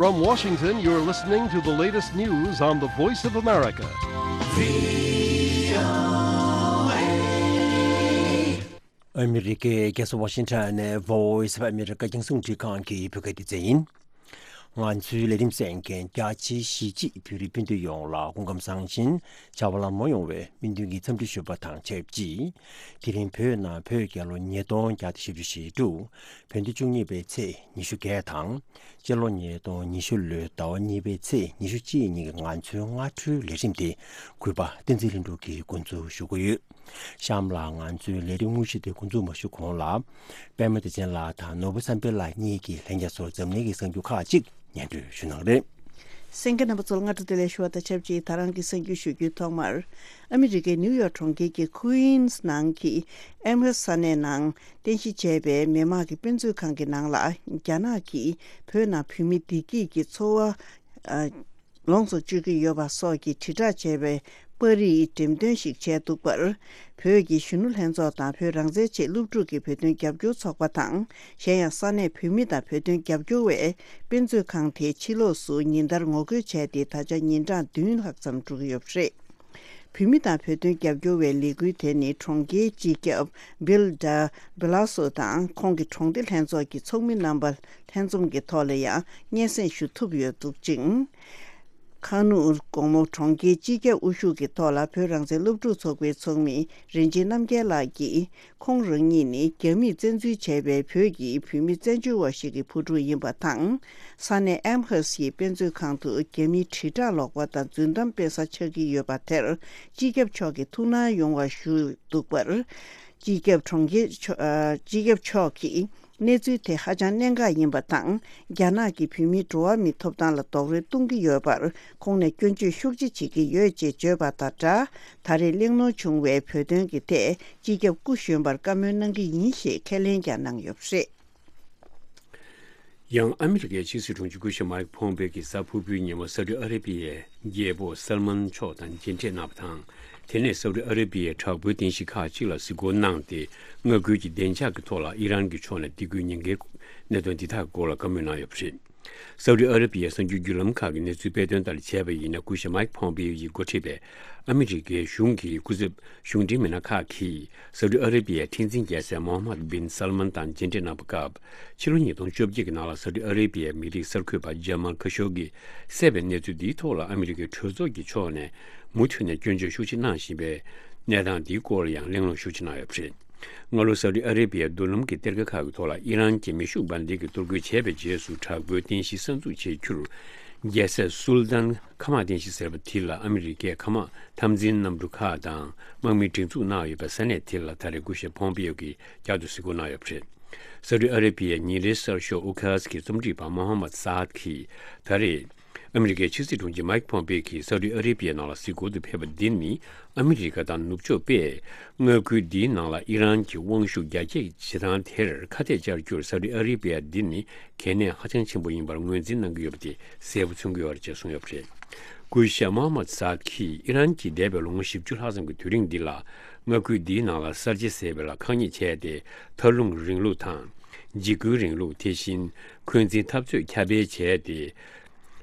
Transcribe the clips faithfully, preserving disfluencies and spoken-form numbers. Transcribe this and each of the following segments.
From Washington, you're listening to the latest news on the Voice of America. ཨ་མི་རི་ཀའི་རྒྱལ་ས་ཝ་ཤིང་ཊོན་ནས་Voice of America རྒྱང་སྲིང་རླུང་འཕྲིན་ཁང་གི་བོད་སྐད་སྡེ་ཚན་ཡིན། ང་ཚོའི་ལས་རིམ་གསན་མཁན་རྒྱ་ཆེའི་གཞིས་བྱེས་བོད་རིགས་སྤུན་ཟླ་ཡོངས་ལ་སྐུ་ཁམས་བཟང་ཞིང་བྱ་བ་ལམ་ལྷོང་ཡོང་བའི་སྨོན་འདུན་གྱི་འཚམས་འདྲི་ཞུ་བ་དང་ཆབས་ཅིག་དེ་རིང་བོད་ནང་བོད་རྒྱལ་ལོ་ཉིས་སྟོང་བརྒྱ་དང་བཞི་བཅུ་ཞེ་དྲུག་བོད་ཟླ་བཅུ་གཉིས་པའི་ཚེས་ཉི་ཤུ་བརྒྱད་དང་། སྤྱི་ལོ་ཉིས་སྟོང་ཉི་ཤུ་ལོའི་ཟླ་བ་གཉིས་པའི་ཚེས་ཉི་ཤུ་གཅིག་ཉིན་གྱི་ང་ཚོའི་སྔ་དྲོའི་ལས་རིམ་དེ་གུས་པ་བསྟན་འཛིན་ལྷུན་གྲུབ་ཀྱིས་འགོ་འཛུགས་ཞུ་གི་ཡོད། གཤམ་ལ་ང་ཚོའི་ལས་རིམ་དངོས་གཞི་དེ་འགོ་འཛུགས་མ་ཞུ་གོང་ལ། པད་མ་བདེ་ཆེན་ལགས་དང་ནོར་བུ་བསམ་འཕེལ་ལགས་གཉིས་ཀྱིས་ལྷན་རྒྱས་ཚོར་འཛམ་གླིང་གི་གསར་འགྱུར་ཁག་ཅིག་སྙན་སྒྲོན་ཞུ་གནང་གི་རེད། གསན་མཁན་རྣམ་པ་ཚོ་ལ་སྔ་དྲོ་བདེ་ལེགས་ཞུ་བ་དང་ཆབས་ཅིག་ད་རང་གི་གསར་འགྱུར་ཞུ་རྒྱུའི་ཐོག་མར། ཨ་མི་རི་ཀའི་ནིའུ་ཡོག་གྲོང་ཁྱེར་གྱི་ཁུའིན་སི་ནང་གི་ཨེམ་ཧེ་སི་ས་གནས་ནང་རྟེན་གཞི་བྱས་པའི་མི་དམངས་ཀྱི་དཔེ་མཛོད་ཁང་གི་ནང་ལ་རྒྱ་ནག་གིས་བོད་ནང་བོད་མི་བདེ་སྐྱིད་ཀྱི་འཚོ་བ། ཨ། ལོངས་སུ་སྤྱོད་ཀྱི་ཡོད་པ་སོགས་ཀྱི་དྲིལ་བསྒྲགས་བྱས་པའི་པར་རིས་འགྲེམས་སྟོན་ཞིག་བྱས་འདུག་པར། བོད་ཀྱི་གཞོན་ནུ་ལྷན་ཚོགས་དང་བོད་རང་བཙན་ཆེད་སློབ་ཕྲུག་གི་བོད་དོན་རྒྱབ་སྐྱོར་ཚོགས་པ་དང་། གཞན་ཡང་ས་གནས་བོད་མི་དང་བོད་དོན་རྒྱབ་སྐྱོར་བས་དཔེ་མཛོད་ཁང་དེའི་ཕྱི་ལོགས་སུ་ཉིན་ལྟར་ངོ་རྒོལ་བྱས་ཏེ་ད་ཆ་ཉིན་གྲངས་བདུན་ལྷག་ཙམ་འགྲོ་གི་ཡོད་པ་རེད། བོད་མི་དང་བོད་དོན་རྒྱབ་སྐྱོར་བའི་ལས་འགུལ་དེ་ནི་གྲོང་ཁྱེར་སྤྱི་ཁྱབ་བིལ་ཌ་བྷི་ལ་སོ་དང་ཁོང་གི་གྲོང་སྡེ་ལྷན་ཚོགས་ཀྱི་ཚོགས་མི་རྣམ་པ་ལྷན་འཛོམས་ཀྱི་ཐོག་ལ་ཡང་སྙན་སེང་ཞུ་ཐུབ་ཡོད་འདུག་ཅིང་། ཁ་ནུ་དགོང་མོ་གྲོང་ཁྱེར་སྤྱི་ཁྱབ་དབུ་བཞུགས་ཀྱི་ཐོག་ལ་བོད་རང་བཙན་སློབ་ཕྲུག་ཚོགས་པའི་ཚོགས་མི་རིན་ཆེན་རྣམ་རྒྱལ་ལགས་ཀྱིས། ཁོང་རང་ཉིད་ནི་རྒྱ་མིས་བཙན་འཛུལ་བྱས་པའི་བོད་ཀྱི་བུད་མེད་བཙན་བྱོལ་བ་ཞིག་གི་བུ་ཕྲུག་ཡིན་པ་དང་། ས་གནས་ཨེམ་ཧེ་སི་ཡི་དཔེ་མཛོད་ཁང་དུ་རྒྱ་མིའི་དྲིལ་བསྒྲགས་ལོག་པ་དང་རྫུན་གཏམ་སྤེལ་ས་ཆགས་ཀྱི་ཡོད་པ་དེར་སྤྱི་ཁྱབ་མཆོག་གིས་ཐུགས་སྣང་ཡོང་བ་ཞུ་འདུག་པར། སྤྱི་ཁྱབ་གྲོང་ཁྱེར་མཆོག་ཨ། སྤྱི་ཁྱབ་མཆོག་གིས་གནས་ཚུལ་དེ་ཧ་ཅང་གནད་འགག་ཡིན་པ་དང་། རྒྱ་ནག་གི་བོད་མིའི་འགྲོ་བ་མིའི་ཐོབ་ཐང་ལ་རྡོག་རོལ་གཏོང་གི་ཡོད་པར་ཁོང་ནས་སྐྱོན་བརྗོད་ཤུགས་ཆེ་བྱེད་ཀྱི་ཡོད་ཅེས་བརྗོད་པ་དང་སྦྲགས། ད་རེས་གླེང་སློང་བྱུང་བའི་བོད་དོན་གྱི་ཐད་སྤྱི་ཁྱབ་སྐུ་གཞོན་པར་བཀའ་མོལ་གནང་གི་ཡིན་ཞེས་ཁས་ལེན་ཀྱང་གནང་ཡོད་པ་རེད། ཡང་ཨ་མི་རི་ཀའི་ཕྱི་སྲིད་དྲུང་ཆེ་སྐུ་ཞབས་མའིག་ཕོམ་པེ་གྱིས་གཟའ་ཕུར་བུའི་ཉིན་མོ་སའུ་ཏི་ཨ་རེ་བི་ཡའི་རྒྱལ་པོ་སལ་མན་མཆོག་དང་མཇལ་འཕྲད་གནང་བ་དང་། དེ་ནས་སའུ་ཏི་ཨ་རེ་བི་ཡའི་དྲག་པོའི་རྟེན་གཞི་ཁག་ཅིག་ལ་གཟིགས་སྐོར་གནང་སྟེ། མངའ་ཁུལ་གྱི་བདེ་འཇགས་ཀྱི་ཐོག་ལ་ཨི་རན་གྱི་ཕྱོགས་ནས་སྡིགས་སྐུལ་ཉེན་ཁའི་གནད་དོན་འདི་དག་སྐོར་ལ་བཀའ་མོལ་གནང་ཡོད་པ་རེད། སའུ་ཏི་ཨ་རེ་བི་ཡའི་གསར་འགྱུར་བརྒྱུད་ལམ་ཁག་གི་གནས་ཚུལ་སྤེལ་དོན་ལྟར་བྱས་པ་ཡིན་ན། སྐུ་ཞབས་མའིག་ཕོམ་པེ་ཡི་འགོ་ཁྲིད་པའི་ཨ་མི་རི་ཀའི་གཞུང་གི་སྐུ་ཚབ་གཞུང་འབྲེལ་མི་སྣ་ཁག་གིས་སའུ་ཏི་ཨ་རེ་བི་ཡའི་ཁྲི་འཛིན་རྒྱལ་སྲས་མོ་ཧམ་མད་བིན་སལ་མན་དང་མཇལ་འཕྲད་གནང་བའི་སྐབས། ཕྱི་ལོ་ཉིས་སྟོང་བཅོ་བརྒྱད་ཀྱི་ནང་ལ་སའུ་ཏི་ཨ་རེ་བི་ཡའི་མི་རིགས་གསར་འགོད་པ་ཇ་མལ་ཁ་ཤོ་གིས་བསད་པའི་གནས་ཚུལ་འདིའི་ཐོག་ལ་ཨ་མི་རི་ཀའི་གྲོས་ཚོགས་ཀྱི་ཕྱོགས་ནས་མུ་མཐུད་ནས་སྐྱོན་བརྗོད་ཤུགས་ཆེ་གནང་བཞིན་པའི་གནས་སྟངས་འདིའི་སྐོར་ལ་ཡང་གླེང་སློང་ཤུགས་ཆེ་གནང་ཡོད་པ་རེད། སྔ་ལོ་སའུ་ཏི་ཨ་རེ་བི་ཡའི་མདུན་ལམ་གྱི་གཏེར་ཁ་ཁག་གི་ཐོག་ལ་ཨི་རན་གྱི་མེ་ཤུགས་འབར་མདེལ་གྱི་གཏོར་རྒོལ་བྱས་པའི་རྗེས་སུ། དྲག་པོའི་རྟེན་གཞི་གསར་འཛུགས་བྱེད་རྒྱུར། རྒྱལ་སྲས་སུལ་ཏཱན་མཁའ་དམག་རྟེན་གཞི་ཟེར་བ་དེ་ལ་ཨ་མི་རི་ཀས་མཁའ་དམག་འཐབ་འཛིང་གནམ་གྲུ་ཁག་དང་དམག་མི་སྒྲེང་འཛུགས་གནང་ཡོད་པའི་ས་གནས་དེ་ལ་ད་རེས་སྐུ་ཞབས་ཕོམ་པེ་ཡོ་གིས་བསྐྱར་དུ་གཟིགས་སྐོར་གནང་ཡོད་པ་རེད། སའུ་ཏི་ཨ་རེ་བི་ཡའི་ཉིན་རེའི་གསར་ཤོག་ཨུ་ཁ་སི་གི་རྩོམ་སྒྲིག་པ་མོ་ཧམ་མད་སཱད་གིས་ད་རེས། ཨ་མི་རི་ཀའི་ཕྱི་སྲིད་དྲུང་ཆེ་མའིག་ཕོམ་པེ་གིས་སའུ་ཏི་ཨ་རེ་བི་ཡའི་ནང་ལ་གཟིགས་སྐོར་དུ་ཕེབས་པ་འདི་ནི། ཨ་མི་རི་ཀ་དང་ནུབ་ཕྱོགས་པས་མངའ་ཁུལ་འདིའི་ནང་ལ་ཨི་རན་གྱི་དབང་ཤུགས་རྒྱ་སྐྱེད་བྱེད་སྟངས་དེར་ཁ་གཏད་བཅར་རྒྱུར་སའུ་ཏི་ཨ་རེ་བི་ཡ་འདི་ནི་གལ་གནད་ཧ་ཅང་ཆེན་པོ་ཡིན་པར་ངོས་འཛིན་གནང་གི་ཡོད་པ་དེ་གསལ་པོ་མཚོན་གྱི་ཡོད་རེད་ཅེས་གསུངས་ཡོད་པ་རེད། སྐུ་ཞབས་མོ་ཧམ་མད་སཱད་ཀྱིས་ཨི་རན་གྱིས་འདས་པའི་ལོ་ངོ་བཞི་བཅུ་ལྷག་ཙམ་གྱི་དུས་རིང་འདི་ལ་མངའ་ཁུལ་འདིའི་ནང་ལ་གསར་བརྗེ་ཟེར་བའི་ལ་ཁག་ཉེས་བྱས་ཏེ། མཐར་ལྷུང་རིང་ལུགས་དང་། འཇིགས་སྐུལ་རིང་ལུགས། དེ་བཞིན་འཁོན་འཛིན་འཐབ་རྩོད་ཁྱབ་སྤེལ་བྱས་ཏེ།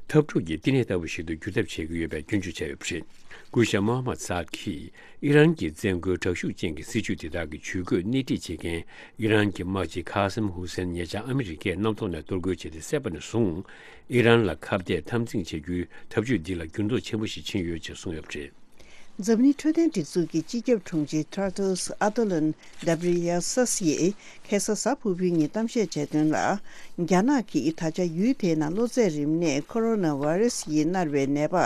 འཐབ་འཁྲུག་གི་བསྟི་གནས་ལྟ་བུ་ཞིག་ཏུ་འགྱུར་ཐབས་བྱེད་ཀྱི་ཡོད་པའི་སྐྱོན་བརྗོད་བྱས་ཡོད་པ་རེད། སྐུ་ཞབས་མོ་ཧམ་མད་སཱད་ཀྱིས་ཨི་རན་གྱི་བཙན་རྒོལ་དྲག་ཤུགས་ཅན་གྱི་སྲིད་བྱུས་དེ་དག་གི་ཇུས་འགོད་སྣེ་ཁྲིད་བྱེད་མཁན་ཨི་རན་གྱི་དམག་སྤྱི་ཁ་སེམ་ཧུ་སེན་ཉེ་ཆར་ཨ་མི་རི་ཀས་གནམ་ཐོག་ནས་གཏོར་རྒོལ་བྱས་ཏེ་བསད་པ་ནས་བཟུང་། ཨི་རན་ལ་ཁ་གཏད་འཐབ་འཛིང་བྱེད་རྒྱུའི་འཐབ་ཇུས་འདི་ལ་འགྱུར་ལྡོག་ཆེན་པོ་ཞིག་ཕྱིན་ཡོད་ཅེས་གསུངས་ཡོད་པ་རེད། འཛམ་གླིང་འཕྲོད་བསྟེན་སྒྲིག་འཛུགས་ཀྱི་སྤྱི་ཁྱབ་དྲུང་ཆེ་ཊེ་ཌྲོས་ཨ་ཏོ་ལོན་གྷེ་བྷི་རི་ཡེ་སི་ཡིས་ཁ་སང་གཟའ་ཕུར་བུའི་ཉིན་གཏམ་བཤད་བྱས་དོན་ལ། རྒྱ་ནག་གིས་ད་ཆ་ཡུལ་དེའི་ནང་གློ་ཚད་རིམས་ནད་ཁོ་རོ་ན་བྷ་རེ་སི་ཡིས་མནར་བའི་ནད་པ་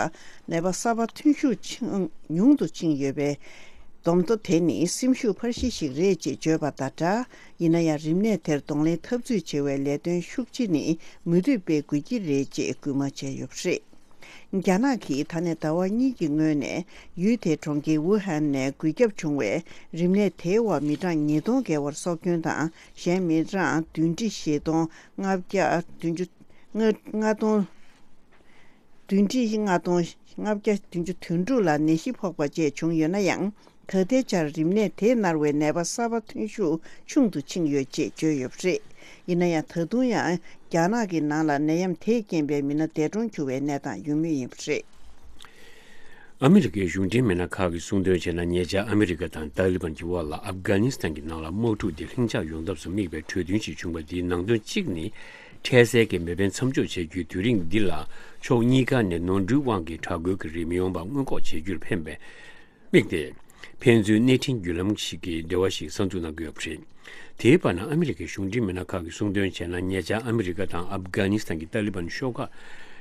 ནད་པ་གསར་པ་ཐོན་ཤུགས་ཆེན་ཉུང་དུ་ཕྱིན་ཡོད་པའི་སྡོམ་ཐོ་དེ་ནི་སེམས་ཤུགས་འཕར་གཞི་ཞིག་རེད་ཅེས་བརྗོད་པ་དང་སྦྲགས། ཡིན་ན་ཡང་རིམས་ནད་དེར་གདོང་ལེན་འཐབ་རྩོད་བྱེད་པའི་ལས་དོན་ཤུགས་ཆེ་ནི་མུ་མཐུད་སྤེལ་དགོས་ཀྱི་རེད་ཅེས་སྐུལ་མ་བྱས་ཡོད་པ་རེད། རྒྱ་ནག་གིས་ད་ནས་ཟླ་བ་གཉིས་ཀྱི་སྔོན་ནས་ཡུལ་དེའི་གྲོང་ཁྱེར་ཝུ་ཧན་ནས་འགོས་ཁྱབ་བྱུང་བའི་རིམས་ནད་དེའི་འོག་མི་གྲངས་ཉིས་སྟོང་བརྒལ་བར་སྲོག་སྐྱོན་དང་གཞན་མི་གྲངས་བདུན་ཁྲི་བཞི་སྟོང་ལྔ་བརྒྱ་བདུན་ཅུ་ལྔ་ལྔ་སྟོང་བདུན་ཁྲི་ལྔ་སྟོང་ལྔ་བརྒྱ་བདུན་ཅུ་དོན་དྲུག་ལ་ནད་གཞི་ཕོག་པ་བཅས་བྱུང་ཡོད་ན་ཡང་། ད་ལྟའི་ཆར་རིམས་ནད་དེས་མནར་བའི་ནད་པ་གསར་པ་ཐོན་ཤུགས་ཆུང་དུ་ཕྱིན་ཡོད་ཅེས་བརྗོད་ཡོད་པ་རེད། ཡིན་ན་ཡང་ད་དུང་ཡང་རྒྱ་ནག་གི་ནང་ལ་ནད་ཡམས་དེས་རྐྱེན་པས་མི་སྣ་འདས་གྲོངས་གྱུར་བའི་གནས་སྟངས་ཡོད་མུས་ཡིན་པ་རེད། ཨ་མི་རི་ཀའི་གཞུང་འབྲེལ་མི་སྣ་ཁག་གིས་གསུངས་དོན་བྱས་ན། ཉེ་ཆར་ཨ་མི་རི་ཀ་དང་ཏཱ་ལི་བན་གྱི་དབར་ལ་ཨབ་གྷ་ནི་སི་ཐན་གྱི་ནང་ལ་དམག་འཁྲུག་འདི་ལྷིང་འཇགས་ཡོང་ཐབས་སུ་དམིགས་པའི་གྲོས་མཐུན་ཞིག་བྱུང་བ་འདིའི་ནང་དོན་གཅིག་ནི། འཕྲལ་སེལ་གྱི་མེ་འཕེན་མཚམས་འཇོག་བྱེད་རྒྱུའི་དུས་རིང་འདི་ལ་ཕྱོགས་གཉིས་ཀ་ནས་ནོར་འཁྲུལ་དབང་གིས་དྲག་རྒོལ་གྱི་རིགས་མི་ཡོང་བ་སྔོན་འགོག་བྱེད་རྒྱུར་ཕན་པའི་དམིགས་ཏེ། ཕན་ཚུན་སྣེ་ཁྲིད་བརྒྱུད་ལམ་ཞིག་གི་འབྲེལ་བ་ཞིག་གསར་འཛུགས་གནང་གི་ཡོད་པ་རེད། དེའི་བར་ན་ཨ་མི་རི་ཀའི་གཞུང་འབྲེལ་མི་སྣ་ཁག་གིས་གསུངས་དོན་བྱས་ན། ཉེ་ཆར་ཨ་མི་རི་ཀ་དང་ཨབ་གྷ་ནི་སི་ཐན་གྱི་ཏཱ་ལི་བན་ཤོག་ཁག་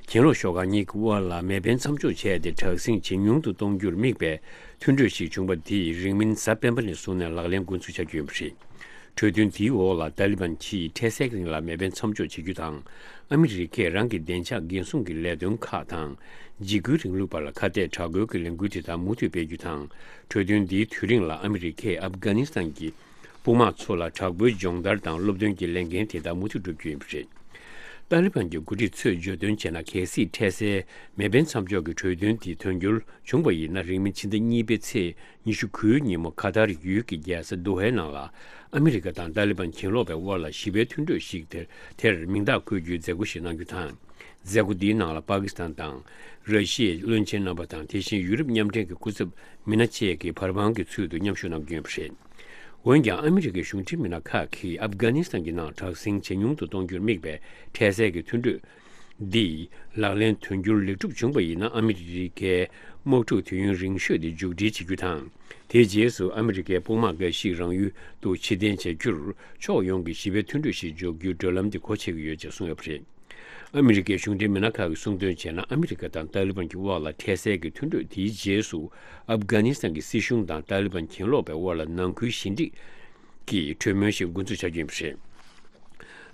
གྱེན་ལོག་ཤོག་ཁག་གཉིས་ཀྱི་དབར་ལ་མེ་འཕེན་མཚམས་འཇོག་བྱས་ཏེ། དྲག་ཟིང་ཇེ་ཉུང་དུ་གཏོང་རྒྱུར་དམིགས་པའི་མཐུན་གྲོས་ཤིག་བྱུང་བ་དེ་རིང་མིན་གཟའ་སྤེན་པ་ནས་བཟུང་ནས་ལག་ལེན་འགོ་འཛུགས་བྱ་རྒྱུ་ཡིན་པ་རེད། གྲོས་མཐུན་དེའི་འོག་ལ་ཏཱ་ལི་བན་གྱིས་འཕྲལ་སེལ་གྱི་རིང་ལ་མེ་འཕེན་མཚམས་འཇོག་བྱེད་རྒྱུ་དང་། ཨ་མི་རི་ཀས་རང་གི་བདེ་འཇགས་འགན་སྲུང་གི་ལས་དོན་ཁག་དང་། འཇིགས་སྐུལ་རིང་ལུགས་བར་ལ་ཁ་གཏད་དྲག་རྒོལ་གྱི་ལས་འགུལ་དེ་དག་མུ་མཐུད་སྤེལ་རྒྱུ་དང་། གྲོས་མཐུན་འདིའི་དུས་རིང་ལ་ཨ་མི་རི་ཀས་ཨབ་གྷ་ནི་སི་ཐན་གྱི་དཔུང་དམག་ཚོ་ལ་དྲག་པོའི་སྦྱོང་བརྡར་དང་སློབ་སྟོན་གྱི་ལས་འགན་དེ་དག་མུ་མཐུད་བསྒྲུབ་རྒྱུ་ཡིན་པ་རེད། ཏཱ་ལི་བན་གྱི་འགོ་ཁྲིད་ཚོས་བརྗོད་དོན་བྱས་ན། གལ་སྲིད་འཕྲལ་སེལ་མེ་འཕེན་མཚམས་འཇོག་གི་གྲོས་མཐུན་དེ་དོན་འཁྱོལ་བྱུང་བ་ཡིན་ན། རིང་མིན་ཕྱི་ཟླ་གཉིས་པའི་ཚེས་ཉི་ཤུ་དགུའི་ཉིན་མོ་ཁ་ཐར་ཡུལ་གྱི་རྒྱལ་ས་དོ་ཧའི་ནང་ལ་ཨ་མི་རི་ཀ་དང་ཏཱ་ལི་བན་གྱེན་ལོག་པའི་དབར་ལ་ཞི་བའི་མཐུན་གྲོས་ཤིག་དེར་དེར་མིང་རྟགས་འཁོད་རྒྱུའི་མཛད་སྒོ་ཞིག་གནང་རྒྱུ་དང་། མཛད་སྒོ་འདིའི་ནང་ལ་པ་ཀི་སི་ཐན་དང་ར་ཤི་ཡའི་བློན་ཆེན་རྣམ་པ་དང་། དེ་བཞིན་ཡུ་རོབ་མཉམ་འབྲེལ་གྱི་སྐུ་ཚབ་མི་སྣ་བཅས་ཀྱིས་བར་དཔང་གི་ཚུལ་དུ་མཉམ་ཞུགས་གནང་རྒྱུ་ཡིན་པ་རེད། འོན་ཀྱང་ཨ་མི་རི་ཀའི་གཞུང་འབྲེལ་མི་སྣ་ཁག་གིས་ཨབ་གྷ་ནི་སི་ཐན་གྱི་ནང་དྲག་ཟིང་ཇེ་ཉུང་དུ་གཏོང་རྒྱུར་དམིགས་པའི་འཕྲལ་སེལ་གྱི་མཐུན་གྲོས་འདི་ལག་ལེན་དོན་འཁྱོལ་ལེགས་གྲུབ་བྱུང་བ་ཡིན་ན། ཨ་མི་རི་ཀའི་དམག་འཁྲུག་དུས་ཡུན་རིང་ཤོས་དེ་མཇུག་སྒྲིལ་བྱེད་རྒྱུ་དང་། དེའི་རྗེས་སུ་ཨ་མི་རི་ཀའི་དཔུང་དམག་འགའ་ཞིག་རང་ཡུལ་དུ་ཕྱིར་འཐེན་བྱ་རྒྱུར་ཕྱོགས་ཡོངས་ཀྱི་ཞི་བའི་མཐུན་གྲོས་ཤིག་འཇོག་རྒྱུའི་བགྲོད་ལམ་དེ་སྒོ་ཕྱེ་གི་ཡོད་ཅེས་གསུངས་ཡོད་པ་རེད། ཨ་མི་རི་ཀའི་གཞུང་འབྲེལ་མི་སྣ་ཁག་གིས་གསུངས་དོན་བྱས་ན། ཨ་མི་རི་ཀ་དང་ཏཱ་ལི་བན་གྱི་དབར་ལ་འཕྲལ་སེལ་གྱི་མཐུན་གྲོས་དེའི་རྗེས་སུ། ཨབ་གྷ་ནི་སི་ཐན་གྱི་སྲིད་གཞུང་དང་ཏཱ་ལི་བན་གྱེན་ལོག་པའི་དབར་ལ་ནང་ཁུལ་ཞི་འགྲིག་གི་གྲོས་མོལ་ཞིག་འགོ་འཛུགས་བྱ་རྒྱུ་ཡིན་པ་རེད།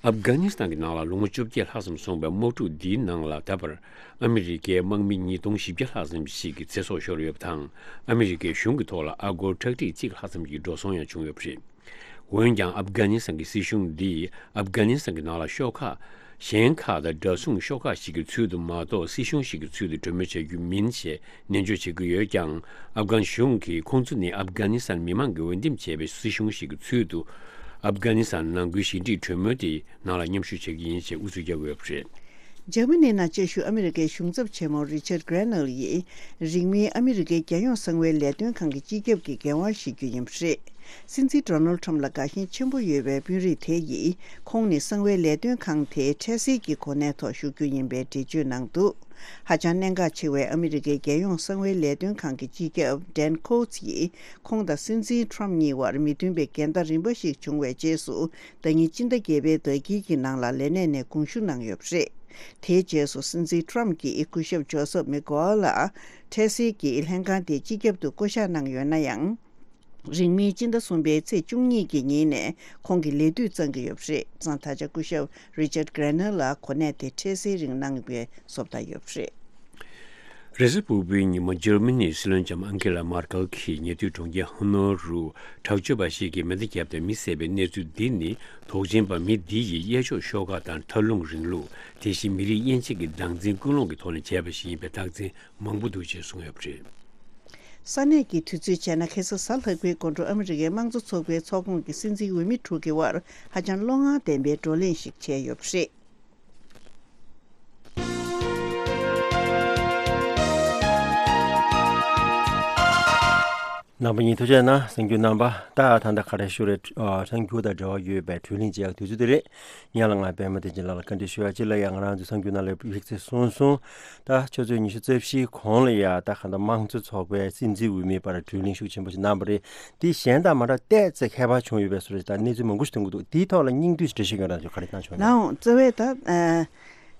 ཨབ་གྷ་ནི་སི་ཐན་གྱི་ནང་ལ་ལོ་ངོ་བཅོ་བརྒྱད་ལྷག་ཙམ་སོང་བའི་དམག་འཁྲུག་འདིའི་ནང་ལ། ད་བར་ཨ་མི་རི་ཀའི་དམག་མི་ཉིས་སྟོང་བཞི་བརྒྱ་ལྷག་ཙམ་ཞིག་གི་ཚེ་སྲོག་ཤོར་ཡོད་པ་དང་། ཨ་མི་རི་ཀའི་གཞུང་གི་ཐོག་ལ་ཨ་སྒོར་ཁྲག་ཁྲིག་གཅིག་ལྷག་ཙམ་གྱི་འགྲོ་སོང་ཡང་བྱུང་ཡོད་པ་རེད། འོན་ཀྱང་ཨབ་གྷ་ནི་སི་ཐན་གྱི་སྲིད་གཞུང་འདིས་ཨབ་གྷ་ནི་སི་ཐན་གྱི་ནང་ལ་ཤོག་ཁག་གཞན་ཁག་དང་འདྲ་མཚུངས་ཤོག་ཁག་ཞིག་གི་ཚུལ་དུ་མ་གཏོགས། སྲིད་གཞུང་ཞིག་གི་ཚུལ་དུ་གྲོས་མོལ་བྱ་རྒྱུ་མིན་ཞེས་ནན་བརྗོད་བྱེད་ཀྱི་ཡོད་ཀྱང་། ཨབ་གྷན་གཞུང་གིས་ཁོང་ཚོ་ནི་ཨབ་གྷ་ནི་སི་ཐན་མི་མང་གིས་འོས་འདེམས་བྱས་པའི་སྲིད་གཞུང་ཞིག་གི་ཚུལ་དུ་ཨབ་གྷ་ནི་སི་ཐན་ནང་ཁུལ་ཞི་འགྲིག་གྲོས་མོལ་དེའི་ནང་ལ་མཉམ་ཞུགས་བྱེད་ཀྱི་ཡིན་ཞེས་ཨུ་ཚུགས་རྒྱག་གི་ཡོད་པ་རེད། འཇར་མ་ནི་ནང་བཅའ་བཞུགས་ཨ་མི་རི་ཀའི་གཞུང་ཚབ་ཆེན་མོ་རི་ཆར་གྷ་རེ་ནལ་ཡིས། རིང་མིན་ཨ་མི་རི་ཀའི་རྒྱལ་ཡོངས་གསང་བའི་ལས་དོན་ཁང་གི་སྤྱི་ཁྱབ་ཀྱི་འགན་དབང་བཞེས་རྒྱུ་ཡིན་པ་རེད། སྲིད་འཛིན་ཌོ་ནལ་ཊམ་ལ་དགའ་ཞེན་ཆེན་པོ་ཡོད་པའི་དཔོན་རིགས་དེ་ཡིས། ཁོང་ནི་གསང་བའི་ལས་དོན་ཁང་དེའི་འཕྲལ་སེལ་གྱི་གོ་གནས་ཐོག་བཞུགས་རྒྱུ་ཡིན་པའི་འགྲེལ་བརྗོད་གནང་འདུག་ཧ་ཅང་གནད་འགག་ཆེ་བའི་ཨ་མི་རི་ཀའི་རྒྱལ་ཡོངས་གསང་བའི་ལས་དོན་ཁང་གི་སྤྱི་ཁྱབ་ཌན་ཁོ་ཊི་ཡིས། ཁོང་དང་སྲིད་འཛིན་ཊམ་གཉིས་བར་མི་མཐུན་པའི་འགལ་ཟླ་རིམ་པ་ཞིག་བྱུང་བའི་རྗེས་སུ། ཟླ་ཉིན་སྤྱི་ཟླ་བརྒྱད་པའི་ཟླ་དཀྱིལ་གྱི་ནང་ལ་ལས་གནས་ནས་དགོངས་ཞུ་གནང་ཡོད་པ་རེད། དེའི་རྗེས་སུ་སྲིད་འཛིན་ཊམ་གྱིས་སྐུ་ཞབས་ཇོ་སབ་མེག་གྷོ་ཝེལ་ལ་འཕྲལ་སེལ་གྱི་ལྷན་ཁང་དེའི་སྤྱི་ཁྱབ་ཏུ་བསྐོ་གཞག་གནང་ཡོད་ན་ཡང་། རིང་མིན་སྤྱི་ཟླ་གསུམ་པའི་ཚེས་བཅུ་གཉིས་ཀྱི་ཉིན་ནས་ཁོང་གི་ལས་དུས་གཙང་གི་ཡོད་པ་རེད། གཙང་ད་ཆ་སྐུ་ཞབས་རི་ཆར་གྷ་རེ་ནལ་ལ་གོ་གནས་དེ་འཕྲལ་སེལ་རིང་གནང་བའི་བཟོ་ལྟ་ཡོད་པ་རེད། རེས་གཟའ་ཕུར་བུའི་ཉིན་མོ་འཇར་མ་ནིའི་སྲིད་བློན་ལྕམ་ཨན་ཁེ་ལ་མར་ཀལ་གྱིས་ཉེ་དུས་གྲོང་ཁྱེར་ཧ་ནོ་རུ་དྲག་སྤྱོད་པ་ཞིག་གིས་མེ་མདའ་བརྒྱབ་སྟེ་མི་བསད་པའི་གནས་ཚུལ་འདི་ནི། དོགས་ཅན་པ་མི་འདི་ཡིས་གཡས་ཕྱོགས་ཤོག་ཁག་དང་མཐར་ལྷུང་རིང་ལུགས། དེ་བཞིན་མི་རིགས་དབྱེ་འབྱེད་ཀྱི་སྡང་འཛིན་ཀུན་སློང་གི་ཐོག་ནས་བྱས་པ་ཞིག་ཡིན་པའི་རྟགས་མཚན་མང་པོ་འདུག་ཅེས་གསུངས་ཡོད་པ་རེད། ས་གནས་ཀྱི་དུས་ཚོད་བྱས་ན་ཁ་སང་གཟའ་ལྷག་པའི་དགོང་དྲོ་ཨ་མི་རི་ཀའི་དམངས་གཙོ་ཚོགས་པའི་ཚོགས་ཁོངས་ཀྱི་སྲིད་འཛིན་འོས་མི་དྲུག་གི་དབར་ཧ་ཅང་བློ་ངར་ལྡན་པའི་བགྲོ་གླེང་ཞིག་བྱས་ཡོད་པ་རེད། རྣམ་པ་གཉིས་ཐུགས་རྗེ་གནང་། གསར་འགྱུར་རྣམ་པ་ད་ད་ལྟ་ག་རེ་ཞུ་རེད། ཨ། གསར་འགྱུར་དང་འབྲེལ་བ་ཡོད་པའི་བགྲོ་གླེང་བྱེད་ཡག་དུས་ཚོད་དེ་རེད། ངས་ལ་ང་པད་མ་བསྟན་འཛིན་ལགས་ལ་བཀའ་འདྲི་ཞུ་ཡག་ཅིག་ལ་ཡང་ང་རང་ཚོའི་གསར་འགྱུར་ནང་ལ་ཡིག་ཚད་གསུངས་སོང་། ད་ཆུ་ཚོད་ཉི་ཤུ་རྩ་བཞིའི་གོང་ལ་ཡ་ད་ག་ད་དམངས་གཙོ་ཚོགས་པའི་སྲིད་འཛིན་འོས་མིའི་བར་བགྲོ་གླེང་ཤུགས་ཆེན་པོ་ཞིག་གནང་བ་རེད། དེ་གཞན་དང་མ་འདྲ་ཏོག་ཙམ་ཁྱད་པར་བྱུང་ཡོད་པའི་བཟོ་འདྲ་ཞིག་དང་གནས་ཚུལ་མང་པོ་ཞིག་ཐོན་གྱི་འདུག་དེའི་ཐོག་ལ་སྙིང་བསྡུས་ཤིག་འགྲེལ་བཤད་ཡོད་ན་ཁྱོད་ག་རེ་གནང་ཆོག་ན། ལའང་རྩ་བའི་ད་ཨ།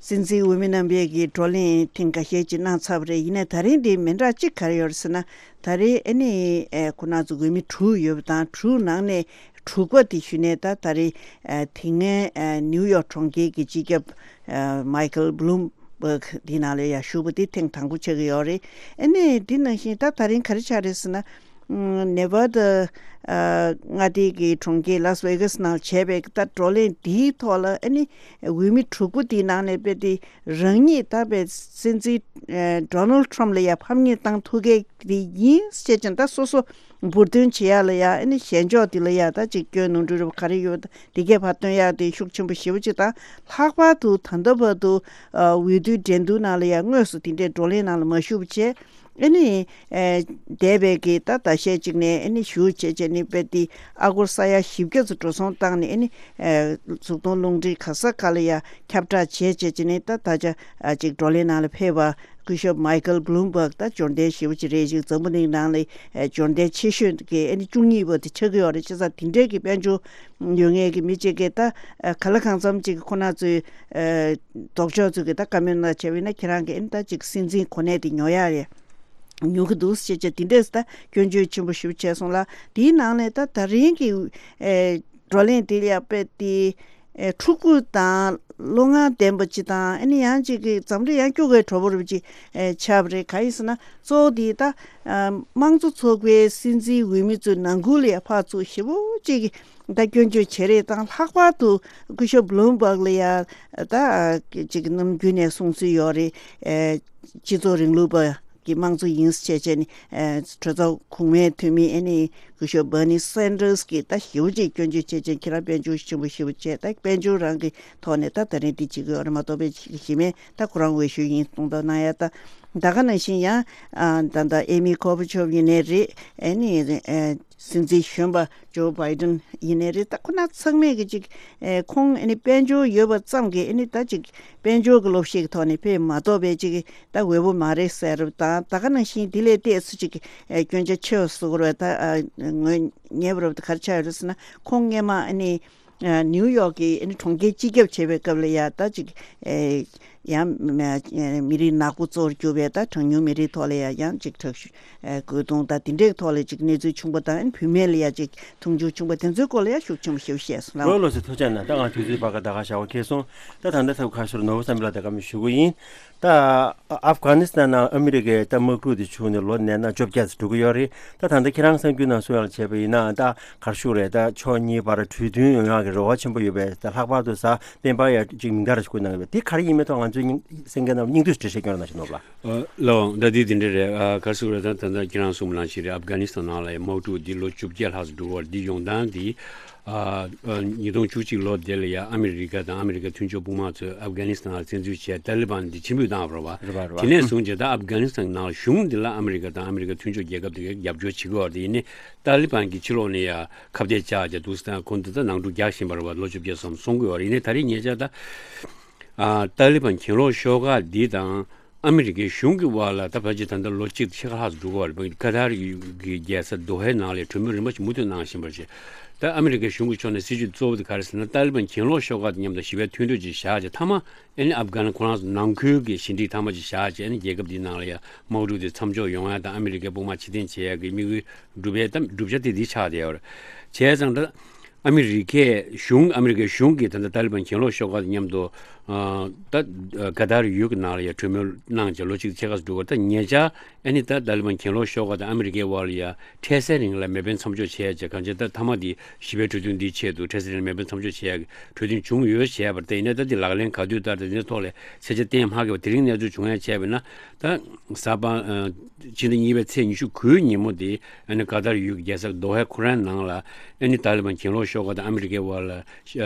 སྲིད་འཛིན་འོས་མི་རྣམ་པས་ཀྱི་བགྲོ་གླེང་ཐེངས་འགའ་ཤས་ཅིག་གནང་ཚར་བ་རེད། ཡིན་ནའི་ད་རིང་འདི་མི་འདྲ་གཅིག་ག་རེ་ཡོད་རེད་ཟེར་ན། ད་རེས་ཨ་ནི་ཨེ་ཁོ་རང་ཚོ་འོས་མི་དྲུག་ཡོད་པ་དང་། དྲུག་ནང་ནས་དྲུག་པ་དེ་ཞུས་ནས་ད་ད་རེས་ཨེ་དེ་སྔའི་ཨེ་ནིའུ་ཡོག་གྲོང་ཁྱེར་གྱི་སྤྱི་ཁྱབ་ཨེ་མའི་ཁལ་བྷི་ལུམ་བྷག་དེ་ནང་ལ་ཡང་ཞུགས་པ་དེ་ཐེངས་དང་པོ་ཆགས་ཀྱི་ཡོད་རེད། ཨ་ནི་དེ་ནང་བཞིན་ད་ད་རིང་ག་རེ་ཆགས་རེད་ཟེར་ན། ནེ་ཝ་ཌ་མངའ་སྡེ་གི་གྲོང་ཁྱེར་ལཱ་སི་ཝེ་གཱ་སི་ནང་བྱས་པའི་ད་བགྲོ་གླེང་འདིའི་ཐོག་ལ་ཨ་ནི་འོས་མི་དྲུག་པོ་དེའི་ནང་ནས་དཔེ་དེ་རང་ཉིད་ད་དཔེ་སྲིད་འཛིན་ཌོ་ནལ་ཊམ་ལ་ཡ་ཕམ་ཉེས་བཏང་ཐུབ་མཁན་དེ་ཡིན་ཟེར་བྱས་ད་སོ་སོ་འབུར་འདོན་བྱེད་ཡ་ལ་ཡ་ཨ་ནི་ཞལ་འཇོག་དེ་ལ་ཡ་ད་ཅིག་སྐྱོན་ནོར་འཁྲུལ་རེ་བ་ག་རེ་ཡོད་དེ་གས་ཕར་སྟོན་ཡ་དེ་ཤུགས་ཆེན་པོ་ཞེ་པོ་ཅིག་དང་། ལྷག་པར་དུ་ད་ལྟ་བར་དུ་འོས་བསྡུའི་འགྲན་བསྡུར་ནང་ལ་ཡང་དངོས་སུ་དེ་འདྲའི་བགྲོ་གླེང་ནང་ལ་མ་ཞུགས་པ་བྱས། ཨ་ནི་འདས་པའི་གི་ད་ཟླ་ཤས་ཅིག་ནས་ཨ་ནི་ཞུ་བྱས་བྱས་ནས་དཔེ་དེ་ཨ་སྒོར་ས་ཡ་བཞི་བརྒྱ་ཙམ་འགྲོ་སོང་བཏང་ནས་ཨ་ནི་གཟུགས་མཐོང་རླུང་འཕྲིན་ག་ས་ག་ལ་ཡང་ཁྱབ་བསྒྲགས་བྱས་བྱས་བྱས་ནས་ད་ད་ཆ་ཅིག་བགྲོ་གླེང་ནང་ལ་ཕེབས་པ། སྐུ་ཞབས་མའི་ཀལ་བྷ་ལུམ་བྷག་ད་འབྱོར་ལྡན་ཞེ་པོ་ཅིག་རེད། ཅིག་འཛམ་བུ་གླིང་ནང་ལ་འབྱོར་ལྡན་ཆེ་ཤོས་ཀྱི་ཨ་ནི་བཅུ་གཉིས་པ་དེ་ཆགས་ཀྱི་ཡོད་རེད། བྱས་ཙང་དེ་འདྲའི་གི་དཔལ་འབྱོར་ཡོད་མཁན་གྱི་མི་གཅིག་གིས་ད་ག་ལ་གང་འཚམ་ཅིག་ཁོ་ན་ཚོའི་ལྡོག་ཕྱོགས་ཚོས་ཀྱི་ད་བཀའ་མོལ་གནང་བྱས་པ་ཡིན་ན་ཁྱེད་རང་གིས་ཨ་ནི་ད་ཅིག་སྲིད་འཛིན་གོ་གནས་དེ་ཉོ་ཡག་རེད། ཉོ་གི་འདུག་ཅེས་བྱས་དེ་འདྲས་ད་སྐྱོན་བརྗོད་ཆེན་པོ་ཞིག་བྱས་སོང་ལ། དེའི་ནང་ནས་ད་ད་རིང་གི་བགྲོ་གླེང་དེ་ལ་དཔེ་དེ། ཨེ་ཕྲུ་གུ་དང་བློ་ངར་ལྡན་པ་ཅིག་དང་ཨ་ནི་ཡང་ཅིག་གི་འཛམ་གླིང་ཡང་སྐྱོ་གའི་གྲོགས་པོ་རུ་ཅིག་ཨེ་ཆགས་པ་རེད། ག་ཡིན་ཟེར་ན་གཙོ་བོ་དེ་ད་ཨ་དམངས་གཙོ་ཚོགས་པའི་སྲིད་འཛིན་འོས་མི་ཚོའི་ནང་ཁུལ་ལ་ཡ་ཕར་ཚུར་ཞེ་པོ་ཅིག་གི་ད་སྐྱོན་བརྗོད་བྱེད་རེས་དང་། ལྷག་པར་དུ་སྐུ་ཞབས་བྷ་ལུམ་བྷག་ལ་ཡ་ད་ཅིག་ནམ་རྒྱུན་ནས་གསུང་སྲོལ་ཡོད་རེད། ཨེ་སྤྱི་ཚོགས་རིང་ལུགས་པ། གི་དམངས་གཙོ་ཡིན་ཟེར་བྱས་བྱས་ནས་ཨེ་གྲོས་ཚོགས་གོང་མའི་འཐུས་མི་ཨ་ནི་སྐུ་ཞབས་Bernie Sanders་གིས་ད་ཞེ་པོ་ཅིག་སྐྱོན་བརྗོད་བྱས་བྱས། ཁྱེད་རང་དཔལ་འབྱོར་ཆེན་པོ་ཞེ་པོ་བྱས། ད་དཔལ་འབྱོར་རང་གི་ཐོག་ནས་ད་ད་རིང་འདི་བྱེད་ཀྱི་ཡོད་རེད་མ་གཏོགས་པའི་གཞི་མེད། ད་ཁོ་རང་འོས་ཤོག་ཡིན་གཏོང་ཐབས་གནང་ཡ། ད་ད་ག་ནང་བཞིན་ཡང་ཨ་ད་ད་ཨེ་མི་ཁོ་བྷ་ཆོབ་ཡིན་ནའི་རེད། ཨ་ནི་ཨེ་སྲིད་འཛིན་གཞོན་པ་ཇོ་བྷའི་ཌེན་ཡིན་ནའི་རེད། ད་ཁོ་ན་ཚང་མས་གི་ཅིག་ཨེ་ཁོང་ཨ་ནི་དཔལ་འབྱོར་ཡོད་པ་ཙམ་གྱིས་ཨ་ནི་ད་ཅིག་དཔལ་འབྱོར་གྱི་ལོབས་ཤིག་གི་ཐོག་ནས་ཕེབས་མ་གཏོགས་པའི་ཅིག་ད་འོས་པོ་མ་རེད་ཟེར་བ་དང་། ད་ག་ནང་བཞིན་དེ་ལས་ཏོག་ཙམ་ཅིག་ཨེ་སྐྱོན་ཆ་ཆེ་བ་བཟོ་དགོས་རེད། ད་ཨ་ངོས་ཉེ་བར་དུ་ག་རེ་ཆགས་ཡོད་རེད་ཟེར་ན། ཁོང་སྔས་མ་ཨ་ནི་ཨ་ནིའུ་ཡོག་གི་ཨ་ནི་གྲོང་ཁྱེར་སྤྱི་ཁྱབ་བྱེད་པའི་སྐབས་ལ་ཡ་ད་ཅིག་ཨེ་ཡང་མི་རིགས་ནག་པོ་གཙོ་བོར་གྱུར་པའི་ད་གྲངས་ཉུང་མི་རིགས་ཐོག་ལ་ཡ་ཡང་ཅིག་དྲག་ཤུགས་རྒོལ་རྡུང་དང་དེ་འདྲའི་ཐོག་ལ་ཅིག་གནས་ཚུལ་བྱུང་པ་དང་། ཨ་ནི་བུད་མེད་ལ་ཡ་ཅིག་མཐོང་ཆུང་བྱུང་པ་དེ་ཚོའི་སྐོར་ལ་ཡ་ཤུགས་ཆེན་པོ་ཞེ་པོ་བཤད་སོང་ལགས། ལགས་སོ། ཐུགས་རྗེ་གནང་། ད་ང་དུས་ཚོད་བར་ཀ་ད་ག་ཞག་པ་འཁེལ་སོང་། ད་ད་ལྟ་ཐབས་ཁ་ཤོར་ནོར་བུ་བསམ་འཕེལ་ལགས་ད་བཀའ་མོལ་ཞུ་གི་ཡིན། ད་ཨབ་གྷ་ནི་སི་ཐན་ནང་ཨ་མི་རི་ཀའི་ད་དམག་འཁྲུག་དེ་བྱུང་ནས་ལོ་ནས་ན་བཅོ་བརྒྱད་ཙམ་འགྲོ་གི་ཡོད་རེད། ད་ད་ལྟ་ཁྱེད་རང་གསར་འགྱུར་ནང་གསུང་ཡག་བྱས་པ་ཡིན་ན་ད་ག་རེ་ཞུ་དགོས་རེད། ད་ཕྱོགས་གཉིས་བར་གྲོས་མཐུན་ཡོང་ཡག་གི་རེ་བ་ཆེན་པོ་ཡོད་པས། ད་ལྷག་པར་དུ་གཟའ་སྤེན་པ་ཡ་ཅིག་མིང་བརྡ་རེ་ཞིག་བཀོད་གནང་ཡོད་པས། དེ་ག་རེ་ཡིན་མིན་ཐོག་ང་ཚོའི་སྙིང་གསན་མཁན་རྣམས་སྙིང་བསྡུས་ཤིག་འགྲེལ་བཤད་སྐྱོན་རོགས་གནང་ཞུ་ནོར་བུ་ལགས། ཨ་ལགས་འོང་། ད་འདི་འདི་འདྲ་རེད། ཨ་ག་རེ་ཞུ་དགོས་རེད། ད་ད་ལྟ་ཁྱེད་རང་གསུངས་པ་ནང་བཞིན་རེད། ཨབ་གྷ་ནི་སི་ཐན་ནང་ལ་ཡ་དམག་འཁྲུག་འདི་ལོ་བཅོ་བརྒྱད་ལྷག་ཙམ་འགྲོ་བར་འདི་ཡོང་སྟངས་འདི། ཨ་ཨ་ཉིས་སྟོང་བཅུ་གཅིག་ལོ་དེ་ལ་ཡ་ཨ་མི་རི་ཀ་དང་ཨ་མི་རི་ཀའི་མཐུན་ཕྱོགས་དཔུང་དམག་ཚོས་ཨབ་གྷ་ནི་སི་ཐན་ལ་བཙན་འཛུལ་བྱས། ཏཱ་ལི་བན་འདི་ཕྱིར་འབུད་བཏང་བ་རེད་པ། རེད་པ་རེད་པ། དེ་ནས་བཟུང་བྱས་ད་ཨབ་གྷ་ནི་སི་ཐན་ནང་ལ་གཞུང་འདི་ལ་ཨ་མི་རི་ཀ་དང་ཨ་མི་རི་ཀའི་མཐུན་ཕྱོགས་རྒྱལ་ཁབ་དེ་གས་རྒྱབ་སྐྱོར་བྱེད་ཀྱི་ཡོད་རེད། ཡིན་ནའི་ཏཱ་ལི་བན་གྱིས་ཕྱི་ལོགས་ནས་ཡ་ཁ་གཏད་བཅག་བྱས་འདུག་སེ་ད་ཁོང་འདི་ད་ནང་འཁྲུག་རྒྱག་བཞིན་པ་རེད་པ། ལོ་བཅོ་བརྒྱད་ཙམ་སོང་གི་ཡོད་རེད། ཡིན་ནའི་ད་རེས་ཉེ་ཆར་ད་ཨ་ཏཱ་ལི་བན་གྱེན་ལོག་ཤོག་ཁག་འདི་དང་ཨ་མི་རི་ཀའི་གཞུང་གི་དབར་ལ་ད་ཕལ་ཆེར་ད་ལྟ་ལོ་གཅིག་ཕྱེད་ཀ་ལྷག་ཙམ་འགྲོ་གི་ཡོད་རེད་པ། ཀ་ཏར་ཡུལ་གྱི་རྒྱལ་ས་དོ་ཧའི་ནང་ལ་གྲོས་མོལ་རིམ་པ་ཞིག་མུ་མཐུད་གནང་བཞིན་པ་རེད། ད་ཨ་མི་རི་ཀའི་གཞུང་གི་ཕྱོགས་ནས་སྲིད་ཇུས་གཙོ་བོ་དེ་ག་རེ་ཟེར་ན། ཏཱ་ལི་བན་གྱེན་ལོག་ཤོག་ཁག་དང་མཉམ་དུ་ཞི་བའི་མཐུན་གྲོས་ཅིག་བཞག་བྱས། མཐའ་མ་ཨ་ནི་ཨབ་གྷ་ནི་ཁོ་རང་ཚོ་ནང་ཁུལ་གྱི་ཞི་འགྲིག་མཐའ་མ་ཅིག་བཞག་བྱས། ཨ་ནི་རྒྱལ་ཁབ་འདིའི་ནང་ལ་ཡ་དམག་འཁྲུག་དེ་མཚམས་འཇོག་ཡོང་ཡ་དང་། ཨ་མི་རི་ཀའི་དཔུང་དམག་ཕྱིར་འཐེན་བྱེད་ཡ་གི་དམིགས་ཡུལ་སྒྲུབ་ཡའི་ད་བསྒྲུབ་བྱ་དེ་འདི་ཆགས་བསྡད་ཡོད་རེད། བྱས་ཙང་ད་ཨ་མི་རི་ཀའི་གཞུང་ཨ་མི་རི་ཀའི་གཞུང་གིས་ད་ལྟ་ཏཱ་ལི་བན་གྱེན་ལོག་ཤོག་ཁག་དང་མཉམ་དུ་ཨ་ད་ཀ་ཏར་ཡུལ་གྱི་ནང་ལ་ཡ་གྲོས་མོལ་གནང་བྱས་ལོ་གཅིག་ཕྱེད་ཀ་ཙམ་འགྲོ་གི་རེད། ད་ཉེ་ཆར་ཨ་ནི་ད་ཏཱ་ལི་བན་གྱེན་ལོག་ཤོག་ཁག་དང་ཨ་མི་རི་ཀའི་དབར་ལ་ཡ་འཕྲལ་སེལ་རིང་ལ་མེ་འཕེན་མཚམས་འཇོག་བྱས་བྱས། གང་ཅི་ད་མཐའ་མ་དེ་ཞི་བའི་གྲོས་མཐུན་འདིའི་ཆེད་དུ་འཕྲལ་སེལ་རིང་ལ་མེ་འཕེན་མཚམས་འཇོག་བྱས་ཡ་གི་གྲོས་མཐུན་བྱུང་ཡོད་བྱས་པ་རེད། ད་ཡིན་ནའི་ད་དེ་ལག་ལེན་ག་དུས་བསྟར། ད་དེ་ཚོའི་ཐོག་ལ་ཚད་ཆ་གཏན་མ་འཁེལ་བ་དེ་རིང་གནས་ཚུལ་བྱུང་ཡ་བྱས་པ་ཡིན་ན། ད་གཟའ་པ་ཨ་ཕྱི་ཟླ་གཉིས་པའི་ཚེས་ཉི་ཤུ་དགུའི་ཉིན་མོ་དེ་ཨ་ནི་ཀ་ཏར་ཡུལ་གྱི་རྒྱལ་ས་དོ་ཧའི་ཁོ་རའི་ནང་ལ་ཨ་ནི་ཏཱ་ལི་བན་གྱེན་ལོག་ཤོག་ཁག་དང་ཨ་མི་རི་ཀའི་དབར་ལ་ཨ་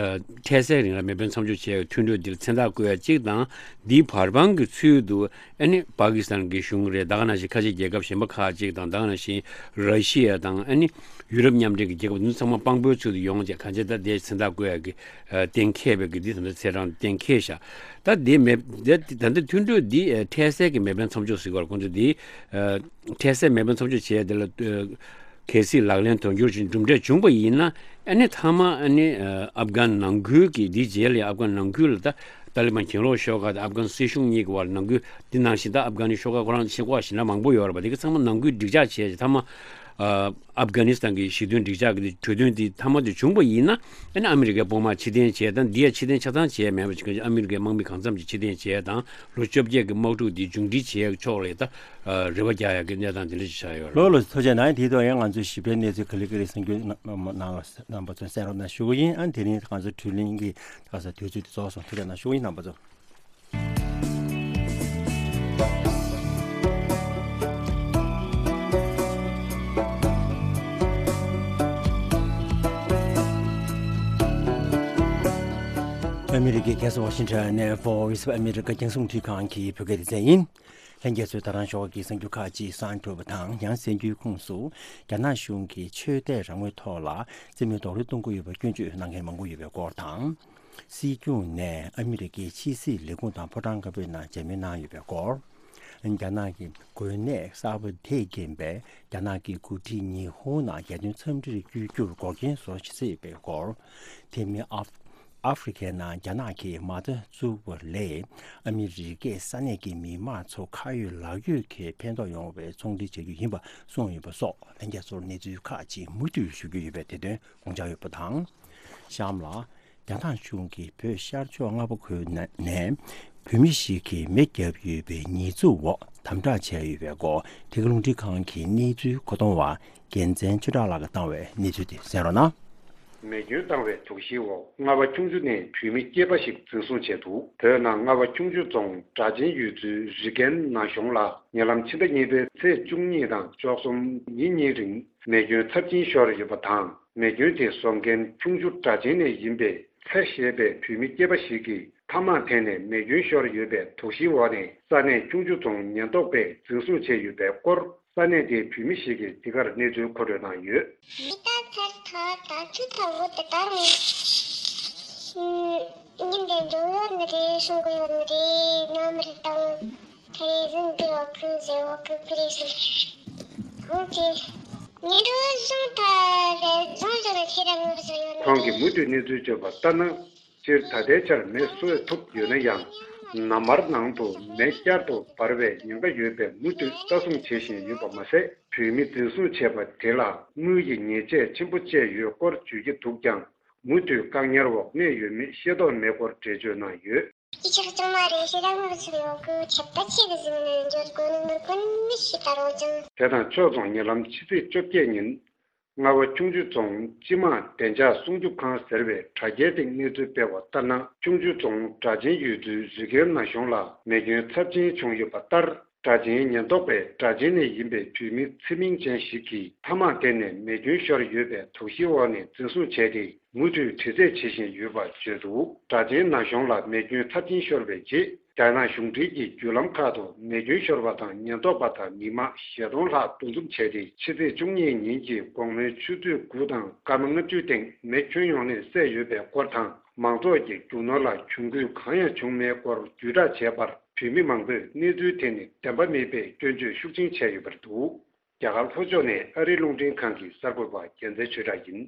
འཕྲལ་སེལ་རིང་ལ་མེ་འཕེན་མཚམས་འཇོག་བྱས་ཡ་གི་མཐུན་གྲོས་འདིར་མཚན་རྟགས་བཀོད་ཡ་གཅིག་དང་། འདིའི་བར་དཔང་གི་ཚུལ་དུ་ཨ་ནི་པ་ཀི་སི་ཐན་གྱི་གཞུང་རེད། ད་ག་ནང་བཞིན་ཁ་ཆེ་རྒྱལ་ཁབ་གཞན་པ་ཁག་ཅིག་དང་། ད་ག་ནང་བཞིན་ར་ཤི་ཡ་དང་ཨ་ནི་ཡུ་རོབ་མཉམ་འབྲེལ་གྱི་རྒྱལ་ཁབ་འདི་ཚོ་ཚང་མ་དཔང་པོའི་ཚུལ་དུ་ཡོང་བྱས། གང་ཅི་ད་དེ་མཚན་རྟགས་བཀོད་ཡ་གི་ཨ་གཏན་འཁེལ་བའི་གི་འདི་ད་ལྟ་ཚེས་གྲངས་གཏན་འཁེལ་བཞག་ད་དེ་མེད་དེ་ད་ལྟ་མཐུན་གྲོས་འདི་ཨ་འཕྲལ་སེལ་གྱི་མེ་འཕེན་མཚམས་འཇོག་ཟེར་གྱི་ཡོད་རེད། ཁོང་ཚོ་འདི་ཨ་འཕྲལ་སེལ་མེ་འཕེན་མཚམས་འཇོག་བྱས་དེ་ལ་ཨ་གལ་སྲིད་ལག་ལེན་དོན་འཁྱོལ་ཅིག་གྲུབ་འབྲས་བྱུང་པ་ཡིན་ན། ཨ་ནི་མཐའ་མ་ཨ་ནི་ཨ་ཨབ་གྷན་ནང་ཁུལ་གྱི་འདིའི་རྗེས་ལ་ཨབ་གྷན་ནང་ཁུལ་ལ་ད་ཏཱ་ལི་བན་གྱེན་ལོག་ཤོག་ཁག་དང་ཨབ་གྷན་སྲིད་གཞུང་གཉིས་ཀྱི་བར་ནང་ཁུལ་འདི་ནང་བཞིན་ད་ཨབ་གྷན་ནི་ཤོག་ཁག་ཁོ་རང་ཆེ་ཁག་ཞེ་དྲག་མང་པོ་ཡོད་རེད་པ། དེ་ག་ཚང་མ་ནང་ཁུལ་འགྲིག་འཇགས་བྱས་ཏེ་མཐའ་མ་ ཨ་ཨབ་གྷ་ནི་སི་ཐན་གྱི་ཞི་མཐུན་འགྲིག་འཇགས་ཀྱི་གྲོས་མཐུན་དེ་མཐའ་མ་དེ་བྱུང་པ་ཡིན་ན། ཨ་ནི་ཨ་མི་རི་ཀའི་དཔུང་དམག་ཕྱིར་འཐེན་བྱས་དང་། འདི་ཡ་ཕྱིར་འཐེན་ཆ་ཚང་བྱས་མེད་པ་ཞིག་ཨ་མི་རི་ཀའི་དམག་མི་གང་འཚམ་ཅིག་ཕྱིར་འཐེན་བྱས་དང་། ལོ་བཅོ་བརྒྱད་ཀྱི་དམག་འཁྲུག་འདི་མཇུག་སྒྲིལ་བྱེད་ཡག་ཕྱོགས་ལ་ད་རེ་བ་རྒྱག་ཡག་གི་གནས་སྟངས་དེ་འདྲ་ཞིག་ཆགས་ཡོད་རེད། ལགས་ལགས་སོ། ཐུགས་རྗེ་གནང་། དེའི་ཐོག་ཡང་ང་ཚོས་ཞིབ་ཕྲའི་གནས་ཚུལ་ག་ལེ་ག་ལེ་གསན་རྒྱུ་གནང་རོགས་གནང་བ་ཚོ་གསན་རོགས་གནང་ཞུ་གི་ཡིན། ཨ་ནི་དེ་རིང་ང་ཚོ་དྲི་བ་དྲིས་ལན་གྱི་ད་ག་ས་དུས་ཚོད་དེ་རྫོགས་སོང་། ཐུགས་རྗེ་གནང་ཞུ་གི་ཡིན། རྣམ་པ་ཚོ། ཨ་མི་རི་ཀའི་རྒྱལ་ས་ཝ་ཤིང་ཊོན་ནས་Voice of America རྒྱང་སྲིང་རླུང་འཕྲིན་ཁང་གི་བོད་སྐད་སྡེ་ཚན་ཡིན། ལྷན་རྒྱས་ཚོས་ད་རང་ཞོགས་ཀྱི་གསར་འགྱུར་ཁག་ཅིག་གསན་གྲུབ་པ་དང་། ཡང་གསར་འགྱུར་ཁོངས་སུ་རྒྱ་ནག་གཞུང་གིས་ཆོས་དད་རང་མོས་ཐོག་ལ་རྩིས་མེད་རྡོག་རོལ་གཏོང་གི་ཡོད་པར་སྐྱོན་བརྗོད་གནང་མཁན་མང་པོ་ཡོད་པའི་སྐོར་དང་། སྲིད་སྐྱོང་ནས་ཨ་མི་རི་ཀའི་ཕྱི་སྲིད་ལས་ཁུངས་དང་ཕོ་བྲང་དཀར་པོའི་ནང་མཇལ་མོལ་གནང་ཡོད་པའི་སྐོར། རྒྱ་ནག་གི་འགོས་ནད་གསར་པ་དེས་རྐྱེན་པས་རྒྱ་ནག་གི་འགོ་ཁྲིད་ཉི་ཧོང་ནང་རྒྱལ་དོན་འཚམས་འདྲིར་བསྐྱོད་རྒྱུར་འགོག་རྐྱེན་བཟོ་སྲིད་པའི་སྐོར། དེ་མིན་ཨ་ཨ་ཧྥེ་རི་ཁའི་ནང་རྒྱ་ནག་གིས་མ་རྩ་བཙུགས་པ་ལས་ཨ་མི་རི་ཀས་ས་གནས་ཀྱི་མི་དམངས་ཚོ་ཁ་ཡོད་ལག་ཡོད་ཀྱི་ཕན་ཐོགས་ཡོང་བའི་ཚོང་འབྲེལ་བྱ་རྒྱུ་ཡིན་པ་གསུངས་ཡོད་པ་སོགས། ལྷན་རྒྱས་ཚོར་གནས་ཚུལ་ཁག་ཅིག་མུ་མཐུད་ཞུ་རྒྱུ་ཡོད་པས། དེ་དོན་དགོངས་འཇགས་ཡོད་པ་དང་། གཤམ་ལ། རྒྱ་ནག་གཞུང་གིས་བོད་ཤར་ཕྱོགས་མངའ་འོག་ཁུལ་ནས་བོད་མི་ཞིག་གིས་མེ་བརྒྱབ་ཡོད་པའི་ཉེས་འཛུགས་འོག་དམ་དྲག་བྱས་ཡོད་པའི་སྐོར། འདི་ག་རླུང་འཕྲིན་ཁང་གི་གནས་ཚུལ་གོ་སྟོང་བ་རྒྱལ་མཚན་ཆོས་གྲགས་ལགས་ཀྱིས་བཏང་བའི་གནས་ཚུལ་དེ་གསན་རོགས་གནང་། མེ་སྐྱོན་བཏང་བའི་དོགས་གཞིའི་འོག་རྔ་བ་ཁྱུང་མཆུ་ནས་བོད་མི་སྐྱེས་པ་ཞིག་འཛིན་བཟུང་བྱས་འདུག་བོད་ནང་རྔ་བ་ཁྱུང་མཆུ་རྫོང་སྦྲ་ཆེན་ཡུལ་ཚོའི་རི་ཀན་ན་གཞོང་ལ་ཉེ་ལམ་ཕྱི་ཟླ་གཉིས་པའི་ཚེས་བཅུ་གཉིས་དང་བཅུ་གསུམ་ཉིན་གཉིས་རིང་མེ་སྐྱོན་ཚབས་ཆེན་ཤོར་ཡོད་པ་དང་། མེ་སྐྱོན་དེ་བཟོ་མཁན་ཁྱུང་མཆུ་སྦྲ་ཆེན་ནས་ཡིན་པའི་ཚེ་ཞེས་པའི་བོད་མི་སྐྱེས་པ་ཞིག་གིས་ཐ་མག་འཐེན་ནས་མེ་སྐྱོན་ཤོར་ཡོད་པའི་དོགས་གཞིའི་འོག་ནས་ས་གནས་ཁྱུང་མཆུ་རྫོང་ཉེན་རྟོག་པས་འཛིན་བཟུང་བྱས་ཡོད་པའི་སྐོར། ས་གནས་དེའི་བོད་མི་ཞིག་གིས་འདི་གར་གནས་ཚུལ་མཁོ་སྤྲོད་གནང་ཡོད། མི་ད་ཚར་ཐ་ད་ཚུ་ཐ་བོ་དེ་ད་ནི་ཉིན་དེ་འགྲོ་ཡོད་ནི་རེད། སོང་གི་ཡོད་ནི་རེད། ནམ་རེད་དང་། ཁ་རེ་ཟིན་པའི་འོག་གི་ཟེར་འོག་གི་ཕི་རེ་ཟིན། ཁོང་གིས་ཉིན་འགྲོ་བཟུང་ཐ་རེད། བཟུང་བཟུང་ལ་ཁྱེད་རང་ངོ་བཟོ་ཡོད་ནི་ཁོང་གིས་མུ་མཐུད་གནས་ཚུལ་བརྗོད་པ་ལྟར་ན། སྤྱིར་ད་ལྟའི་ཆར་མེ་གསོད་ཐུབ་ཡོད་ན་ཡང་། ནམ་མཁའ་ནང་དུ་མེ་བསྐྱར་དུ་འབར་བའི་ཉེན་ཁ་ཡོད་པས་མུ་མཐུད་ལྟ་སྲུང་བྱེད་བཞིན་ཡོད་པ་མ་ཟད། བོད་མི་འཛིན་བཟུང་བྱས་པ་དེ་ལ་དངུལ་གྱི་ཉེས་ཆད་ཆེན་པོ་བཅད་ཡོད་སྐོར་བརྗོད་ཀྱི་འདུག་ཀྱང་། མུ་མཐུད་བཀག་ཉར་འོག་གནས་ཡོད་མེད་ཤེས་རྟོགས་མེད་སྐོར་འགྲེལ་བརྗོད་གནང་ཡོད། ཡི་ཆག་ཅང་མ་རེད། ཤེས་རང་ངོ་ཚུལ་ཡོང་གི་ཁྱབ་ད་ཆེ་གི་ཟིན་ནས་འཇོར་གོ་ནི་མི་ཀུན་མི་ཤི་ད་རོ་ཅང་། དེ་དང་ཕྱོགས་མཚུངས་ཉེ་ལམ་ཕྱི་ཚེས་བཅོ་བརྒྱད་ཉིན། རྔ་བ་ཁྱུང་མཆུ་རྫོང་སྤྱི་དམངས་བདེ་འཇགས་སྲུང་སྐྱོབ་ཁང་ཟེར་བའི་དྲ་རྒྱའི་སྟེང་གནས་ཚུལ་སྤེལ་བ་ལྟར་ན། ཁྱུང་མཆུ་རྫོང་སྦྲ་ཆེན་ཡུལ་ཚོའི་རི་ཀན་ན་གཞོང་ལ་མེ་སྐྱོན་ཚབས་ཆེན་བྱུང་ཡོད་པ་ལྟར། སྦྲ་ཆེན་ཉེན་རྟོག་པས་སྦྲ་ཆེན་ནས་ཡིན་པའི་བོད་མི་ཚེ་མིང་ཅན་ཞིག་གིས་ཐ་མག་འཐེན་ནས་མེ་སྐྱོན་ཤོར་ཡོད་པའི་དོགས་གཞིའི་འོག་ནས་འཛིན་བཟུང་བྱས་ཏེ། མུ་མཐུད་དྲི་རྩད་བྱེད་བཞིན་ཡོད་པ་བརྗོད་འདུག་སྦྲ་ཆེན་ན་གཞོང་ལ་མེ་སྐྱོན་ཚབས་ཆེན་ཤོར་བའི་རྗེས། རྒྱ་ནག་གཞུང་འབྲེལ་གྱི་བརྒྱུད་ལམ་ཁག་ཏུ་མེ་སྐྱོན་ཤོར་བ་དང་ཉེན་རྟོག་པ་དང་མི་མང་བཞི་སྟོང་ལྷག་འདུ་འཛོམས་བྱས་ཏེ། ཕྱི་ཚེས་བཅུ་གཉིས་ཉིན་གྱི་དགོང་མོའི་ཆུ་ཚོད་དགུ་དང་སྐར་མ་ལྔ་བཅུའི་སྟེང་མེ་ཁྱོན་ཡོངས་ནས་བསད་ཡོད་པའི་སྐོར་དང་། མང་ཚོགས་ཀྱི་རྒྱུ་ནོར་ལ་གྱོང་གུད་གང་ཡང་བྱུང་མེད་སྐོར་བརྒྱུད་བསྒྲགས་བྱས་པར། བོད་མི་མང་པོས་གནས་ཚུལ་དེ་ནི་བདེན་པ་མིན་པའི་སྐྱོན་བརྗོད་ཤུགས་ཆེན་བྱས་ཡོད་པ་རེད་འདུག་རྒྱ་གར་ལྷོ་ཕྱོགས་ནས་ཨ་རིའི་རླུང་འཕྲིན་ཁང་གི་གསར་འགོད་པ་རྒྱལ་མཚན་ཆོས་གྲགས་ཡིན།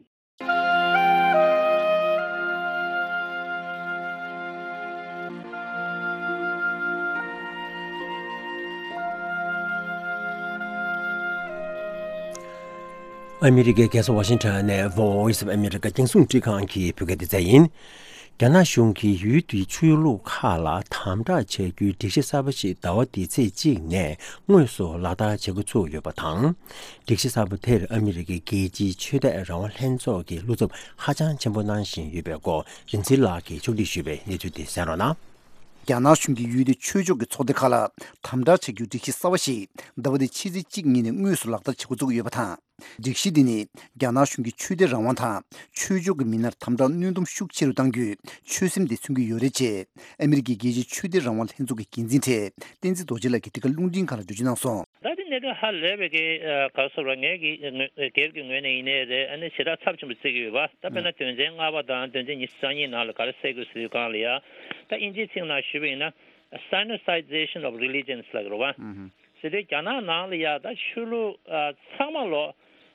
ཨ་མི་རི་ཀའི་རྒྱལ་ས་ཝ་ཤིང་ཊོན་ནས་Voice of America རྒྱང་སྲིང་རླུང་འཕྲིན་ཁང་གི་བོད་སྐད་སྡེ་ཚན་ཡིན། རྒྱ་ནག་གཞུང་གིས་ཡུལ་དེའི་ཆོས་ལུགས་ཁག་ལ་དམ་དྲག་བྱ་རྒྱུའི་སྒྲིག་གཞི་གསར་པ་ཞིག་ཟླ་བ་འདིའི་ཚེས་གཅིག་ནས་དངོས་སུ་ལག་བསྟར་བྱེད་འགོ་ཚུགས་ཡོད་པ་དང་། སྒྲིག་གཞི་གསར་པ་དེར་ཨ་མི་རི་ཀའི་རྒྱལ་སྤྱིའི་ཆོས་དད་རང་དབང་ལྷན་ཚོགས་ཀྱིས་བློ་འཚབ་ཧ་ཅང་ཆེན་པོ་གནང་བཞིན་ཡོད་པའི་སྐོར། རིན་ཆེན་ལགས་ཀྱིས་ཕྱོགས་སྒྲིག་ཞུས་པའི་གནས་ཚུལ་དེ་གསན་རོགས་གནང་། རྒྱ་ནག་གཞུང་གིས་ཡུལ་དེའི་ཆོས་ཕྱོགས་ཀྱི་ཚོགས་སྡེ་ཁག་ལ་དམ་དྲག་བྱ་རྒྱུའི་སྒྲིག་གཞི་གསར་བ་ཞིག་ཟླ་བ་འདིའི་ཕྱི་ཚེས་གཅིག་ཉིན་ནས་དངོས་སུ་ལག་བསྟར་བྱེད་འགོ་བཙུགས་ཡོད་པ་དང་། སྒྲིག་གཞི་འདི་ནི་རྒྱ་ནག་གཞུང་གིས་ཆོས་དད་རང་དབང་དང་ཆོས་ཕྱོགས་ཀྱི་མི་སྣར་དམ་དྲག་གནོན་སྡོམ་ཤུགས་ཆེ་རུ་གཏང་རྒྱུའི་ཆོད་སེམས་དེ་མཚོན་གྱི་ཡོད་རེད་ཅེས། ཨ་མི་རི་ཀའི་རྒྱལ་སྤྱིའི་ཆོས་དད་རང་དབང་ལྷན་ཚོགས་ཀྱི་འགན་འཛིན་གྲས་བསྟན་འཛིན་རྡོ་རྗེ་ལགས་ཀྱིས་འདི་ག་རླུང་འཕྲིན་ཁང་ལ་འགྲེལ་བརྗོད་གནང་སོང་། ད་དེ་གནད་དོན་ཧ་ལས་པའི་གི་ག་རེ་ཟེར་བ། ངའི་གི་ངོས་སྒེར་གྱི་ངོས་ནས་ཡིན་ནའི་རེད། ཨ་ནི་ཞེ་དྲག་ཚབས་ཆེན་པོ་བརྩི་གི་ཡོད་པ། ད་དཔེར་ན་དོན་ཚན་ལྔ་པ་དང་དོན་ཚན་ཉི་ཤུ་རྩ་གཉིས་ནང་ལ་ག་རེ་གསལ་དགོས་ཟེར་དུས་སྒང་ལ་ཡ། ད་དབྱིན་ཇིའི་ཚིག་ནང་ཞུས་པ་ཡིན་ན། Sinoiization of religions ལབ་ཀྱི་རེད་པ། ཟེར་དུས་རྒྱ་ནག་ནང་ལ་ཡ་ད་ཆོས་ལུགས་ཨ་ཚང་མ་ལོ།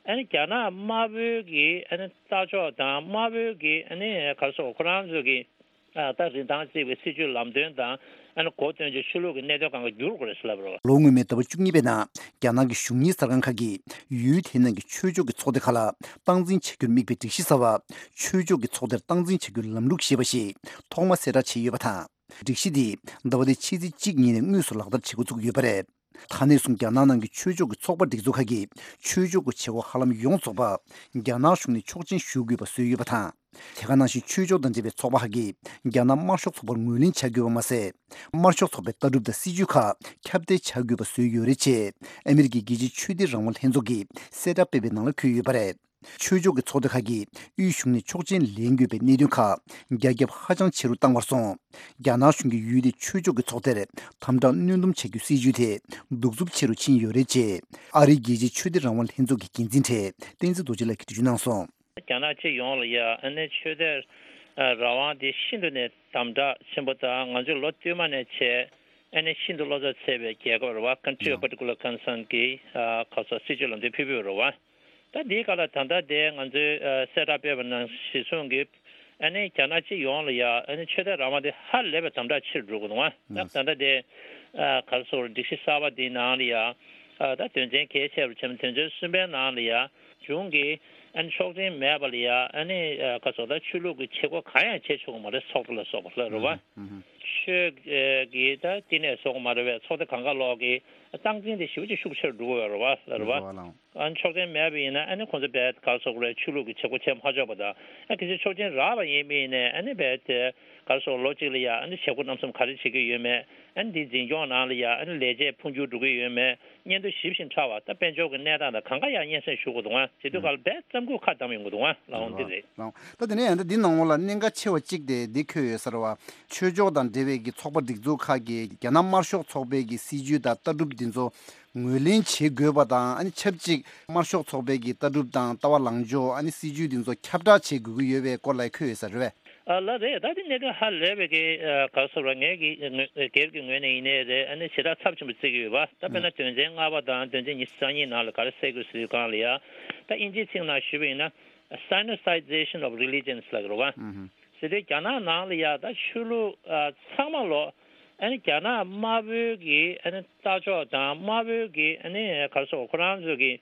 ཨ་ནི་རྒྱ་ནག་དམར་པོའི་གི་ཨ་ནི་ལྟ་ཕྱོགས་དང་དམར་པོའི་གི་ཨ་ནི་ག་རེ་ཟེར་ཁོ་རང་ཚོའི་གི་ ཨ་ད་རིན་ཐང་གཅིག་པའི་སྲིད་ཇུས་ལམ་སྟོན་དང་ཨ་ནི་གོ་སྟོན་ཆེད་ཆོས་ལུགས་ཀྱི་གནད་དོན་སྒང་ག་བསྒྱུར་དགོས་རེད་ཟེར་ལབ་རོགས། ལོ་སྔོན་མའི་ཟླ་བ་བཅུ་གཉིས་པའི་ནང་རྒྱ་ནག་གི་གཞུང་གཉེར་གསར་ཁང་ཁག་གིས་ཡུལ་དེའི་ནང་གི་ཆོས་ཕྱོགས་ཀྱི་ཚོགས་སྡེ་ཁག་ལ་སྟངས་འཛིན་བྱ་རྒྱུར་དམིགས་པའི་སྒྲིག་གཞི་གསར་བ། ཆོས་ཕྱོགས་ཀྱི་ཚོགས་སྡེར་སྟངས་འཛིན་བྱ་རྒྱུའི་ལམ་ལུགས་ཞེས་པ་ཞིག་ཐོག་མ་གསལ་བསྒྲགས་བྱས་ཡོད་པ་དང་། སྒྲིག་གཞི་འདི་ཟླ་བ་འདིའི་ཕྱི་ཚེས་གཅིག་ཉིན་ནས་དངོས་སུ་ལག་བསྟར་བྱེད་འགོ་ཚུགས་ཡོད་པ་རེད། ད་ནས་བཟུང་རྒྱ་ནག་ནང་གི་ཆོས་ཕྱོགས་ཀྱི་ཚོགས་པ་སྒྲིག་འཛུགས་ཁག་གིས་ཆོས་ཕྱོགས་ཀྱི་བྱེད་སྒོ་ཧ་ལམ་ཡོངས་རྫོགས་པ་རྒྱ་ནག་གཞུང་ནས་ཆོག་མཆན་ཞུ་དགོས་པ་བཟོས་ཡོད་པ་དང་། དེ་ག་ནང་བཞིན་ཆོས་ཕྱོགས་དང་འབྲེལ་བའི་ཚོགས་པ་ཁག་གིས་རྒྱ་ནག་དམར་ཤོག་ཚོགས་པར་ངོས་ལེན་བྱ་དགོས་པ་མ་ཟད། དམར་ཤོག་ཚོགས་པའི་ལྟ་གྲུབ་དང་སྲིད་ཇུས་ཁག་ཁྱབ་གདལ་བྱ་དགོས་པ་བཟོས་ཡོད་རེད་ཅེས་ཨ་མི་རི་ཀའི་རྒྱལ་སྤྱིའི་ཆོས་དད་རང་དབང་ལྷན་ཚོགས་ཀྱིས་གསལ་བསྒྲགས་སྤེལ་བའི་ནང་ལ་འཁོད་ཡོད་པ་རེད། ཆོས་ཕྱོགས་ཀྱི་ཚོགས་སྡེ་ཁག་གིས་དབུས་གཞུང་ནས་ཆོག་མཆན་ལེན་དགོས་པའི་གནད་དོན་ཁག་རྒྱ་ཁྱབ་ཧ་ཅང་ཆེ་རུ་བཏང་བར་སོང་། རྒྱ་ནག་གཞུང་གིས་ཡུལ་དེའི་ཆོས་ཕྱོགས་ཀྱི་ཚོགས་སྡེར་དམ་དྲག་གནོན་སྡོམ་བྱ་རྒྱུའི་སྲིད་ཇུས་དེ་གདུག་རྩུབ་ཆེ་རུ་ཕྱིན་ཡོད་རེད་ཅེས་ཨ་རིའི་རྒྱལ་སྤྱིའི་ཆོས་དད་རང་དབང་ལྷན་ཚོགས་ཀྱི་འགན་འཛིན་གྲས་བསྟན་འཛིན་རྡོ་རྗེ་ལགས་ཀྱིས་འགྲེལ་བརྗོད་གནང་སོང་། རྒྱ་ནག་སྤྱི་ཡོངས་ལ་ཡ་ཨ་ནི་ཆོས་དད་རང་དབང་དེ་ཤིན་ཏུ་ནས་དམ་དྲག་ཆེན་པོ་དང་ང་ཚོས་ལོ་བསྟུད་མ་ནས་བྱས་ཨ་ནི་ཤིན་ཏུ་བློ་འཚབ་ཚ་བའི་རྒྱལ་ཁབ་རེད་བ། Country of Particular Concern གི་ཁ་སོ་སྲིད་ཇུས་ལམ་སྟོན་ཕུལ་ཕུལ་རེད་བ། ད་འདིའི་སྐབས་ལ་ད་ལྟ་དེ་ང་ཚོས་ཨ་གསལ་བསྒྲགས་སྤེལ་བ་ནང་གཞི་བཟུང་གིས་ཨ་ནི་རྒྱ་ནག་སྤྱི་ཡོངས་ལ་ཡ་ཨ་ནི་ཆོས་དད་རང་དབང་དེ་ཧ་ལས་པའི་དམ་དྲག་ཆེ་རུ་འགྲོ་གི་འདུག་ཨ། ད་ད་ལྟ་དེ་ཨ་ག་རེ་ཟེར་སྒྲིག་གཞི་གསར་པ་འདིའི་ནང་ལ་ཡ་ཨ་ད་དོན་ཚན་གལ་ཆེ་རུ་ཆེ་བ་དོན་ཚན་གསུམ་པའི་ནང་ལ་ཡ་གཞུང་གིས་ཨ་ནི་ཆོག་མཆན་མེད་པ་ལ་ཡ་ཨ་ནི་ཨ་ག་རེ་ཟེར་ད་ཆོས་ལུགས་ཀྱི་བྱེད་སྒོ་གང་ཡང་བྱེད་ཆོག་གི་མ་རེད། ཚོགས་སྡེ་ལ་སོགས་པ་ལ་རེད་བ། ཆོས་ཀྱི་ད་བསྟི་གནས་སོགས་མ་རེད་བས། ཚོགས་སྡེ་གང་ག་ལོག་གི་སྟངས་འཛིན་དེ་ཞེ་པོ་ཅིག་ཤུགས་ཆེར་འགྲོ་གི་ཡོད་རེད་བ། ལ་རེད་བ། ཨ་ནི་ཆོག་མཆན་མེད་པ་ཡིན་ན་ཨ་ནི་ཁོང་ཚོ་བས་ག་རེ་ཟེར་དགོས་རེད། ཆོས་ལུགས་ཀྱི་བྱེད་སྒོ་བྱེད་མ་ཆོག་པ་དང་། ཨ་གལ་སྲིད་ཆོག་མཆན་རག་པ་ཡིན་པ་ཡིན་ནའི་ཨ་ནི་བས་དེ་ག་རེ་ཟེར་ལོ་གཅིག་ལ་ཡ་ཨ་ནི་བྱེད་སྒོ་རྣམ་གསུམ་ག་རེ་བྱེད་ཀྱི་ཡོད་མེད། ཨ་ནི་འདི་འཛིན་སྐྱོང་ནང་ལ་ཡ་ཨ་ནི་ལས་བྱེད་འཕོ་འགྱུར་འགྲོ་གི་ཡོད་མེད། སྙན་ཐོ་ཞིབ་ཅིང་ཕྲ་བ་དང་དཔལ་འབྱོར་གྱི་གནས་སྟངས་དང་གང་ག་ཡང་སྙན་སེང་ཞུ་དགོས་འདུག་ཨ། བྱེད་དུས་སྐབས་ལ་བས་རྩམ་ཁུག་ཁ་བསྡམས་ཡོང་གི་འདུག་ཨ། ལའང་འདི་རེད། ལའང་། ད་དེ་ནས་ཡང་ད་འདི་ནང་ལོགས་ལ་གནད་འགག་ཆེ་བ་གཅིག་དེ་འདི་འཁོད་ཡོད་ས་རེད་བ། ཆོས་ཕྱོགས་དང་འབྲེལ་བའི་གི་ཚོགས་པ་སྒྲིག་འཛུགས་ཁག་གིས་རྒྱ་ནག་དམར་ཤོག་ཚོགས་པའི་གི་སྲིད་ཇུས་དང་ལྟ་གྲུབ་འདི་ཚོ་ངོས་ལེན་བྱེད་དགོས་པ་དང་། ཨ་ནི་ཆབས་ཅིག་དམར་ཤོག་ཚོགས་པའི་གི་ལྟ་གྲུབ་དང་ལྟ་བ་ལངས་ཕྱོགས། ཨ་ནི་སྲིད་ཇུས་འདི་ཚོ་ཁྱབ་བསྒྲགས་བྱེད་དགོས་ཀྱི་ཡོད་པའི་སྐོར་ལ་འཁོད་ཡོད་ས་རེད་བས། ཨ་ལགས་རེད། ད་དེ་གནད་དོན་ཧ་ལས་པའི་གི་ཨ་ག་རེ་ཟེར་བ། ངའི་གི་ངོས་སྒེར་གྱི་ངོས་ནས་ཡིན་ནའི་རེད། ཨ་ནི་ཞེ་དྲག་ཚབས་ཆེན་པོ་བརྩི་གི་ཡོད་པ། ད་དཔེར་ན་དོན་ཚན་ལྔ་པ་དང་དོན་ཚན་ཉི་ཤུ་རྩ་གཉིས་ནང་ལ་ག་རེ་གསལ་དགོས་ཟེར་དུས་སྒང་ལ་ཡ། ད་དབྱིན་ཇིའི་ཚིག་ནང་ཞུས་པ་ཡིན་ན། Sinicization of religions ལབ་ཀྱི་རེད་བ། ཟེར་དུས་རྒྱ་ནག་ནང་ལ་ཡ་ད་ཆོས་ལུགས་ཨ་ཚང་མ་ལོག་ཨ་ནི་རྒྱ་ནག་དམར་པོའི་གི་ཨ་ནི་ལྟ་ཕྱོགས་དང་དམར་པོའི་གི་ཨ་ནི་ག་རེ་ཟེར་ཁོ་རང་ཚོ་གི་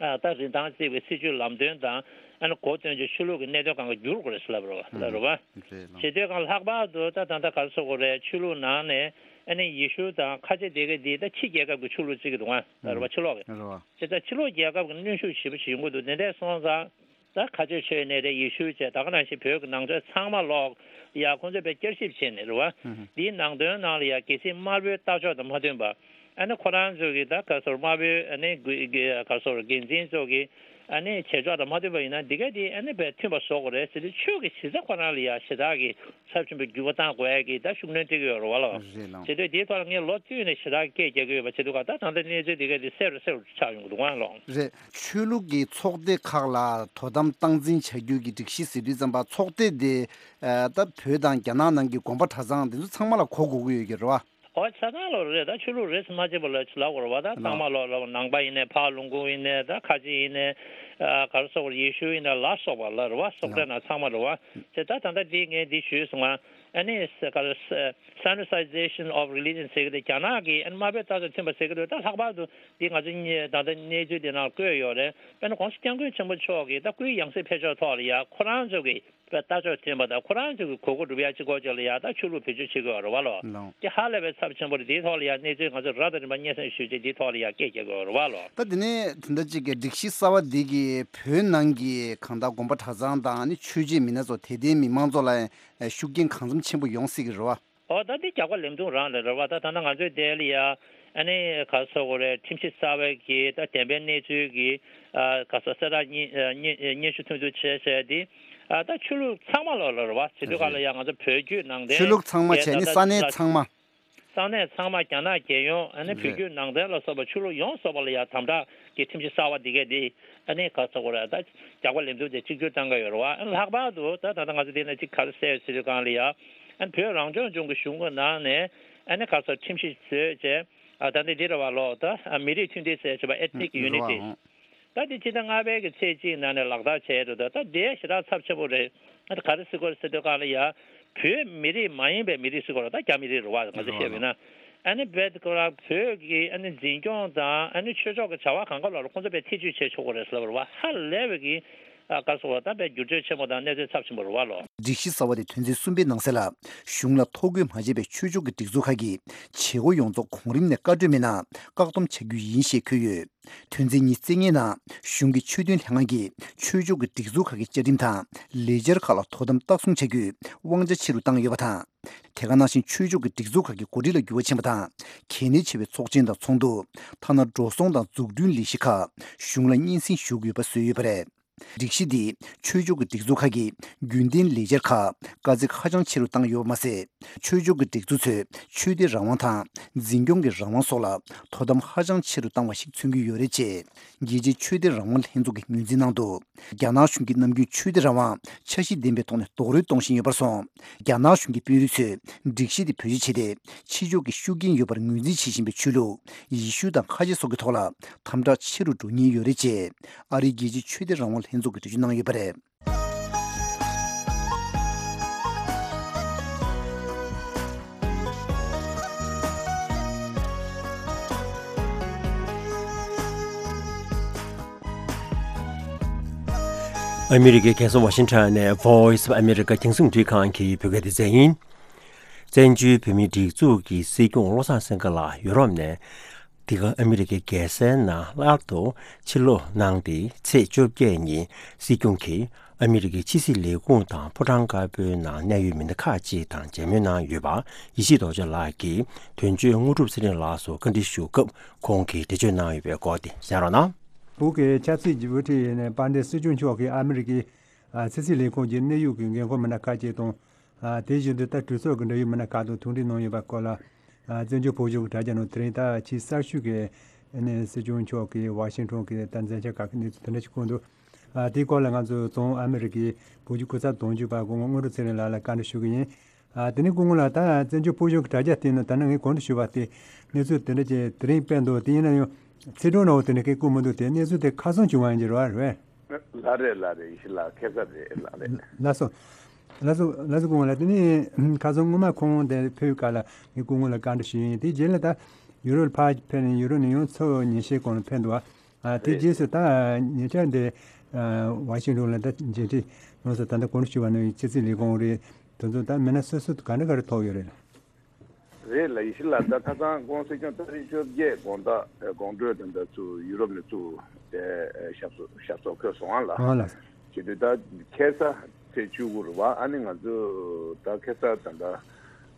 ཨ་ད་རིན་ཐང་བརྩི་བའི་སྲིད་ཇུས་ལམ་སྟོན་དང་ཨ་ནི་གོ་སྟོན་ཆེད་ཆོས་ལུགས་ཀྱི་གནད་དོན་སྒང་ག་བསྒྱུར་དགོས་རེད་ཟེར་ལབ་རེད་བ། ལབ་རེད་བ། རེད་ལགས། བྱེད་དུས་སྒང་ལྷག་པར་དུ་ད་ད་ལྟ་ག་རེ་ཟེར་དགོས་རེད། ཆོས་ལུགས་ནང་ནས་ཨ་ནི་ཡེ་ཤུ་དང་ཁ་ཆེ་སྡེ་དགེ་འདི་ད་ཕྱི་རྒྱལ་ཁབ་ཀྱི་ཆོས་ལུགས་བརྩི་གི་འདུག་ཨ། ལབ་རེད་བ། ཕྱི་ལོགས་ཀྱི། རེད་བ། བྱས་ཙང་ཕྱི་ལོགས་རྒྱལ་ཁབ་ཀྱི་གནོན་ཤུགས་ཞེ་པོ་ཞིག་ཡོང་གི་འདུག་དེ་འདྲ་སོང་ཙང་། ད་ཁ་ཆེ་ཆོས་ནས་རེད། ཡེ་ཤུ་བྱས་ད་ག་ནང་བཞིན་བོད་ཀྱི་ནང་ཆོས་ཚང་མ་ལོག་ཡ་ཁོང་ཚོས་དཔེ་བསྐྱར་ཞིབ་བྱས་ནས་རེད་བ། འདིའི་ནང་དོན་ནང་ལ་ཡ་གལ་སྲིད་དམར་པོའི་ལྟ་ཕྱོགས་དང་མ་མཐུན་པ། ཨ་ནི་ཁོ་རང་ཚོ་གི་ད་ག་རེ་ཟེར་དམར་པོའི་ཨ་ནི་གུ་གི་ག་རེ་ཟེར་འགན་འཛིན་ཚོ་གི་ཨ་ནི་བྱེད་ཕྱོགས་དང་མ་མཐུན་པ་ཡིན་ན་འདི་ག་དེ་ཨ་ནི་དཔེ་མཐུན་པ་བཟོ་དགོས་རེད་ཟེར་དུས་ཆོས་ཀྱི་གཞི་རྩ་ཁོ་རང་ལ་ཡ་ཞེ་དྲག་གི་ཚབས་ཆེན་པོའི་འགྱུར་བ་བཏང་དགོས་ཡ་གི་ད་ཤུགས་སྣོན་སྤྲད་ཀྱི་ཡོད་རེད་བ་ལགས། རེད་ལགས། བྱེད་དུས་དེའི་ཐོག་ལ་ངས་ལོ་བསྟུད་ནས་ཞེ་དྲག་སྐད་རྒྱག་གི་ཡོད་པ་བྱེད་དུས་ག་ད་ད་ལྟ་གནས་ཚུལ་དེ་ག་དེ་གསལ་རུ་གསལ་རུ་ཆགས་ཡོང་གི་འདུག་ཨང་ལགས། རེད། ཆོས་ལུགས་ཀྱི་ཚོགས་སྡེ་ཁག་ལ་དོ་དམ་སྟངས་འཛིན་བྱ་རྒྱུ་གི་སྒྲིག་གཞི་ཟེར་དུས་ཙམ་པ་ཚོགས་སྡེ་དེ་ཨ་ད་བོད་དང་རྒྱ་ནག་ནང་གི་དགོན་པ་གྲྭ་ཚང་དེ་ཚོ་ཚང་མ་ལ་གོ་དགོས་ཀྱི་ཡོད་ཀྱི་རེད་བ། ཨོ་ཆ་ཚང་ལོ་རེད། ད་ཆོས་ལུགས་རེད་ཟེར་མ་བྱེད་པ་ལ་ལབ་དགོས་རེད་བ། ད་ཚང་མ་ལོ་ལ་ནང་པ་ཡིན་ནའི་ཕར་ལུང་ཁུག་ཡིན་ནའི་ད་ཁ་ཆེ་ཡིན་ནའི་ཨ་ག་རེ་ཟེར་དགོས་རེད། ཡེ་ཤུ་ཡིན་ནའི་ལ་སོགས་པ་ལ་རེད་བ། སོགས་པའི་ནང་ཚང་མ་རེད་བ། དེ་ད་ད་ལྟ་འདི་ངས་འདི་ཞུས་སོང་ང་། ཨ་ནི་ས་ག་ས་Sinicization of religion ཟེར་གི་དེ་རྒྱ་ནག་གི་ཨ་ནི་དམར་པོའི་ལྟ་ཕྱོགས་མཐུན་པ་ཟེར་གི་འདུག་ད་ལྷག་པར་དུ་འདི་ང་ཚོ་གཉིས་ད་ལྟ་གནས་ཚུལ་འདི་ནང་བཀོད་ཡོད་རེད། དཔེར་ན་༸གོང་ས་༸སྐྱབས་མགོན་ཆེན་པོ་མཆོག་གིས་ད་སྐུའི་ཡང་སྲིད་ཕེབས་ཕྱོགས་ཐོག་ལ་ཡ་ཁོ་རང་ཚོ་གི་ལྟ་ཕྱོགས་མཐུན་པ་དང་ཁོ་རང་ཚོ་གི་གོ་སྐབས་སྒྲུབ་ཡ་གཅིག་སྐོར་ཅིག་ལ་ཡ་ད་ཆོས་ལུགས་བེད་སྤྱོད་བྱེད་དགོས་རེད་བ་ལོ། ལགས། དེ་ཧ་ལས་པའི་ཚབས་ཆེན་པོ་རེད། དེའི་ཐོག་ལ་ཡ་གནས་ཚུལ་ང་ཚོ་རབ་དང་རིམ་པ་སྙན་སེང་ཞུས་རྗེས་དེའི་ཐོག་ལ་ཡ་སྐད་རྒྱག་དགོས་རེད་བ་ལོ། ད་དེ་ནས་དེ་འདྲ་ཅིག་གི་སྒྲིག་གཞི་གསར་བ་འདི་གིས་བོད་ནང་གི་གང་ལྟར་དགོན་པ་གྲྭ་ཚང་དང་ཨ་ནི་ཆོས་བྱེད་མི་སྣ་ཚོ་དད་ལྡན་མི་མང་ཚོ་ལ་ཤུགས་རྐྱེན་གང་འཚམ་ཆེན་པོ་ཡོང་སྲིད་ཀྱི་རེད་བ། ཨོ་ད་འདི་རྒྱག་པ་ལེབ་མཐུག་རང་རེད་རེད་བ། ད་ད་ལྟ་ང་ཚོའི་དེ་ལ་ཡ་ཨ་ནི་ག་རེ་ཟེར་དགོས་རེད། ཁྲིམས་གཞི་གསར་བའི་གི་ད་བདེན་པའི་གནས་ཚུལ་གི་ཨ་ག་རེ་ཟེར་གསལ་བསྒྲགས་སྙན་སྙན་སྙན་ཞུ་ཐུང་ཐུང་བྱས་བྱས་འདི་ཨ་ད་ཆོས་ལུགས་ཚང་མ་ལ་ལ་རེད་བ། བྱེད་དུས་ག་ལ་ཡ་ང་ཚོ་བོད་བརྒྱུད་ནང་བསྟན་ཆོས་ལུགས་ཚང་མ་བྱས་ནི་ས་གནས་ཚང་མ། ས་གནས་ཚང་མ་རྒྱ་ནག་རྒྱལ་ཡོངས་ཨ་ནི་བོད་བརྒྱུད་ནང་བསྟན་ལ་སོགས་པ་ཆོས་ལུགས་ཡོངས་རྫོགས་པ་ལ་ཡ་དམ་དྲག་གི་ཁྲིམས་གཞི་གསར་བ་འདི་གས་འདི་ཨ་ནི་ག་རེ་ཟེར་དགོས་རེད། ད་རྒྱག་པ་ལེབ་མཐུག་དེ་གཅིག་གྱུར་བཏང་གི་ཡོད་རེད་བ། ཨ་ནི་ལྷག་པར་དུ་ད་ད་ལྟ་ང་ཚོ་འདི་ནས་གཅིག་ག་རེ་གསལ་ཡོད་ཟེར་དུས་སྒང་ལ་ཡ་ཨ་ནི་བོད་རང་སྐྱོང་ལྗོངས་ཀྱི་གཞུང་གི་ནང་ནས་ཨ་ནི་ག་རེ་ཟེར་ཁྲིམས་གཞི་བཟོས་བྱས་ཨ་ད་འདི་འདི་རེད་བ་ལོ། ད་ཨ་མི་རིགས་མཐུན་སྒྲིལ་ཟེར་བྱས་པ་Ethnic Unity། ད་འདི་ཕྱི་ཟླ་ལྔ་པའི་གི་ཚེས་གཅིག་ནང་ནས་ལག་བསྟར་བྱས་འགྲོ། ད་ད་དེ་ཞེ་དྲག་ཚབས་ཆེན་པོ་རེད། ཨ་ད་ག་རེ་ཟེར་དགོས་རེད་ཟེར་དུས་སྒང་ལ་ཡ་ བོད་མི་རིགས་མ་ཡིན་པའི་མི་རིགས་ཟེར་དགོས་རེད། ད་རྒྱ་མི་རིགས་རེད་བ། ང་ཚོ་བཤད་པ་ཡིན་ན། ཨ་ནི་བོད་ཀྱི་བོད་ཀྱི་ཨ་ནི་འཛིན་སྐྱོང་དང་ཨ་ནི་ཆོས་ཕྱོགས་ཀྱི་བྱ་བ་གང་ག་ལ་ཁོང་ཚོ་དཔེ་ཐེ་བྱུས་བྱེད་ཆོག་གི་རེད་ཟེར་བ་རེད་བ། ཧ་ལས་པའི་གི་ཨ་ག་སོགས་ད་དཔེ་འགྱུར་བཅོས་ཆེན་པོ་དང་གནས་ཚུལ་ཚབས་ཆེན་པོ་རེད་བ་ལོ། སྒྲིག་གཞི་གསར་བ་དེ་དོན་ཚན་གསུམ་པའི་ནང་གསལ་ལ། གཞུང་ལ་ཐོ་འགོད་མ་བྱས་པའི་ཆོས་ཕྱོགས་ཀྱི་སྒྲིག་འཛུགས་ཁག་གིས་བྱེད་སྒོ་ཡོངས་རྫོགས་གོང་རིམ་ནས་བཀའ་འཁྲོལ་མེད་ན་བཀག་སྡོམ་བྱ་རྒྱུ་ཡིན་ཞེས་འཁོད་ཡོད། དོན་ཚན་ཉི་ཤུ་རྩ་ལྔའི་ནང་གཞུང་གི་ཆོས་དོན་ལྷན་ཁང་གིས་ཆོས་ཕྱོགས་ཀྱི་སྒྲིག་འཛུགས་ཁག་གི་བཅའ་ཁྲིམས་དང་ལས་འཆར་ཁག་ལ་དོ་དམ་ལྟ་སྲུང་བྱ་རྒྱུའི་དབང་ཆ་ཆེ་རུ་བཏང་ཡོད་པ་དང་། དེ་ག་ནང་བཞིན་ཆོས་ཕྱོགས་ཀྱི་སྒྲིག་འཛུགས་ཁག་གི་འགོ་ཁྲིད་ལ་འགྱུར་བ་ཕྱིན་པ་དང་། གལ་གནད་ཆེ་བའི་ཚོགས་ཆེན་དང་ཚོགས་འདུ། ཐ་ན་འགྲོ་སོང་དང་འཛུགས་སྐྲུན་ལས་གཞི་ཁག་གཞུང་ལ་སྙན་སེང་ཞུ་དགོས་པ་བཟོས་ཡོད་པ་རེད། སྒྲིག་གཞི་འདིས་ཆོས་ཕྱོགས་ཀྱི་སྒྲིག་འཛུགས་ཁག་གི་རྒྱུན་ལྡན་ལས་འཆར་ཁག་དཀའ་ཚེགས་ཧ་ཅང་ཆེ་རུ་བཏང་ཡོད་པ་མ་ཟད། ཆོས་ཕྱོགས་ཀྱི་སྒྲིག་འཛུགས་ཚོས་ཆོས་དད་རང་དབང་དང་འཛིན་སྐྱོང་གི་རང་དབང་སོགས་ལ་དོ་དམ་ཧ་ཅང་ཆེ་རུ་བཏང་བ་ཞིག་མཚོན་གྱི་ཡོད་རེད་ཅེས། རྒྱལ་སྤྱིའི་ཆོས་དད་རང་དབང་ལྷན་ཚོགས་ཀྱིས་ངོས་འཛིན་གནང་འདུག་རྒྱ་ནག་གཞུང་གིས་ནམ་རྒྱུན་ཆོས་དད་རང་དབང་འཆར་གཞི་ལྡན་པའི་ཐོག་ནས་རྡོག་རོལ་གཏོང་བཞིན་ཡོད་པར་སོང་། རྒྱ་ནག་གཞུང་གི་དཔོན་རིགས་ཚོས་སྒྲིག་གཞི་དེ་བེད་སྤྱོད་བྱས་ཏེ། ཕྱི་ཕྱོགས་ཀྱི་ཤུགས་རྐྱེན་ཡོད་པར་ངོས་འཛིན་བྱེད་བཞིན་པའི་ཆོས་ལུགས། ཡེ་ཤུ་དང་ཁ་ཆེ་སོགས་ཀྱི་ཐོག་ལ་དམ་དྲག་ཆེ་རུ་འགྲོ་ཉེན་ཡོད་རེད་ཅེས། ཨ་རིའི་རྒྱལ་སྤྱིའི་ཆོས་དད་རང་དབང་ལྷན་ཚོགས་ཀྱིས་འགྲེལ་བརྗོད་གནང་ཡོད་པ་རེད། ཨ་མི་རི་ཀའི་རྒྱལ་ས་ཝ་ཤིང་ཊོན་ནས་Voice of America རྒྱང་སྲིང་རླུང་འཕྲིན་ཁང་གི་བོད་སྐད་སྡེ་ཚན་ཡིན། བཙན་བྱོལ་བོད་མིའི་སྒྲིག་འཛུགས་ཀྱི་སྲིད་སྐྱོང་བློ་བཟང་སེང་གེ་ལགས་ཡུ་རོབ་ནས་འདི་ག་ཨ་མི་རི་ཀའི་རྒྱལ་སའི་ནང་སླར་དུ་ཕྱིར་ལོག་གནང་སྟེ། ཚེས་བཅོ་བརྒྱད་ཉིན་སྲིད་སྐྱོང་གིས་ཨ་མི་རི་ཀའི་ཕྱི་སྲིད་ལས་ཁུངས་དང་ཕོ་བྲང་དཀར་པོའི་ནང་གནད་ཡོད་མི་སྣ་ཁག་ཅིག་དང་མཇལ་མོལ་གནང་ཡོད་པ། ཡེ་ཤེས་རྡོ་རྗེ་ལགས་ཀྱིས་དོན་གཅོད་དངོས་གྲུབ་ཚེ་རིང་ལགས་སུ་བཀའ་འདྲི་ཞུ་སྐབས་ཁོང་གིས་འགྲེལ་བརྗོད་གནང་ཡོད་པའི་སྐོར་དེ་གསན་རོགས་གནང་། བོད་ཀྱི་ཆབ་སྲིད་ཀྱི་དབུ་ཁྲིད་ཡིན་ནའི་དཔལ་ལྡན་སྲིད་སྐྱོང་མཆོག་གིས་ཨ་མི་རི་ཀའི་ཨ་ཕྱི་སྲིད་ལས་ཁུངས་ཀྱི་གནད་ཡོད་ཀྱི་འགན་ཁུར་མི་སྣ་ཁག་ཅིག་དང་། ཨ་དེ་བཞིན་དུ་ད་གྲོས་ཚོགས་ཀྱི་འབྲེལ་ཡོད་མི་སྣ་ཁག་དང་ཐུག་འཕྲད་གནང་ཡོད་པའི་སྐོར་ལ། ཨ་བཙན་བྱོལ་བོད་གཞུང་གི་དྲ་རྒྱ་ནང་དེ་རིང་ད་ཕྱི་གསར་ཤོག་གི་ཨ་ནི་སྲིད་སྐྱོང་མཆོག་གིས་ཝ་ཤིང་ཊོན་གྱི་ད་མཚན་ཆ་ཁག་གི་གནས་ཚུལ་དེ་འདྲ་ཞིག་བཀོད་འདུག་ཨ་དེའི་སྐོར་ལ་ང་ཚོ་བཙོན་ཨ་མི་རི་ཀའི་བོད་བརྒྱུད་སྐུ་ཚབ་དོན་གཅོད་པ་སྐུ་ངོ་དངོས་གྲུབ་ཚེ་རིང་ལགས་ལ་བཀའ་འདྲི་ཞུ་གི་ཡིན། ཨ་དེ་ནས་སྐུ་ངོ་ལགས། ད་བཙན་བྱོལ་བོད་གཞུང་གི་དྲ་རྒྱ་སྟེང་ནས་ད་ནངས་ངས་གོང་དུ་ཞུས་པ་དེ་གནས་ཚུལ་དེ་འདྲ་ཅིག་དེ་རིང་སྤེལ་འདུག་དེ་ཡིན་ན་ཡང་ཚིག་གྲོགས་ནང་དེ་འདྲ་སྐད་བཀོད་མི་འདུག་དེ་གནས་ཚུལ་དེ་ཁ་སང་བྱུང་བ་ཡིན་གྱི་རེད་བ། རེད། ལགས་རེད། ལགས་རེད། ཡེ་ཤེས་ལགས། ཁ་སང་རེད། ལགས་རེད། ལགས་སོ། ལགས་སོ། ལགས་སོ་སྐུ་ངོ་ལགས། དེ་ནས་ཁ་སང་སྔོན་མ་ཁོང་དེ་ཕེབས་སྐབས་ལ་ངས་སྐུ་ངོ་ལ་བཀའ་འདྲི་ཞུས་ཡིན། དེ་རྗེས་ལ་ད་ཡུ་རོབ་ལ་ཕར་ཕེབས་ནས་ཡུ་རོབ་ནས་ཡང་ཚོགས་ཉིན་ཤས་གོང་ལ་ཕེབས་འདུག་ཨ་དེ་རེད། རྗེས་སུ་ད་ཉེ་ཆར་འདི་ཝ་ཤིང་ཊོན་ལ་ད་མཇལ་འཕྲད་གནང་སོང་། ད་ལྟ་གོང་དུ་ཞུས་པ་ནང་བཞིན་ཕྱི་སྲིད་ལས་ཁུངས་རེད། དེ་ཚོ་ད་མི་སྣ་སོ་སོ་ག་འདྲ་ག་རེ་ཐོབ་ཡོད་རེད། རེད་ལགས། ཡེ་ཤེས་ལགས། ད་ཁ་སང་དགོང་སྲིད་སྐྱོང་ཏ་རིག་བཅོ་བརྒྱད་དགོང་དག་དགོང་དྲོ་དེ་འདྲ་ཚུར་ཡུ་རོབ་ནས་ཚུར་དེ་ཞབས་སོར་ཞབས་སོར་འཁོད་སོང་ཨ་ལགས། ཨོ་ལགས། བྱེད་དུས་ད་ཁ་སང་ཚེས་བཅུ་དགུ་རེད་བ། ཨ་ནི་ང་ཚོ་ད་ཁ་སང་ད་ལྟ་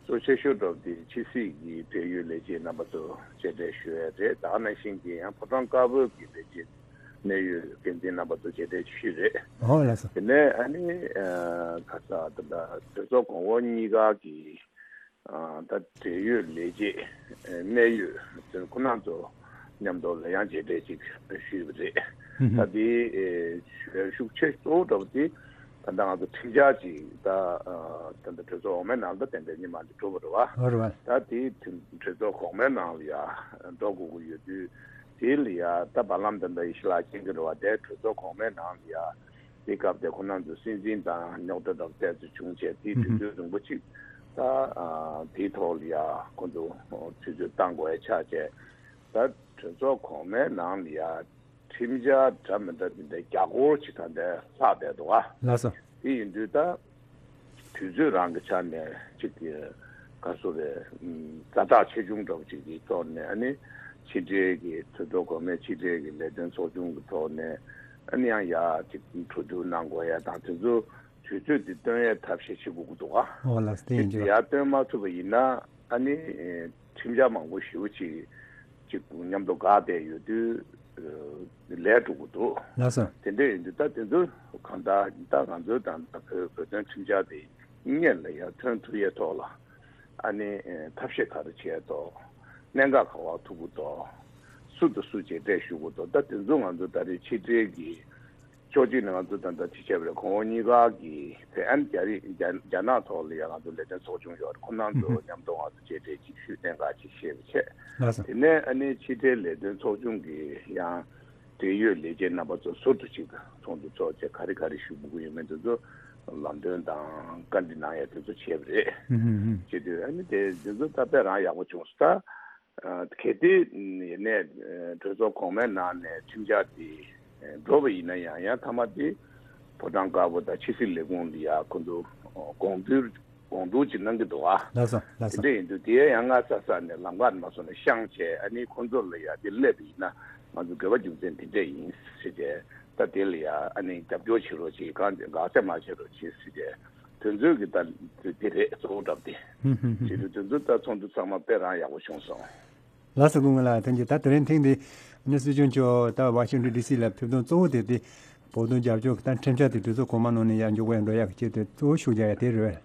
གཙོ་ཆེ་ཤོས་འདྲ་བོ་དེ་ཕྱི་སྲིད་ཀྱི་འབྲེལ་ཡོད་ལས་བྱེད་རྣམ་པ་ཚོ་མཇལ་འཕྲད་ཞུ་ཡས་རེད། ད་ག་ནང་བཞིན་གྱི་ཡང་ཕོ་བྲང་དཀར་པོའི་གི་ལས་བྱེད་གནད་ཡོད་འགན་འཛིན་རྣམ་པ་ཚོ་མཇལ་འཕྲད་ཞུས་རེད། ཨོ་ལགས་སོ། དེ་ནས་ཨ་ནི་ཁ་སང་ད་ལྟ་གྲོས་ཚོགས་གོང་འོག་གཉིས་ཀ་གི་ད་འབྲེལ་ཡོད་ལས་བྱེད་གནད་ཡོད་ཁོང་རྣམ་ཚོ་མཉམ་དུ་ལ་ཡང་མཇལ་འཕྲད་ཅིག་ཞུས་པ་རེད། ད་དེ་ཤུགས་ཆེ་གཙོ་བོ་འདྲ་བོ་དེ་ད་ལྟ་ང་ཚོ་ཁྲིམས་འཆར་ཅིག་ད་ད་ལྟ་གྲོས་ཚོགས་འོག་མའི་ནང་ད་ཏན་ཏན་ཉི་མ་འདི་གྲུབ་པ་རེད་བ། ད་དེ་གྲོས་ཚོགས་གོང་མའི་ནང་ལ་ཡ་འགྲོ་དགོས་ཀྱི་ཡོད་དུས་དེ་ལ་ཡ་ད་བར་ལམ་ད་ལྟ་ཡེ་ཤེས་ལགས་མཁྱེན་གྱི་རེད་བ། དེ་གྲོས་ཚོགས་གོང་མའི་ནང་ལ་ཡ། དེ་སྐབས་དེ་ཁོ་རང་ཚོ་སྲིད་འཛིན་དང་རྙོག་དྲ་འདྲ་པོ་ཏོག་ཙམ་བྱུང་བྱས་དེའི་དུས་ཚོད་རིང་པོ་ཅིག་ད་དེའི་ཐོག་ལ་ཡ་ཁོ་ཚོ་དུས་ཚོད་བཏང་དགོས་ཡ་ཆགས་བྱས། ད་གྲོས་ཚོགས་གོང་མའི་ནང་ལ་ཡ་ཁྲིམས་འཆར་འདྲ་མི་འདྲ་དེ་འདྲ་བརྒྱ་སྐོར་ཅིག་ད་ལྟ་ལྷག་བསྡད་འདུག་ཨ། ལགས་སོ། དེ་ཡིན་དུས་ད་དུས་ཚོད་རང་གི་ཆ་ནས་ཅིག་གི་ག་སོ་རེད། ཛ་དྲག་ཆེ་ཆུང་འདྲ་པོ་ཅིག་གི་ཐོག་ནས་ཨ་ནི་ཕྱི་འབྲེལ་གྱི་གྲོས་ཚོགས་གོང་མའི་ཕྱི་འབྲེལ་གྱི་ལས་དོན་ཚོགས་ཆུང་གི་ཐོག་ནས་ཨ་ནི་ཡང་ཡ་ཅིག་གྲོས་བསྡུར་གནང་དགོས་ཡ་དང་དེ་ཚོ་དུས་ཚོད་དེ་བཏོན་ཡའི་ཐབས་ཤེས་བྱེད་དགོས་ཀྱི་འདུག་ག། ཨོ་ལགས་སོ། དེ་ཡིན་དེ་གྱི་ཡར་བཏོན་མ་ཐུབ་པ་ཡིན་ན་ཨ་ནི་ཁྲིམས་འཆར་མང་པོ་ཞེ་པོ་ཅིག་ཅིག་མཉམ་དུ་འགག་བསྡད་ཡོད་དུས་ལས་འགྲོ་གི་འདུག། ལགས་སོ། དེ་འདྲ་ཡིན་དུས་ད་དེ་ཚོ་གང་ལྟར་ད་ང་ཚོའི་ད་ལྟ་བོད་བོད་དོན་ཁྲིམས་འཆར་དེ་སྔོན་ལ་ཡར་ཐོན་ཐུབ་ཡས་ཐོག་ལ་ཨ་ནི་ཐབས་ཤེས་ག་རེ་བྱས་ཐོག་གནད་འགག་ག་པར་ཐུག་གི་འདུག། སུ་དང་སུ་མཇལ་འཕྲད་ཞུ་གི་འདུག། ད་དེ་ཚོ་ང་ཚོ་ད་རེས་ཕྱི་འབྲེལ་གྱི་ཕྱོགས་གཅིག་ནས་ང་ཚོ་ད་ལྟ་ཅི་བྱས་པ་རེད། གོང་འོག་གཉིས་ཀ་གི་བོད་ཨན་རྒྱ་རི་རྒྱ་རྒྱ་ནག་ཐོག་ལ་ཡང་ང་ཚོ་ལས་དོན་ཚོགས་ཆུང་ཡོད་རེད། ཁོ་རང་ཚོ་མཉམ་དུ་ང་ཚོ་མཇལ་འཕྲད་ཅིག་ཞུས་གནད་འགག་ཅིག་བཤད་པ་བྱས། ལགས་སོ། དེ་ནས་ཨ་ནི་ཕྱི་འབྲེལ་ལས་དོན་ཚོགས་ཆུང་གི་ཡང་འབྲེལ་ཡོད་ལས་བྱེད་རྣམ་པ་ཚོ་ཟུར་དུ་ཅིག་ཚོགས་འདུ་ཚོགས་བྱས་ག་རེ་ག་རེ་ཞུ་དགོས་ཀྱི་ཡོད་མེད་དེ་ཚོ་ ལམ་སྟོན་དང་བཀའ་འདྲི་གནང་ཡ་དེ་ཚོ་བྱས་པ་རེད། ཧུམ་ཧུམ་ཧུམ། བྱེད་དུས་ཨ་ནི་དེ་དེ་ཚོ་ད་དཔེ་རང་ཡག་པོ་བྱུང་སོང་ད། ཨ་གལ་ཏེ་ཡིན་ནའི་གྲོས་ཚོགས་གོང་མའི་ནང་ནས་ཁྲིམས་འཆར་དེ་འགྲོ་བ་ཡིན་ན་ཡང་ཡང་མཐའ་མ་དེ་ཕོ་བྲང་དཀར་པོ་དང་ཕྱི་སྲིད་ལས་ཁུངས་འདི་ཡ་ཁོ་ཚོ་དགོངས་ཚུལ་དགོངས་འདུག་ཅིག་གནང་གི་འདུག་ཨ། ལགས་སོ་ལགས་སོ། དེ་འདྲ་ཡིན་དུས་དེ་ཡང་སྔ་ས་ས་ནས་ལམ་ཁ་མ་སོང་ནས་བཤངས་བྱས་ཨ་ནི་ཁོ་ཚོ་ལ་ཡ་དེ་སླེབས་པ་ཡིན་ན་ང་ཚོ་དགོས་པ་རྒྱུ་མཚན་དེ་འདྲ་ཡིན་ཟེར་བྱས་ད་དེ་ལ་ཡ་ཨ་ནི་རྒྱབ་སྐྱོར་བྱེད་རོགས་བྱེད་གང་དགག་བྱ་མ་བྱེད་རོགས་བྱེད་ཟེར་བྱས་དོན་ཚོད་ཀྱི་ད་དེ་རེད་གཙོ་བོ་གྲབས་དེ། ཧུམ་ཧུམ་ཧུམ། བྱེད་དུས་དོན་ཚོད་ད་ཚོགས་འདུ་ཚང་མ་དཔེ་རང་ཡག་པོ་བྱུང་སོང་། ལགས་སོ་སྐུ་ངོ་ལགས་ཐུགས་རྗེ་ཆེ། ད་དེ་རིང་ཐེངས་འདི་ནི་སྲིད་སྐྱོང་མཆོག་ད་ཝ་ཤིང་ཊོན་ཌི་སི་ལ་ཕེབས་དོན་གཙོ་བོ་དེ་དེ་བོད་དོན་རྒྱབ་སྐྱོར་ད་ཁྲིམས་འཆར་དེ་གྲོས་ཚོགས་གོང་མ་ནང་ནས་ཡར་མགྱོགས་པོ་ཡར་འགྲོ་ཡག་གི་ཆེད་དུ་གཙོ་བོ་ཤུགས་རྒྱག་ཡ་དེ་རེད།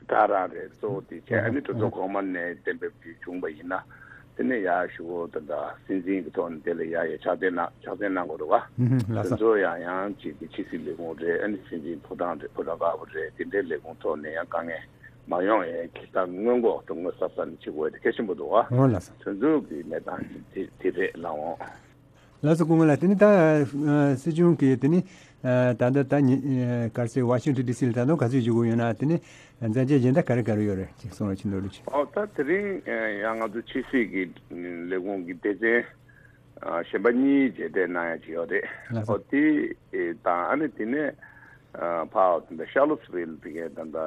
ད་རང་རེད། གཙོ་བོ་དེ་བྱས་ཨ་ནི་གྲོས་ཚོགས་གོང་མ་ནས་གཏན་འབེབས་དེ་བྱུང་བ་ཡིན་ན་དེ་ནས་ཡར་ཞུ་བོ་ད་ད་སྲིད་འཛིན་གྱི་ཐོག་ནས་དེ་ལ་ཡར་ཡར་ཕྱག་འཚལ་གནང་ཕྱག་འཚལ་གནང་དགོས་རེད་བ། ཧུམ་ཧུམ་ལགས་དེ་སོ། ཚོ་ཡང་ཡང་གཅིག་གི་ཕྱི་སྲིད་ལས་ཁུངས་རེད། ཨ་ནི་སྲིད་འཛིན་ཕོ་བྲང་རེད། ཕོ་བྲང་དཀར་པོ་རེད། དེ་འདྲའི་ལས་ཁུངས་ཐོག་ནས་ཡང་དཀའ་ངལ་མ་ཡོང་ཡས་ཀྱི་ད་སྔོན་འགོག་ཏུ་དངོས་ཟབ་ས་ནས་བྱེད་དགོས་དེ་གལ་ཆེན་པོ་འདུག་བ། འོ་ལགས་སོ། དོན་ཚུལ་གྱི་གནས་སྟངས་ཀྱི་དེ་དེ་རེད་ལགས་འོང་། ལགས་སོ་སྐུ་ངོ་ལགས། དེ་ནི་ད་ཨ་སྲིད་སྐྱོང་གིས་དེ་ནི་ཨ་ད་ལྟ་ད་ཉི་ཨ་ག་རེ་ཟེར་ཝ་ཤིང་ཊོན་ཌི་སི་ལ་ད་དུང་ག་ཚོད་བཞུགས་དགོས་ཡོད་ན་དེ་ནི་མཛད་རྗེས་གཞན་དག་ག་རེ་ག་རེ་ཡོད་རེད་ཅིག་གསུང་རོགས་བྱེད་འདོད་ལུགས་ཅིག་ཨོ་ད་དེ་རིང་ཡང་ང་ཚོ་ཕྱི་སྲིད་ཀྱི་ལས་ཁུངས་ཀྱི་སྡེ་ཚན་གཞན་པ་གཉིས་མཇལ་འཕྲད་གནང་ཡ་ཅིག་ཡོད་རེད། ལགས་སོ། ཨོ་དེ་དང་ཨ་ནི་དེ་ནས་ཕར་དེ་འདྲ་ཤར་ལོ་སི་ཝིལ་དེ་གའི་ད་ལྟ་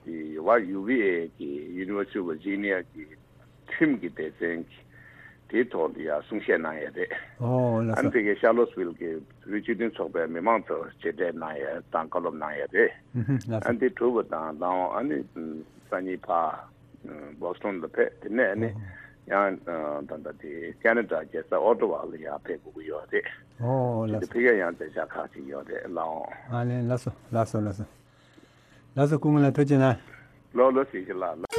དེ་ཝ་ཡུ་ཝི་ཨེ་གི་University of Virginia གི་ཁྲིམས་ཀྱི་སྡེ་ཚན་གྱི་དེའི་ཐོག་ལ་ཡང་གསུང་བཤད་གནང་ཡོད་རེད། ཨོ་ལགས་ཨ་སོ། ནི་དེ་གའི་ཤར་ལོ་སི་ཝིལ་གྱི་བོད་སྤྱི་མཐུན་ཚོགས་པའི་མི་མང་ཚོར་མཇལ་འཕྲད་གནང་ཡོད་དང་བཀའ་སློབ་གནང་ཡོད་རེད། ཨུ་ཧུ་ལགས་ཨ་སོ། ནི་དེ་གྲུབ་པ་དང་ལའོ་ཨ་ནི་སང་ཉིན་ཕར་བོ་སི་ཊོན་ལ་ཕེབས། དེ་ནས་ཨ་ནི་ཨོ་ཡང་ད་ལྟ་དེ་ཁེ་ན་ཌ་རྒྱལ་ས་ཨོ་ཊ་ཝ་ལ་ཡང་ཕེབས་དགོས་ཀྱི་ཡོད་རེད། ཨོ་དེ་ལགས་དེ་སོ། ཕེབས་ཡ་ཡང་མཛད་འཆར་ཁག་ཅིག་ཡོད་རེད་ལའོ། ཨ་ལས་ལགས་སོ་ལགས་སོ་ལགས་སོ། ལགས་སོ་སྐུ་ངོ་ལགས་ཐུགས་རྗེ་གནང་། ལོ་ལོ་སྲིད་ཞི་ལགས།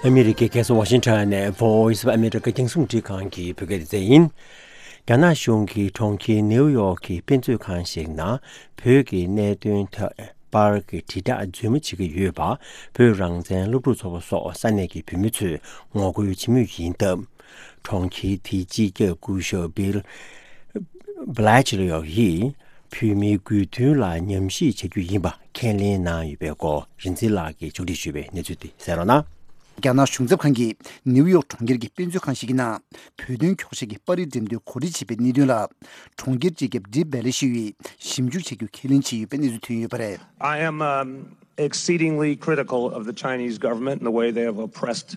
ཨ་མི་རི་ཀའི་རྒྱལ་ས་ཝ་ཤིང་ཊོན་ནས་Voice of America རྒྱང་སྲིང་འཕྲིན་ཁང་གི་བོད་སྐད་སྡེ་ཚན་ཡིན། རྒྱ་ནག་གཞུང་གིས་གྲོང་ཁྱེར་ནེའུ་ཡོག་གི་དཔེ་མཛོད་ཁང་ཞིག་ནང་བོད་ཀྱི་གནད་དོན་ཐད་པར་གྱི་དྲིལ་བསྒྲགས་རྫུན་མ་བྱེད་ཀྱི་ཡོད་པ་བོད་རང་བཙན་སློབ་ཕྲུག་ཚོགས་པ་སོགས་ས་གནས་ཀྱི་བོད་མི་ཚོས་ངོ་རྒོལ་བྱེད་མུས་ཡིན་སྟབས། གྲོང་ཁྱེར་དེའི་སྤྱི་ཁྱབ་སྐུ་ཞབས་བྷིལ་བྷ་ལེ་ཆི་ལོ་ཡིས་བོད་མིའི་དགོས་འདུན་ལ་ཉམས་ཞིབ་བྱ་རྒྱུ་ཡིན་པ་ཁས་ལེན་གནང་ཡོད་པའི་སྐོར་རིན་འཛིན་ལགས་ཀྱིས་ཕྱོགས་སྒྲིག་ཞུས་པའི་གནས་ཚུལ་དེ་གསན་རོགས་གནང་། རྒྱ་ནག་གཞུང་ཚབ་ཁང་གིས་ནེའུ་ཡོག་གྲོང་ཁྱེར་གྱི་དཔེ་མཛོད་ཁང་ཞིག་གི་ནང་བོད་དོན་འཁྱོག་བཤད་ཀྱི་པར་རིས་འགྲེམས་སྟོན་གོ་སྒྲིག་བྱས་པའི་གནད་དོན་ལ། གྲོང་ཁྱེར་སྤྱི་ཁྱབ་ཌིབ་བྷེ་ལེ་ཤིའུ་ཡིས་ཞིབ་འཇུག་བྱ་རྒྱུ་ཁས་ལེན་བྱས་ཡོད་པའི་གནས་ཚུལ་ཐོན་ཡོད་པ་རེད། I am um, exceedingly critical of the Chinese government and the way they have oppressed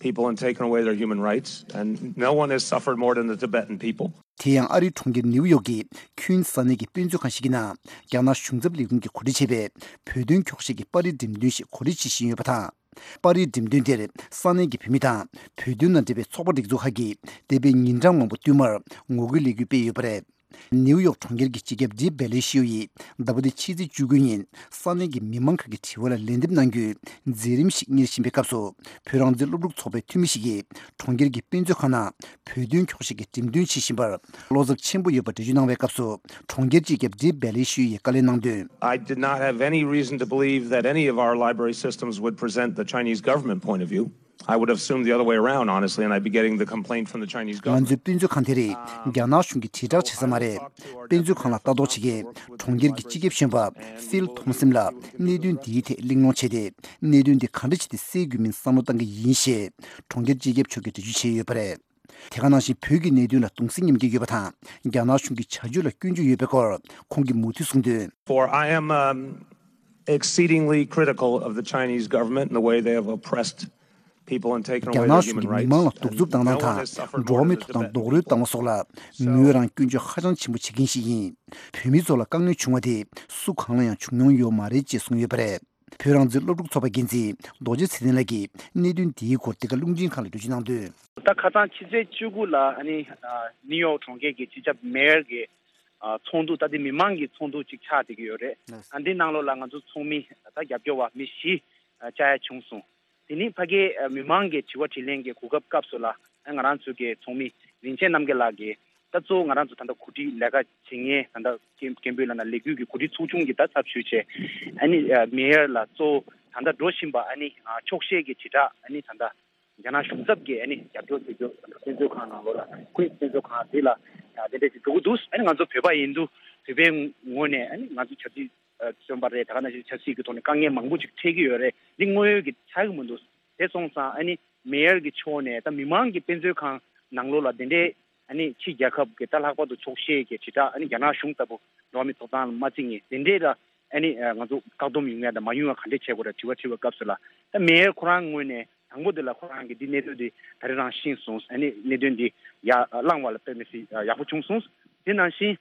people and taken away their human rights, and no one has suffered more than the Tibetan people. དེ་ཡང་ཨ་རིའི་གྲོང་ཁྱེར་ནེའུ་ཡོག་གི་ཁུན་ས་གནས་ཀྱི་དཔེ་མཛོད་ཁང་ཞིག་གི་ནང་རྒྱ་ནག་གཞུང་ཚབ་ལས་ཁུངས་ཀྱིས་གོ་སྒྲིག་བྱས་པའི་བོད་དོན་འཁྱོག་བཤད་ཀྱི་པར་རིས་འགྲེམས་སྟོན་ཞིག་གོ་སྒྲིག་བྱེད་བཞིན་ཡོད་པ་དང་། པར་རིས་འགྲེམས་སྟོན་དེར་ས་གནས་ཀྱི་བོད་མི་དང་བོད་དོན་དང་འབྲེལ་བའི་ཚོགས་པ་སྒྲིག་འཛུགས་ཁག་གིས་འདས་པའི་ཉིན་གྲངས་མང་པོ་བསྟུད་མར་ངོ་རྒོལ་ལས་འགུལ་སྤེལ་ཡོད་པ་རེད། ནེའུ་ཡོག་གྲོང་ཁྱེར་གྱི་སྤྱི་ཁྱབ་ཌིབ་བྷེ་ལེ་ཤིའུ་ཡིས་ཟླ་བ་འདིའི་ཕྱི་ཚེས་བཅུ་དགུ་ཉིན་ས་གནས་ཀྱི་མི་མང་ཁག་གི་དྲི་བ་ལ་ལན་འདེབས་གནང་རྒྱུའི་མཛད་རིམ་ཞིག་གཉེར་བཞིན་པའི་སྐབས་སུ། བོད་རང་བཙན་སློབ་ཕྲུག་ཚོགས་པའི་འཐུས་མི་ཞིག་གིས་གྲོང་ཁྱེར་གྱི་དཔེ་མཛོད་ཁང་ནང་བོད་དོན་འཁྱོག་བཤད་ཀྱི་འགྲེམས་སྟོན་བྱེད་བཞིན་པར་བློ་འཚབ་ཆེན་པོ་ཡོད་པ་འགྲེལ་བརྗོད་གནང་བའི་སྐབས་སུ། གྲོང་ཁྱེར་སྤྱི་ཁྱབ་ཌིབ་བྷེ་ལེ་ཤིའུ་ཡིས་བཀའ་ལན་གནང་དོན། I did not have any reason to believe that any of our library systems would present the Chinese government point of view. I would have assumed the other way around, honestly, and I'd be getting the complaint from the Chinese ང་ཚོའི་government. དཔེ་མཛོད་ཁང་དེ་རིགས་རྒྱ་ནག་གཞུང་གིས་དྲིལ་བསྒྲགས་བྱེད་ས་མ་རེད། དཔེ་མཛོད་ཁང་ལ་ལྟ་རྟོག་བྱེད་མཁན་གྲོང་ཁྱེར་གྱི་སྤྱི་ཁྱབ་གཞོན་པ་ཕིལ་ཐོམ་སིན་ལ་གནད་དོན་འདིའི་ཐད་གླེང་སློང་བྱས་ཏེ། གནད་དོན་འདི་ག་འདྲ་བྱས་ཏེ་སེལ་དགོས་མིན་བསམ་བློ་བཏང་གི་ཡིན་ཞེས་གྲོང་ཁྱེར་སྤྱི་ཁྱབ་མཆོག་གིས་འགྲེལ་བརྗོད་བྱས་ཡོད་པ་རེད། དེ་ག་ནང་བཞིན་བོད་ཀྱི་གནད་དོན་ལ་གདུང་སེམས་མཉམ་སྐྱེད་ཡོད་པ་དང་། རྒྱ་ནག་གཞུང་གི་བྱ་སྤྱོད་ལ་སྐྱོན་བརྗོད་ཡོད་པའི་སྐོར་ཁོང་གིས་མུ་མཐུད་གསུངས་དོན། For I am um, exceedingly critical of the Chinese government and the way they have oppressed people and taken རྒྱ་away ནག་their གཞུང་གིས་human མི་མང་ལ་rights, གདུག་རྩུབ་བཏང་སྟངས་དང་འགྲོ་བ་མིའི་ཐོབ་ཐང་རྡོག་རོལ་བཏང་བ་སོགས་ལ་ངོས་རང་སྐྱོན་བརྗོད་ཧ་ཅང་ཆེན་པོ་བྱེད་མཁན་ཞིག་ཡིན། བོད་མི་ཚོ་ལ་དཀའ་ངལ་བྱུང་བ་དེ་སུ་གང་ལ་ཡང་བྱུང་མྱོང་ཡོད་མ་རེད་ཅེས་གསུངས་ཡོད་པ་རེད། བོད་རང་བཙན་སློབ་ཕྲུག་ཚོགས་པ་འགན་འཛིན་རྡོ་རྗེ་ཚེ་བརྟན་ལགས་ཀྱིས་གནད་དོན་འདིའི་སྐོར་འདི་ག་རླུང་འཕྲིན་ཁང་ལ་འགྲེལ་བརྗོད་གནང་དོན། ད་ཁ་སང་ཕྱི་ཚེས་བཅུ་དགུ་ལ་ཨ་ནི་ནིའུ་ཡོག་གྲོང་ཁྱེར་གྱི་སྤྱི་ཁྱབ་མེ་ཡར་གྱི་ཚོགས་འདུ། ད་དེ་མི་མང་གི་ཚོགས་འདུ་ཅིག་ཆགས་བསྡད་ཀྱི་ཡོད་རེད། ཨ་འདི་ནང་ལོགས་ལ་ང་ཚོ་ཚོགས་མི་ད་རྒྱབ་སྐྱོར་བ་མི་བཞི་བཅར་ཡ་བྱུང་སོང་། དེ་ནི་ཕ་གིའི་མི་མང་གི་དྲི་བ་དྲིས་ལན་གྱི་གོ་སྐབས་སྐབས་སུ་ལ་ང་རང་ཚོའི་གི་ཚོགས་མི་རིན་ཆེན་རྣམ་རྒྱལ་ལགས་ཀྱིས་ ད་གཙོ་བོ་ང་རང་ཚོ་ད་ལྟ་གོ་སྒྲིག་ལས་ཀ་བྱེད་མཁན་ད་ལྟ་སྐད་སྐད་འབོད་ལབ་ན་ལས་འགུལ་གྱི་གོ་སྒྲིག་ཚོགས་ཆུང་གི་ད་ཚབ་ཞུས་བྱས་ཨ་ནི་མེ་ཡར་ལ་གཙོ་བོ་ད་ལྟ་འགྲོ་བཞིན་པ་ཨ་ནི་འཁྱོག་བཤད་ཀྱི་དྲིལ་བསྒྲགས་ཨ་ནི་ད་ལྟ་རྒྱ་ནག་གཞུང་ཚབ་ཀྱིས་ཨ་ནི་རྒྱབ་སྐྱོར་བྱེད་རྒྱུ་དཔེ་མཛོད་ཁང་ནང་ལོགས་ལ་ཀུན་དཔེ་མཛོད་ཁང་དེ་ལ་དེ་འདྲས་ཅིག་འགྲོ་གི་འདུག་ཨ་ནི་ང་ཚོ་བོད་པ་ཡིན་དུས་བོད་པའི་ངོས་ནས་ཨ་ནི་ང་ཚོ་ཆབ་སྲིད་ཨ་བཙོན་པ་རེད། ད་ག་ནང་བཞིན་ཆབ་སྲིད་ཀྱི་ཐོག་ནས་དཀའ་ངལ་མང་པོ་ཅིག་འཕྲད་ཀྱི་ཡོད་རེད། འདི་དངོས་ཡོད་ཀྱི་ཆགས་ཀྱི་མི་འདུག་དེ་སོང་ཙང་ཨ་ནི་མེ་ཡར་གྱི་ཕྱོགས་ནས་ད་མི་མང་གི་དཔེ་མཛོད་ཁང་ནང་ལོགས་ལ་དེ་འདྲའི་ཨ་ནི་ཕྱི་རྒྱལ་ཁབ་ཀྱི་ད་ལྷག་པར་དུ་འཁྱོག་བཤད་ཀྱི་དྲིལ་བསྒྲགས་ཨ་ནི་རྒྱ་ནག་གཞུང་ལྟ་བུ་འགྲོ་བ་མིའི་ཐོབ་ཐང་ལ་མ་བརྩི་མཁན་དེ་འདྲའི་ལ་ཨ་ནི་ང་ཚོ་བཀག་སྡོམ་ཡོང་ཡ་དང་མ་ཡོང་ཡ་ག་འདྲས་བྱེད་དགོས་རེད་དྲི་བ་དྲིས་པའི་སྐབས་སུ་ལ་ད་མེ་ཡར་ཁོ་རང་ངོས་ནས་དང་པོ་དེ་ལ་ཁོ་རང་གིས་འདི་གནད་དོན་འདི་ད་རེས་རང་ཤེས་སོང་ཨ་ནི་གནད་དོན་འདི་ཡར་བསླངས་པ་ལ་དཔེ་མི་སྲིད་ཡག་པོ་བྱུང་སོང་། དེ་ནང་བཞིན།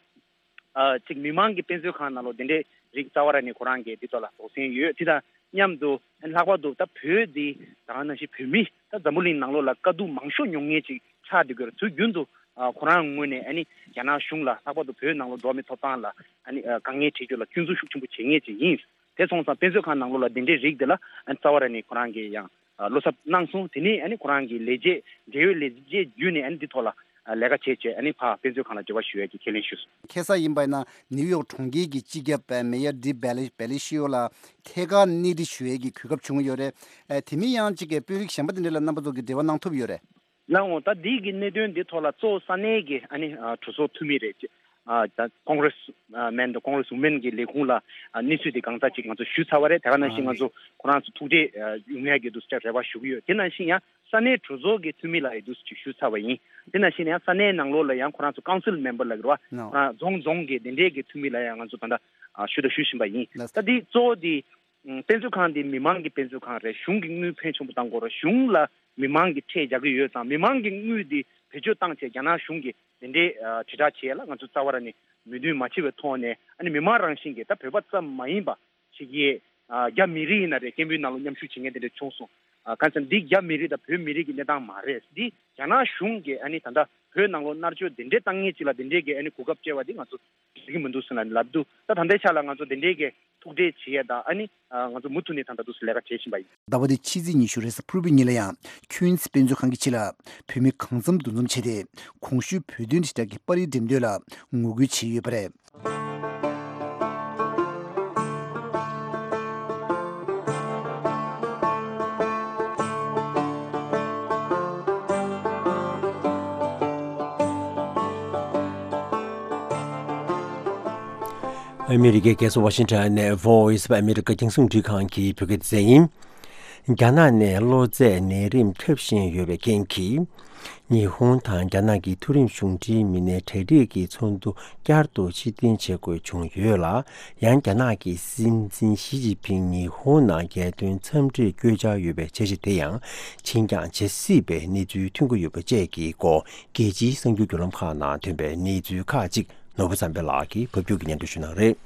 ཨ་གཅིག་མི་མང་གི་དཔེ་མཛོད་ཁང་ནང་ལོགས་དེ་འདྲའི་རིགས་རྩ་བ་ར་ནས་ཁོ་རང་གིས་འདི་ཐོག་ལ་དོགས་ཟོན་ཡོད། དེ་དང་མཉམ་དུ་ལྷག་པར་དུ་ད་བོད་འདི་ད་ག་ནང་བཞིན་བོད་མི་ད་འཛམ་བུ་གླིང་ནང་ལོགས་ལ་དཀའ་སྡུག་མང་ཤོས་མྱོང་མཁན་ཅིག་ཆགས་བསྡད་ཀྱི་ཡོད་རེད། དུས་རྒྱུན་དུ་ཨ་ཁོ་རང་ངོས་ནས་ཨ་ནི་རྒྱ་ནག་གཞུང་ལ་ལྷག་པར་དུ་བོད་ནང་ལོགས་འགྲོ་བ་མིའི་ཐོབ་ཐང་ལ་ཨ་ནི་ཨ་དཀའ་ངལ་འཕྲད་རྒྱུ་ལ་སྐྱོན་འཛུགས་ཤུགས་ཆེན་པོ་བྱེད་མཁན་ཅིག་ཡིན། དེ་སོང་ཙང་དཔེ་མཛོད་ཁང་ནང་ལོགས་ལ་དེ་འདྲའི་རིགས་དེ་ལ་ཨ་ནི་རྩ་བ་ར་ནས་ཁོ་རང་གིས་ཡང་ཨ་བློ་འཚབ་གནང་སོང་། དེ་ནས་ཨ་ནི་ཁོ་རང་གིས་ལས་བྱེད་འབྲེལ་ཡོད་ལས་བྱེད་བརྒྱུད་ནས་ཨ་ནི་འདི་ཐོག་ལ་ཨ་ལས་ཀ་བྱས་བྱས་ཨ་ནི་ཕར་དཔེ་མཛོད་ཁང་ལ་འབྲེལ་བ་ཞུ་ཡས་ཀྱི་ཁས་ལེན་ཞུས་སོང་། ཁ་སང་ཡིན་པ་ཡིན་ན་ནིའུ་ཡོག་གྲོང་ཁྱེར་གྱི་སྤྱི་ཁྱབ་མེ་ཡར་ཌི་བེ་ལི་བེ་ལི་ཤི་ཡོ་ལ་ཐད་ཀར་གནས་འདྲི་ཞུ་ཡས་ཀྱི་གོ་སྐབས་བྱུང་ཡོད་རེད། ཨ་དེ་མིན་ཡང་གཅིག་གི་དཔོན་རིགས་གཞན་པ་དེ་འདྲ་ལ་རྣམ་པ་ཚོ་གིས་འབྲེལ་བ་གནང་ཐུབ་ཡོད་རེད། ལགས་འོང་། ད་འདི་གི་གནད་དོན་འདི་ཐོག་ལ་གཙོ་བོ་ས་གནས་ཀྱི་ཨ་ནི་ཨ་གྲོས་ཚོགས་འཐུས་མི་རེད། ཨ་ད་ཀོང་རེས་ཨ་མན་དང་ཀོང་རེས་ཝུ་མན་གྱི་ལས་ཁུངས་ལ་ཨ་གནས་ཚུལ་དེ་གང་ཙམ་ཅིག་ང་ཚོ་ཞུས་ཚར་བ་རེད། དེ་ག་ནང་བཞིན་ང་ཚོ་ཁོ་རང་ཚོ་ཐུག་འཕྲད་ཨ་ཡོང་ཡག་གི་འདུག་ཟེར་རེ་བ་ཞུ་གི་ཡོད། དེ་ནང་བཞིན་ཡང་ས་གནས་གྲོས་ཚོགས་ཀྱི་འཐུས་མི་ལ་ཡང་འདུག་ཅིག་ཞུས་ཚར་བ་ཡིན། དེ་ནང་བཞིན་ཡང་ས་གནས་ནང་ལོགས་ལ་ཡང་ཁོ་རང་ཚོ་ཀའུན་སིལ་མེམ་བར་ལབ་ཀྱི་རེད་བ། ཁོ་རང་རྫོང་རྫོང་གི་དེ་འདྲས་ཀྱི་འཐུས་མི་ལ་ཡང་ང་ཚོ་ད་ལྟ་ཨ་ཞུ་དང་ཞུ་བཞིན་པ་ཡིན། ད་འདི་གཙོ་བོ་འདི་ཨ་དཔེ་མཛོད་ཁང་འདི་མི་མང་གི་དཔེ་མཛོད་ཁང་རེད། གཞུང་གི་དངུལ་ཕོན་ཆེན་པོ་བཏང་དགོས་རེད། གཞུང་ལ་མི་མང་གིས་ཁྲལ་རྒྱག་གི་ཡོད་ཙང་མི་མང་གི་དངུལ་འདི་བེད་སྤྱོད་བཏང་བྱས་རྒྱ་ནག་གཞུང་གིས་དེ་འདྲའི་ཨ་དྲིལ་བསྒྲགས་བྱེད་ཡ་ལ་ང་ཚོ་རྩ་བ་ར་ནས་མོས་མཐུན་མ་བྱས་པའི་ཐོག་ནས་ཨ་ནི་མི་མང་རང་བཞིན་གྱིས་ད་བོད་པ་ཙམ་མ་ཡིན་པ་ཞིག་གིས་ཨ་རྒྱ་མི་རིགས་ཡིན་ན་རེད། སྐད་འབོད་ནང་ལ་མཉམ་ཞུགས་བྱེད་མཁན་དེ་འདྲ་བྱུང་སོང་། ཨ་གང་ཟེར་འདི་རྒྱ་མི་རིགས་དང་བོད་མི་རིགས་ཀྱི་གནས་སྟངས་མ་རེད། འདི་རྒྱ་ནག་གཞུང་གིས་ཨ་ནི་ད་ལྟ་བོད་ནང་ལོགས་མནར་གཅོད་དེ་འདྲའི་བཏང་མཁན་ཅིག་ལ་དེ་འདྲའི་གི་ཨ་ནི་གོ་སྐབས་སྤྲད་པ་འདི་ང་ཚོ་འགྲིག་གི་མི་འདུག་ཟེར་ནས་ལབ་འདུག་ད་ད་ལྟའི་ཆ་ལ་ང་ཚོ་དེ་འདྲའི་གི་ཐུག་འཕྲད་བྱེད་ཡས་དང་ཨ་ནི་ཨ་ང་ཚོ་མུ་མཐུད་ནས་ད་ལྟ་འདུག་སེ་ལས་ཀ་བྱེད་བཞིན་པ་ཡིན། ཟླ་བ་འདིའི་ཕྱི་ཚེས་ཉི་ཤུ་རེས་གཟའ་ཕུར་བུའི་ཉིན་ལ་ཡང་ཁྱུན་སི་དཔེ་མཛོད་ཁང་གི་ཕྱི་ལ་བོད་མི་གང་འཚམ་འདུ་འཛོམས་བྱས་ཏེ་གོང་ཞུས་བོད་དོན་དྲིལ་བསྒྲགས་ཀྱི་པར་རིས་འགྲེམས་སྟོན་ལ་ངོ་རྒོལ་བྱས་ཡོད་པ་རེད། ཨ་མི་རི་ཀའི་རྒྱལ་ས་ཝ་ཤིང་ཊོན་ནས་Voice of America རྒྱང་སྲིང་རླུང་འཕྲིན་ཁང་གི་བོད་སྐད་སྡེ་ཚན་ཡིན། རྒྱ་ནག་ནས་གློ་ཚད་ནད་རིམས་ཁྱབ་བཞིན་ཡོད་པའི་རྐྱེན་གྱིས། ཉི་ཧོང་དང་རྒྱ་ནག་གི་མཐོ་རིམ་གཞུང་འབྲེལ་མི་སྣའི་གྲ་སྒྲིག་གི་ཚོགས་འདུ་བསྐྱར་དུ་ཕྱིར་འཐེན་བྱེད་དགོས་བྱུང་ཡོད་ལ། ཡང་རྒྱ་ནག་གི་སྲིད་འཛིན་ཞི་ཅིན་ཕིང་ཉི་ཧོང་ནང་རྒྱལ་དོན་འཚམས་འདྲིར་བསྐྱོད་འཆར་ཡོད་པའི་འཆར་གཞི་དེ་ཡང་ཕྱིར་འགྱངས་བྱེད་སྲིད་པའི་གནས་ཚུལ་ཐོན་གྱི་ཡོད་པ་བཅས་ཀྱི་སྐོར་རྒྱལ་སྤྱིའི་གསར་འགྱུར་བརྒྱུད་ལམ་ཁག་ནང་ཐོན་པའི་གནས་ཚུལ་ཁག་ཅིག་ནོར་བུ་བསམ་འཕེལ་ལགས་ཀྱིས་ཕབ་སྒྱུར་གྱིས་སྙན་སྒྲོན་ཞུ་གནང་རེད།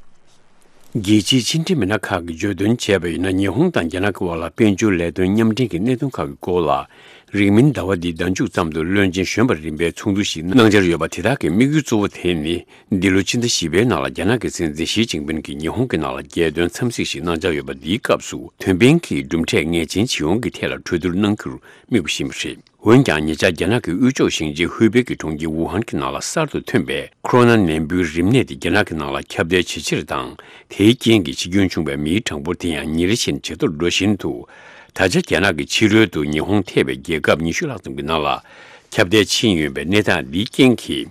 རྒྱལ་སྤྱིའི་ཕྱི་འབྲེལ་མི་སྣ་ཁག་གིས་བརྗོད་དོན་བྱས་པ་ཡིན་ན། ཉི་ཧོང་དང་རྒྱ་ནག་གི་དབར་ལ་དཔལ་འབྱོར་ལས་དོན་མཉམ་འབྲེལ་གྱི་གནད་དོན་ཁག་གི་སྐོར་ལ། རིང་མིན་ཟླ་བ་འདིའི་ཟླ་མཇུག་ཙམ་དུ་བློན་ཆེན་གཞོན་པ་རིམ་པའི་ཚོགས་འདུ་ཞིག་གནང་འཆར་ཡོད་པ་དེ་དག་གི་དམིགས་ཡུལ་གཙོ་བོ་དེ་ནི། འདི་ལོའི་ཕྱི་ཟླ་བཞི་པའི་ནང་ལ་རྒྱ་ནག་གི་སྲིད་འཛིན་ཞི་ཅིན་ཕིན་གྱིས་ཉི་ཧོང་གི་ནང་ལ་རྒྱལ་དོན་འཚམས་གཟིགས་ཤིག་གནང་འཆར་ཡོད་པ་འདིའི་སྐབས་སུ། ཐོན་འཕེན་གྱི་གྲུབ་འབྲས་ངེས་ཅན་ཇི་ཡོང་གི་ཐད་ལ་གྲོས་བསྡུར་གནང་རྒྱུར་དམིགས་པ་ཡིན་པ་རེད། འོན་ཀྱང་། ཉེ་ཆར་རྒྱ་ནག་གི་དབུས་ཕྱོགས་ཞིང་ཆེན་ཧུའེ་པེ་གི་གྲོང་ཁྱེར་ཝུ་ཧན་གྱི་ནང་ལ་གསར་དུ་ཐོན་པའི་ཁོ་རོ་ན་ནད་འབུའི་རིམས་ནད་དེ་རྒྱ་ནག་གི་ནང་ལ་ཁྱབ་གདལ་ཇེ་ཆེར་དང་། དེའི་རྐྱེན་གྱིས་འཆི་སྐྱོན་བྱུང་བའི་མིའི་གྲངས་འབོར་དེ་ཡང་ཉིན་རེ་བཞིན་ཇེ་མཐོར་འགྲོ་བཞིན་དུ། ད་ཆ་རྒྱ་ནག་གི་ཕྱི་རོལ་དུ་ཉི་ཧོང་ཐེ་བའི་རྒྱལ་ཁབ་ཉི་ཤུ་ལྷག་ཙམ་གྱི་ནང་ལ་ཁྱབ་གདལ་ཕྱིན་ཡོད་པའི་གནས་སྟངས་འདིའི་རྐྱེན་གྱིས།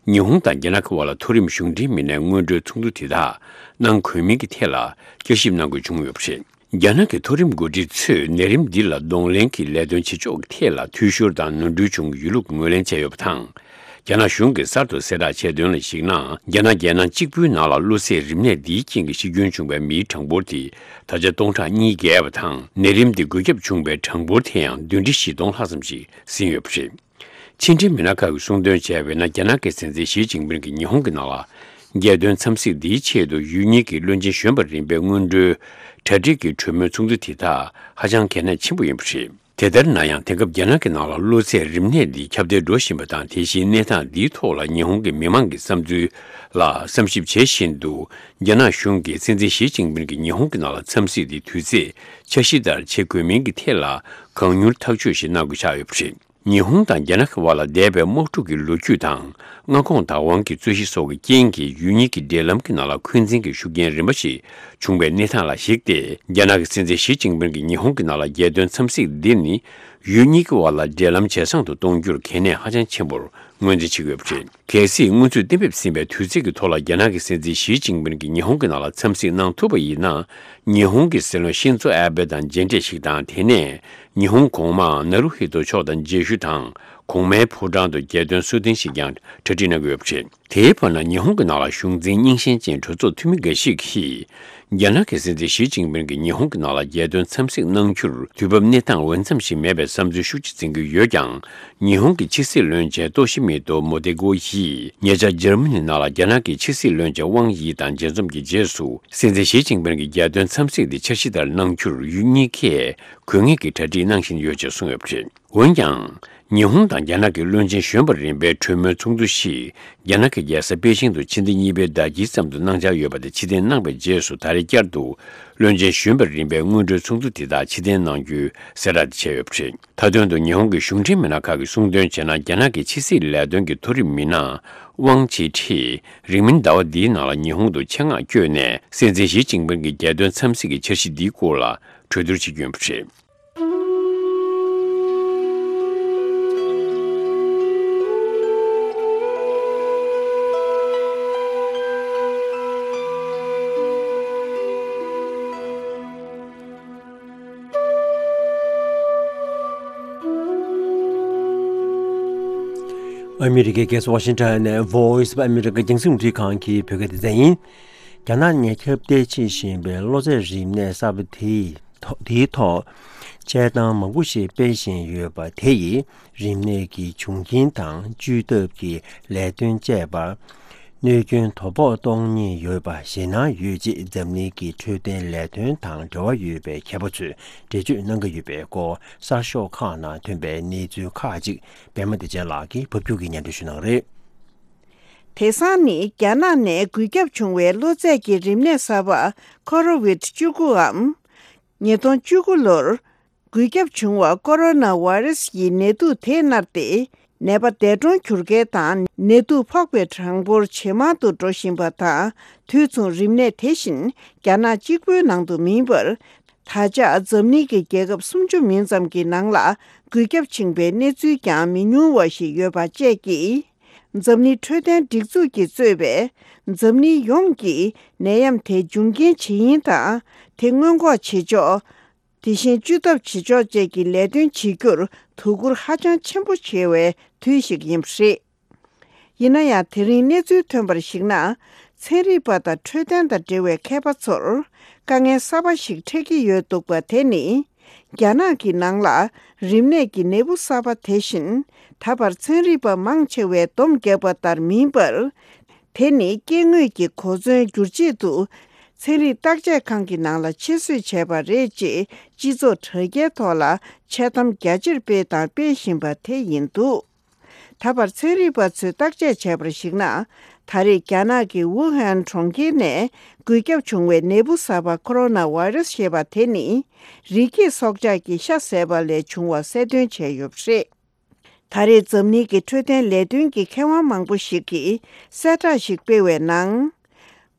ཉི་ཧོང་དང་རྒྱ་ནག་གི་དབར་ལ་མཐོ་རིམ་གཞུང་འབྲེལ་མི་སྣའི་སྔོན་འགྲོའི་ཚོགས་འདུ་དེ་དག་གནང་དགོས་མིན་གྱི་ཐད་ལ་བསྐྱར་ཞིབ་གནང་དགོས་བྱུང་ཡོད་པ་རེད། རྒྱ་ནག་གི་མཐོ་རིམ་འགོ་ཁྲིད་ཚོས་ནད་རིམས་འདི་ལ་གདོང་ལེན་གྱི་ལས་དོན་བྱེད་ཕྱོགས་ཀྱི་ཐད་ལ་འཐུས་ཤོར་དང་ནོར་འཁྲུལ་བྱུང་གི་ཡོད་ལུགས་ངོས་ལེན་བྱས་ཡོད་པ་དང་། རྒྱ་ནག་གཞུང་གིས་གསར་དུ་གསལ་བསྒྲགས་བྱས་དོན་ལ་གཞིགས་ན། རྒྱ་ནག་རྒྱལ་ནང་གཅིག་པུའི་ནང་ལ་གློ་ཚད་རིམས་ནད་འདིའི་རྐྱེན་གྱིས་ཤི་སྐྱོན་བྱུང་བའི་མིའི་གྲངས་འབོར་དེ་ད་ཆ་སྟོང་ཕྲག་གཉིས་བརྒལ་བ་དང་། ནད་རིམས་འདི་འགོས་ཁྱབ་བྱུང་བའི་གྲངས་འབོར་དེ་ཡང་བདུན་ཁྲི་བཞི་སྟོང་ལྷག་ཙམ་ཞིག་ཟིན་ཡོད་པ་རེད། ཕྱི་འབྲེལ་མི་སྣ་ཁག་གིས་གསུངས་དོན་བྱས་པ་ཡིན་ན། རྒྱ་ནག་གི་སྲིད་འཛིན་ཞི་ཅིན་ཕིན་གྱིས་ཉི་ཧོང་གི་ནང་ལ་རྒྱལ་དོན་འཚམས་གཟིགས་འདིའི་ཆེད་དུ་ཡུལ་གཉིས་ཀྱི་བློན་ཆེན་གཞོན་པ་རིམ་པའི་སྔོན་འགྲོའི་གྲ་སྒྲིག་གི་གྲོས་མོལ་ཚོགས་འདུ་དེ་དག་ཧ་ཅང་གལ་གནད་ཆེན་པོ་ཡིན་པ་རེད། དེ་ལྟར་ན་ཡང་། དེང་སྐབས་རྒྱ་ནག་གི་ནང་ལ་གློ་ཚད་རིམས་ནད་འདི་ཁྱབ་གདལ་འགྲོ་བཞིན་པ་དང་། དེ་བཞིན་གནས་སྟངས་འདིའི་ཐོག་ལ་ཉི་ཧོང་གི་མི་མང་གི་བསམ་ཚུལ་ལ་བསམ་ཞིབ་བྱེད་བཞིན་དུ། རྒྱ་ནག་གཞུང་གིས་སྲིད་འཛིན་ཞི་ཅིན་ཕིན་གྱིས་ཉི་ཧོང་གི་ནང་ལ་འཚམས་གཟིགས་འདི་དུས་ཚོད་འཆར་གཞི་ལྟར་བྱེད་དགོས་མིན་གྱི་ཐད་ལ་གང་མྱུར་ཐག་གཅོད་ཞིག་གནང་དགོས་ཆགས་ཡོད་པ་རེད། ཉི་ཧོང་དང་རྒྱ་ནག་གི་དབར་ལ་འདས་པའི་དམག་འཁྲུག་གི་ལོ་རྒྱུས་དང་། མངའ་ཁོངས་བདག་དབང་གི་རྩོད་གཞི་སོགས་ཀྱི་རྐྱེན་གྱིས་ཡུལ་གཉིས་ཀྱི་འབྲེལ་ལམ་གྱི་ནང་ལ་འཁོན་འཛིན་གྱི་ཤུགས་རྐྱེན་རིམ་པ་ཞིག་བྱུང་བའི་གནས་སྟངས་ལ་གཞིགས་ཏེ། རྒྱ་ནག་གི་སྲིད་འཛིན་ཞི་ཅིན་ཕིང་གིས་ཉི་ཧོང་གི་ནང་ལ་རྒྱལ་དོན་འཚམས་གཟིགས་འདི་ནི། ཡུལ་གཉིས་ཀྱི་དབར་ལ་འབྲེལ་ལམ་ཇེ་བཟང་དུ་གཏོང་རྒྱུར་གལ་གནད་ཧ་ཅང་ཆེན་པོར་ངོས་འཛིན་བྱེད་ཀྱི་ཡོད་པ་རེད། གལ་སྲིད་སྔོན་ཚུད་གཏན་འབེབས་ཟིན་པའི་དུས་ཚིགས་ཀྱི་ཐོག་ལ་རྒྱ་ནག་གི་སྲིད་འཛིན་ཞི་ཅིན་ཕིང་གིས་ཉི་ཧོང་གི་ནང་ལ་འཚམས་གཟིགས་གནང་ཐུབ་པ་ཡིན་ན། ཉི་ཧོང་གི་སྲིད་བློན་ཤིན་ཛོ་ཨ་བྷེ་དང་མཇལ་འཕྲད་ཞིག་དང་། དེ་ནས་ཉི་ཧོང་གོང་མའང་ནཱ་རུ་ཧི་ཏོ་མཆོག་དང་མཇལ་ཞུ་དང་། གོང་མའི་ཕོ་བྲང་དུ་རྒྱལ་དོན་གསོལ་སྟོན་ཞིག་ཀྱང་གྲ་སྒྲིག་གནང་གི་ཡོད་པ་རེད། དེའི་བར་ན་ཉི་ཧོང་གི་ནང་ལ་གཞུང་འཛིན་རྙིང་ཞེན་ཅན་གྲོས་ཚོགས་འཐུས་མི་འགའ་ཞིག་གིས། རྒྱ་ནག་གི་སྲིད་འཛིན་ཞི་ཅིན་ཕིང་གིས་ཉི་ཧོང་གི་ནང་ལ་རྒྱལ་དོན་འཚམས་གཟིགས་གནང་རྒྱུར་དུས་བབ་གནས་སྟངས་འོས་འཚམ་ཞིག་མེད་པའི་བསམ་ཚུལ་ཤུགས་ཆེ་འཛིན་གྱི་ཡོད་ཀྱང་། ཉི་ཧོང་གི་ཕྱི་སྲིད་བློན་ཆེན་ཏོ་ཤི་མི་ཏོ་མོ་ཏེ་གོ་ཡིས་ཉེ་ཆར་འཇར་མ་ནི་ནང་ལ་རྒྱ་ནག་གི་ཕྱི་སྲིད་བློན་ཆེན་ཝང་ཡི་དང་མཇལ་འཛོམས་ཀྱི་རྗེས་སུ། སྲིད་འཛིན་ཞི་ཅིན་ཕིང་གི་རྒྱལ་དོན་འཚམས་གཟིགས་འདི་འཆར་གཞི་ལྟར་གནང་རྒྱུར་ཡུལ་གཉིས་ཀས་དགོས་ངེས་ཀྱི་གྲ་སྒྲིག་གནང་བཞིན་ཡོད་ཅེས་གསུངས་ཡོད་པ་རེད། འོན་ཀྱང་། ཉི་ཧོང་དང་རྒྱ་ནག་གི་བློན་ཆེན་གཞོན་པ་རིམ་པའི་གྲོས་མོལ་ཚོགས་འདུ་ཞིག་རྒྱ་ནག་གི་རྒྱལ་ས་པེ་ཅིང་དུ་ཕྱི་ཟླ་གཉིས་པའི་ཟླ་དཀྱིལ་ཙམ་དུ་གནང་འཆར་ཡོད་པ་དེ་ཕྱིར་འཐེན་གནང་བའི་རྗེས་སུ། ད་རེས་བསྐྱར་དུ་བློན་ཆེན་གཞོན་པ་རིམ་པའི་སྔོན་འགྲོའི་ཚོགས་འདུ་དེ་དག་ཕྱིར་འཐེན་གནང་རྒྱུའི་གསལ་བསྒྲགས་དེ་བྱས་ཡོད་པ་རེད། མཐའ་དོན་དུ་ཉི་ཧོང་གི་གཞུང་འབྲེལ་མི་སྣ་ཁག་གིས་གསུངས་དོན་བྱས་ན། རྒྱ་ནག་གི་ཕྱི་སྲིད་ལས་དོན་གྱི་མཐོ་རིམ་མི་སྣ་ཝང་ཆི་ཁྲི་རིང་མིན་ཟླ་བ་འདིའི་ནང་ལ་ཉི་ཧོང་དུ་ཆེད་མངགས་བསྐྱོད་ནས། སྲིད་འཛིན་ཞི་ཅིན་ཕིང་གི་རྒྱལ་དོན་འཚམས་གཟིགས་ཀྱི་འཆར་གཞི་འདིའི་སྐོར་ལ་གྲོས་བསྡུར་བྱེད་ཀྱི་ཡོད་པ་རེད། ཨ་མི་རི་ཀའི་རྒྱལ་ས་ཝ་ཤིང་ཊོན་ནས་Voice of America རྒྱང་སྲིང་རླུང་འཕྲིན་ཁང་གི་བོད་སྐད་སྡེ་ཚན་ཡིན། རྒྱ་ནག་ནས་ཁྱབ་གདལ་བྱེད་བཞིན་པའི་གློ་ཚད་རིམས་ནད་གསར་པ་དེའི་ཐོག་དེའི་ཐོག་དཔྱད་གཏམ་མང་པོ་ཞིག་སྤེལ་བཞིན་ཡོད་པ་དེ་ཡིས་རིམས་ནད་ཀྱི་བྱུང་རྐྱེན་དང་བཅོས་ཐབས་ཀྱི་ལས་དོན་བཅས་པར་གནོད་སྐྱོན་དོ་ཕོག་གཏོང་ཉེན་ཡོད་པ་ཞེད་སྣང་ཡོད་ཅེས་འཛམ་གླིང་གི་འཕྲོད་བསྟེན་ལས་དོན་དང་འབྲེལ་བ་ཡོད་པའི་མཁས་པ་ཚོས་འགྲེལ་བརྗོད་གནང་གི་ཡོད་པའི་སྐོར་གསར་ཤོག་ཁག་ནང་ཐོན་པའི་གནས་ཚུལ་ཁག་ཅིག་པད་མ་བདེ་ཆེན་ལགས་ཀྱིས་ཕབ་སྒྱུར་གྱིས་སྙན་སྒྲོན་ཞུ་གནང་གི་རེད། དེང་སང་ནི་རྒྱ་ནག་ནས་འགོས་ཁྱབ་བྱུང་བའི་གློ་ཚད་ཀྱི་རིམས་ནད་གསར་པ་ཁོ་རོ་ཝིད་བཅུ་དགུའམ། ཉིས་སྟོང་བཅུ་དགུ་ལོར་འགོས་ཁྱབ་བྱུང་བ་ཀོ་རོ་ན་ཝེ་རུ་སི་ཡི་ནད་དུག་དེ་མནར་ཏེ། ནད་པ་འདས་གྲོངས་གྱུར་མཁན་དང་ནད་དུག་ཕོག་པའི་གྲངས་འབོར་ཇེ་མང་དུ་འགྲོ་བཞིན་པ་དང་། དུས་མཚུངས་རིམས་ནད་དེ་བཞིན་རྒྱ་ནག་གཅིག་པུའི་ནང་དུ་མིན་པར། ད་ཆ་འཛམ་གླིང་གི་རྒྱལ་ཁབ་སུམ་ཅུ་མིན་ཙམ་གྱི་ནང་ལ་འགོས་ཁྱབ་ཕྱིན་པའི་གནས་ཚུལ་ཀྱང་མི་ཉུང་བ་ཞིག་ཡོད་པ་བཅས་ཀྱིས། འཛམ་གླིང་འཕྲོད་བསྟེན་སྒྲིག་འཛུགས་ཀྱིས་གཙོས་པའི་འཛམ་གླིང་ཡོངས་ཀྱིས་ནད་ཡམས་དེ་འབྱུང་རྐྱེན་ཇི་ཡིན་དང་། དེ་སྔོན་འགོག་བྱེད་ཕྱོགས། དེ་བཞིན་བཅོས་ཐབས་བྱེད་ཕྱོགས་བཅས་ཀྱི་ལས་དོན་བྱེད་རྒྱུར་དོ་ཁུར་ཧ་ཅང་ཆེན་པོ་བྱེད་པའི་དུས་ཤིག་ཡིན་པ་རེད། ཡིན་ན་ཡང་། དེ་རིང་གནས་ཚུལ་ཐོན་པར་གཞིགས་ན། ཚན་རིག་པ་དང་འཕྲོད་བསྟེན་དང་འབྲེལ་བའི་མཁས་པ་ཚོར་དཀའ་ངལ་གསར་པ་ཞིག་འཕྲད་ཀྱི་ཡོད་འདུག་པ་དེ་ནི། རྒྱ་ནག་གི་ནང་ལ་རིམས་ནད་ཀྱི་ནད་འབུ་གསར་པ་དེ་བཞིན། ད་བར་ཚན་རིག་པ་མང་ཆེ་བས་སྡོམ་བརྒྱབ་པ་ལྟར་མིན་པར། དེ་ནི་སྐྱེ་དངོས་ཀྱི་གོ་མཚོན་བསྒྱུར་ཆེད་དུ། ཚན་རིག་བརྟག་དཔྱད་ཁང་གི་ནང་ལ་ཕྱིར་བསུས་བྱས་པ་རེད་ཅེས་སྤྱི་ཚོགས་དྲ་རྒྱའི་ཐོག་ལ་འཆལ་གཏམ་རྒྱ་ཆེར་སྤེལ་དང་སྤེལ་བཞིན་པ་དེ་ཡིན་འདུག་ད་བར་ཚན་རིག་པ་ཚོས་བརྟག་དཔྱད་བྱས་པར་གཞིགས་ན། ད་རེས་རྒྱ་ནག་གི་ཝུ་ཧན་གྲོང་ཁྱེར་ནས་འགོས་ཁྱབ་བྱུང་བའི་ནད་འབུ་གསར་པ་ཁོ་རོ་ན་ཝེ་རུ་སི་ཞེས་པ་དེ་ནི། རི་སྐྱེས་སྲོག་ཆགས་ཀྱི་ཤ་ཟས་པ་ལས་བྱུང་བ་གསལ་སྟོན་བྱས་ཡོད་པ་རེད། ད་རེས་འཛམ་གླིང་གི་འཕྲོད་བསྟེན་ལས་དོན་གྱི་མཁས་དབང་མང་པོ་ཞིག་གིས་གསལ་བསྒྲགས་ཤིག་སྤེལ་བའི་ནང་།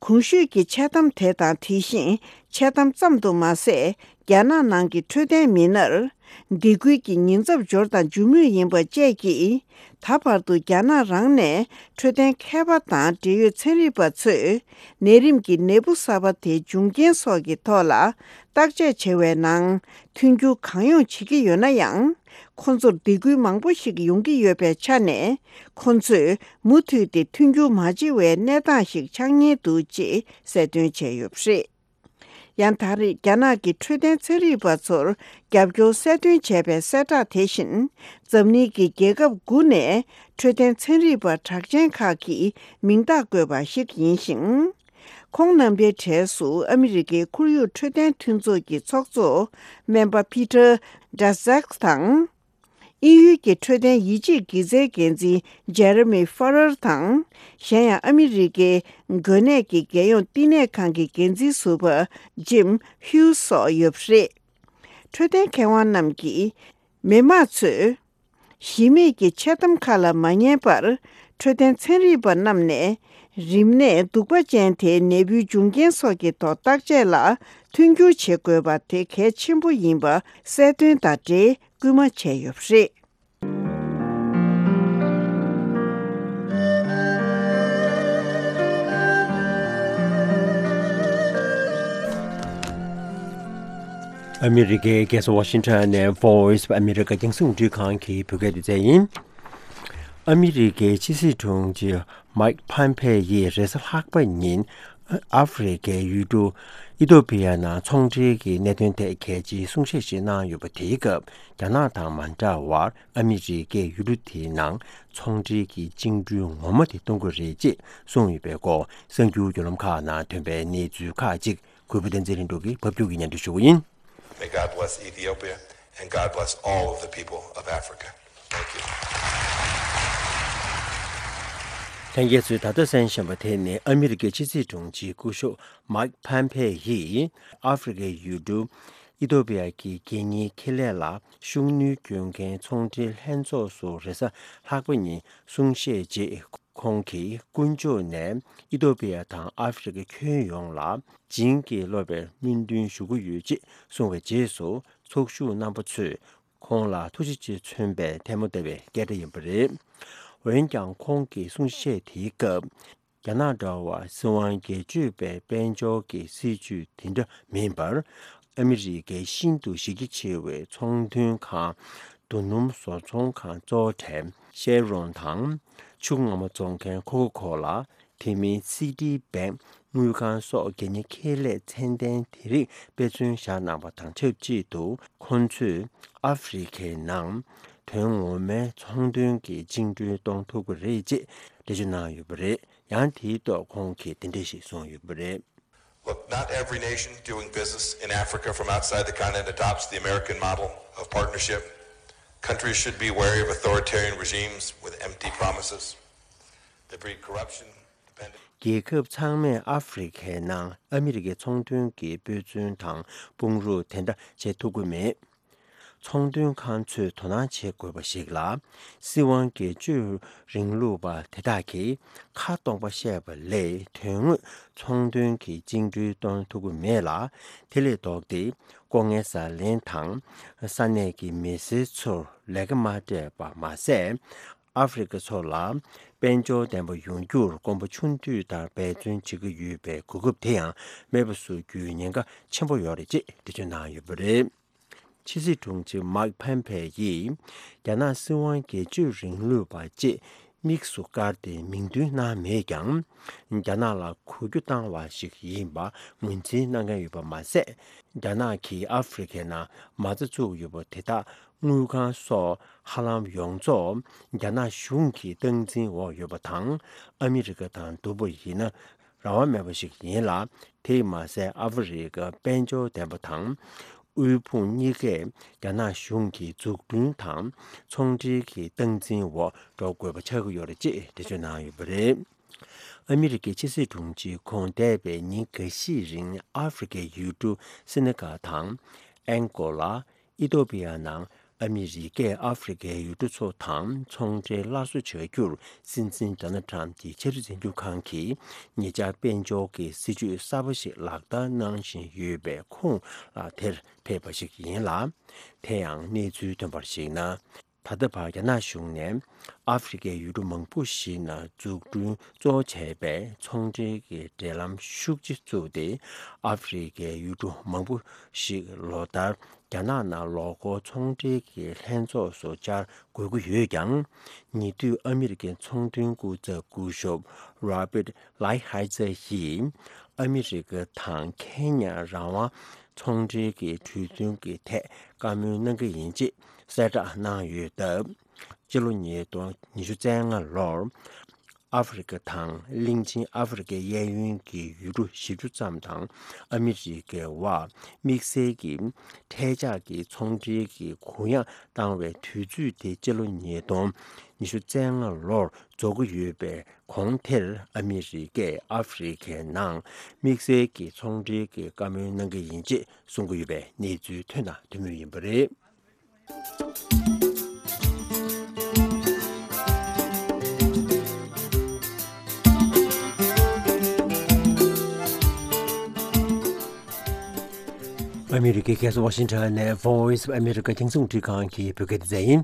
གོང་ཞུས་ཀྱི་འཆལ་གཏམ་དེ་དང་། དེ་བཞིན་འཆལ་གཏམ་ཙམ་དུ་མ་ཟད། རྒྱ་ནག་ནང་གི་འཕྲོད་བསྟེན་མི་སྣར་སྡིགས་སྐུལ་གྱི་ཉེན་ཚབས་འབྱོར་དང་འབྱུང་མུས་ཡིན་པ་བཅས་ཀྱིས། ད་བར་དུ་རྒྱ་ནག་རང་ནས་འཕྲོད་བསྟེན་མཁས་པ་དང་འབྲེལ་ཡོད་ཚན་རིག་པ་ཚོས་ནད་རིམས་ཀྱི་ནད་འབུ་གསར་པ་དེའི་འབྱུང་རྐྱེན་སོགས་ཀྱི་ཐོག་ལ་བརྟག་དཔྱད་བྱེད་པའི་ནང་མཐུན་འགྱུར་གང་ཡོང་བྱེད་ཀྱི་ཡོད་ན་ཡང་། ཁོ་ཚོར་སྡིགས་སྐུལ་མང་པོ་ཞིག་ཡོང་གི་ཡོད་པའི་ཆ་ནས། ཁོ་ཚོས་མུ་མཐུད་དེ་མཐུན་འགྱུར་མ་བྱེད་པའི་གནས་སྟངས་ཤིག་ཆགས་ཉེན་འདུག་ཅེས་གསལ་སྟོན་བྱས་ཡོད་པ་རེད། ཡང་། ད་རེས་རྒྱ་ནག་གི་འཕྲོད་བསྟེན་ཚན་རིག་པ་ཚོར་རྒྱབ་སྐྱོར་གསལ་སྟོན་བྱས་པའི་གསལ་བསྒྲགས་དེ་བཞིན། འཛམ་གླིང་གི་རྒྱལ་ཁབ་དགུ་ནས་འཕྲོད་བསྟེན་ཚན་རིག་པ་གྲགས་ཅན་ཁག་གིས་མིང་རྟགས་བཀོད་པ་ཞིག་ཡིན་ཞིང་། ཁོང་རྣམ་པའི་གྲས་སུ་ཨ་མི་རི་ཀའི་ཁོར་ཡུག་འཕྲོད་བསྟེན་མཐུན་ཚོགས་ཀྱི་ཚོགས་གཙོ་སྨན་པ་Peter Daszak དང་། དབྱིན་ཡུལ་གྱི་འཕྲོད་བསྟེན་ཡིད་ཆེས་དགེ་རྩའི་འགན་འཛིན་Jeremy Farrar དང་། གཞན་ཡང་ཨ་མི་རི་ཀའི་འགོས་ནད་ཀྱི་རྒྱལ་ཡོངས་བསྟི་གནས་ཁང་གི་འགན་འཛིན་ཟུར་པ་Jim Hughes སོགས་ཡོད་པ་རེད། འཕྲོད་བསྟེན་མཁས་དབང་རྣམས་ཀྱིས། མི་དམངས་ཚོས་ གཞི་མེད་ཀྱི་འཆལ་གཏམ་ཁག་ལ་མ་ཉན་པར། འཕྲོད་བསྟེན་ཚན་རིག་པ་རྣམས་ནས་རིམས་ནད་གདུག་པ་ཅན་དེའི་ནད་འབུའི་འབྱུང་རྐྱེན་སོགས་ཀྱི་ཐོག་བརྟག་དཔྱད་ལ་མཐུན་འགྱུར་བྱེད་དགོས་པ་དེ་གལ་ཆེན་པོ་ཡིན་པ་གསལ་སྟོན་དང་འབྲེལ་སྐུལ་མ་བྱས་ཡོད་པ་རེད། ཨ་མི་རི་ཀའི་རྒྱལ་ས་ཝ་ཤིང་ཊོན་ནས་Voice of America རྒྱང་སྲིང་རླུང་འཕྲིན་ཁང་གི་བོད་སྐད་སྡེ་ཚན་ཡིན། ཨ་མི་རི་ཀའི་ཕྱི་སྲིད་དྲུང་ཆེ་མའིག་ཕམ་ཕེ་ཡིས་རེས་གཟའ་ལྷག་པ་ཉིན་ཨ་ཧྥེ་རི་ཁའི་ཡུལ་གྲུ་ཨི་ཐོ་པི་ཡ་ནང་ཚོང་འབྲེལ་གྱི་གནད་དོན་ཐད་གལ་ཆེའི་གསུང་བཤད་ཞིག་གནང་ཡོད་པ། དེའི་སྐབས་རྒྱ་ནག་དང་མ་འདྲ་བར་ཨ་མི་རི་ཀས་ཡུལ་གྲུ་དེའི་ནང་ཚོང་འབྲེལ་གྱི་བཅིངས་འགྲོལ་ངོ་མ་དེ་གཏོང་གི་རེད་ཅེས་གསུངས་ཡོད་པའི་སྐོར། གསར་འགྱུར་བརྒྱུད་ལམ་ཁག་ནང་ཐོན་པའི་གནས་ཚུལ་ཁག་ཅིག་གུས་པ་བསྟན་འཛིན་ལྷུན་གྲུབ་ཀྱིས་ཕབ་སྒྱུར་གྱིས་སྙན་སྒྲོན་ཞུ་གི་ཡིན། May God bless Ethiopia and God bless all of the people of Africa. Thank you. ལྷན་རྒྱས་ཚོས་ད་ལྟ་གསན་བཞིན་པ་དེ་ནི་ཨ་མི་རི་ཀའི་ཕྱི་སྲིད་དྲུང་ཆེ་སྐུ་ཞབས་མའིག་ཕམ་ཕེ་ཡིས་ཨ་ཧྥེ་རི་ཀའི་ཡུལ་གྲུ་ཨི་ཐོ་པི་ཡ་གི་རྒྱལ་གཉེར་ཁེ་ལས་ལ་ཤུགས་སྣོན་སྐྱོན་མཁན་ཚོང་འབྲེལ་ལྷན་ཚོགས་སུ་རེས་གཟའ་ལྷག་པ་ཉིན་གསུང་བཤད་རྗེས། ཁོང་གིས་དཀོན་མཆོག་ནས་ཨི་ཐོ་པི་ཡ་དང་ཨ་ཧྥེ་རི་ཁ་ཁྱོན་ཡོངས་ལ་བྱིན་གྱིས་རློབ་པའི་སྨོན་འདུན་ཞུ་གི་ཡོད་ཅེས་གསུངས་པའི་རྗེས་སུ། ཚོགས་ཞུགས་རྣམ་པ་ཚོས་ཁོང་ལ་ཐུགས་རྗེ་ཆེ་མཚོན་པའི་ཐལ་མོ་སྡེ་བའི་སྐད་སྒྲ་ཡིན་པ་རེད། འོན་ཀྱང་ཁོང་གི་གསུང་བཤད་དེའི་སྐབས། རྒྱ་ནག་འདྲ་བར་སྲིད་དབང་སྒེར་གཅོད་པའི་དཔལ་འབྱོར་གྱི་སྲིད་ཇུས་དེ་འདྲ་མིན་པར། ཨ་མི་རི་ཀའི་ཤིན་ཏུ་གཞི་རྒྱ་ཆེ་བའི་ཚོང་དོན་ཁང་། རྡོ་སྣུམ་བཟོ་ཚོང་ཁང་གཙོ་བོ་གྲས་ཤེ་རོན་དང་། ཆུ་ངོ་མ་བཙོང་མཁན་ཁོ་ཁ་ཁོ་ལ། དེ་མིན་སི་ཏི་བེང་། དངུལ་ཁང་སོགས་རྒྱལ་གཉེར་ཁེ་ལས་ཚད་ལྡན་དེ་རིགས་དཔེ་མཚོན་བཞག་གནང་བ་དང་ཆབས་ཅིག་ཏུ། ཁོང་ཚོས་ཨ་ཧྥེ་རི་ཁའི་ནང་དོན་ངོ་མའི་ཚོང་དོན་གྱི་བཅིངས་འགྲོལ་གཏོང་ཐུབ་ཀྱི་རེད་ཅེས་འགྲེལ་བརྗོད་གནང་ཡོད་པ་རེད། ཡང་དེའི་ཐོག་ཁོང་གིས་འདི་འདྲ་ཞིག་གསུངས་ཡོད་པ་རེད། Look, not every nation doing business in Africa from outside the continent adopts the American model of partnership. Countries should be wary of authoritarian regimes with empty promises that breed corruption, dependence. རྒྱལ་ཁབ་ཚང་མས་ཨ་ཧྥེ་རི་ཁའི་ནང་ཨ་མི་རི་ཀའི་ཚོང་དོན་གྱི་དཔེ་མཚོན་དང་དཔུང་རོགས་དེ་འདྲ་བྱེད་ཐུབ་ཀྱི་མེད། ཚོང་དོན་ཁང་ཚོས་དོ་སྣང་བྱེད་དགོས་པ་ཞིག་ལ། སྲིད་དབང་སྒེར་གཅོད་རིང་ལུགས་པ་དེ་དག་གིས་ཁ་སྟོང་པ་བཤད་པ་ལས་དོན་དངོས་ཚོང་དོན་གྱི་བཅིངས་འགྲོལ་གཏོང་ཐུབ་ཀྱི་མེད་ལ། དེ་ལས་ལྡོག་སྟེ་ལྐོག་རྔན་ཟ་ལེན་དང་ས་གནས་ཀྱི་མི་སེར་ཚོར་ལས་ཀ་མ་སྤྲད་པ་མ་ཟད། ཨ་ཧྥེ་རི་ཁ་ཚོ་ལ་དཔལ་འབྱོར་ལྡན་པ་ཡོང་རྒྱུར་གོམ་པ་ཆུང་དུས་ལྟར་འབད་བརྩོན་བྱེད་ཀྱི་ཡོད་པའི་གོ་སྐབས་དེ་ཡང་མེད་པ་བཟོ་རྒྱུའི་ཉེན་ཁ་ཆེན་པོ་ཡོད་རེད་ཅེས་འགྲེལ་བརྗོད་གནང་ཡོད་པ་རེད། ཕྱི་སྲིད་དྲུང་ཆེ་མའིག་ཕམ་ཕེ་ཡིས་རྒྱ་ནག་སྲིད་དབང་སྒེར་གཅོད་རིང་ལུགས་པ་ཅེས་དམིགས་སུ་བཀར་ཏེ་མིང་འདོན་གནང་མེད་ཀྱང་། རྒྱ་ནག་ལ་གོ་རྒྱུ་བཏང་བ་ཞིག་ཡིན་པ་ངོས་འཛིན་གནང་མཁན་ཡོད་པ་མ་ཟད། རྒྱ་ནག་གིས་ཨ་ཧྥེ་རི་ཁའི་ནང་མ་རྩ་བཙུགས་ཡོད་པ་དེ་དག་དངུལ་ཁང་སོགས་ཧ་ལམ་ཡོངས་རྫོགས་རྒྱ་ནག་གཞུང་གི་སྟངས་འཛིན་འོག་ཡོད་པ་དང་། ཨ་མི་རི་ཀ་དང་བསྡུར་བ་ཡིན་ན། རང་དབང་མེད་པ་ཞིག་ཡིན་ལ། དེས་མ་ཟད་ཨ་ཧྥེ་རི་ཁ་དཔལ་འབྱོར་ལྡན་པ་དང་། དབུལ་ཕོངས་གཉིས་ཀས་རྒྱ་ནག་གཞུང་གི་འཛུགས་སྐྲུན་དང་ཚོང་འབྲེལ་གྱི་སྟངས་འཛིན་འོག་འགྲོ་དགོས་པ་ཆགས་ཀྱི་ཡོད་རེད་ཅེས་འགྲེལ་བརྗོད་གནང་ཡོད་པ་རེད། ཨ་མི་རི་ཀའི་ཕྱི་སྲིད་དྲུང་ཆེ་ཁོང་འདས་པའི་ཉིན་འགའ་ཤས་རིང་ཨ་ཧྥེ་རི་ཁའི་ཡུལ་གྲུ་སེ་ནེ་གལ་དང་ཨན་གོ་ལ། ཨི་ཐོ་པི་ཡ་ནང་ཨ་མི་རི་ཀས་ཨ་ཧྥེ་རི་ཁའི་ཡུལ་གྲུ་ཚོ་དང་ཚོང་འབྲེལ་སླར་གསོ་བྱ་རྒྱུར་སྲིད་འཛིན་ཌོ་ནལ་ཊམ་གྱི་ཆབ་སྲིད་འཛིན་སྐྱོང་ཁང་གིས་ཉེ་ཆར་དཔལ་འབྱོར་གྱི་སྲིད་ཇུས་གསར་པ་ཞིག་ལག་བསྟར་གནང་བཞིན་ཡོད་པའི་ཁོངས་ལ་དེར་ཕེབས་པ་ཞིག་ཡིན་ལ། དེ་ཡང་གནས་ཚུལ་ཐོན་པར་གཞིགས་ན། ད་ལྟ་བར་རྒྱ་ནག་གཞུང་ནས་ཨ་ཧྥེ་རི་ཁའི་ཡུལ་གྲུ་མང་པོ་ཞིག་ནང་འཛུགས་སྐྲུན་གཙོ་བོ་བྱས་པའི་ཚོང་འབྲེལ་གྱི་འབྲེལ་ལམ་ཤུགས་ཆེ་བཙུགས་ཏེ། ཨ་ཧྥེ་རི་ཁའི་ཡུལ་གྲུ་མང་པོ་ཞིག་ལོ་ལྟར་རྒྱ་ནག་ནང་ལོ་འཁོར་ཚོང་འབྲེལ་གྱི་ལྷན་ཚོགས་སུ་བཅར་དགོས་ཀྱི་ཡོད་ཀྱང་། ཉེ་དུས་ཨ་མི་རི་ཀའི་ཚོང་དོན་སྐུ་ཚབ་སྐུ་ཞབས་རོ་བྷཊ་ལའི་ཧའེ་ཛར་ཡིས་ཨ་མི་རི་ཀ་དང་ཁེ་ཉ་རང་དབང་ཚོང་འབྲེལ་གྱི་གྲོས་མཐུན་གྱི་ཐད་བཀའ་མོལ་གནང་གི་ཡིན་ཅེས་གསལ་བསྒྲགས་གནང་ཡོད་སྟབས། སྤྱི་ལོ་ཉིས་སྟོང་ཉི་ཤུ་རྩ་ལྔ་ལོར་ཨ་ཧྥེ་རི་ཁ་དང་གླིང་ཆེན་ཨ་ཧྥེ་རི་ཁའི་གཡས་གཡོན་གྱི་ཡུལ་གྲུ་བཞི་བཅུ་ཙམ་དང་ཨ་མི་རི་ཀའི་དབར་དམིགས་བསལ་གྱི་ཐལ་ཆགས་ཀྱི་ཚོང་འབྲེལ་གྱི་གུ་ཡངས་བཏང་བའི་དུས་ཚོད་དེ་སྤྱི་ལོ་ཉིས་སྟོང་ཉི་ཤུ་རྩ་ལྔ་ལོར་རྫོགས་ཀྱི་ཡོད་པའི་གོང་དེར་ཨ་མི་རི་ཀས་ཨ་ཧྥེ་རི་ཁའི་ནང་དམིགས་བསལ་གྱི་ཚོང་འབྲེལ་གྱི་བཀའ་མོལ་གནང་གི་ཡིན་ཅེས་གསུང་གི་ཡོད་པའི་གནས་ཚུལ་ཐོན་དང་ཐོན་མུས་ཡིན་པ་རེད། ཨ་མི་རི་ཀའི་རྒྱལ་ས་ཝ་ཤིང་ཊོན་ནས་Voice of America རྒྱང་སྲིང་རླུང་འཕྲིན་ཁང་གི་བོད་སྐད་སྡེ་ཚན་ཡིན།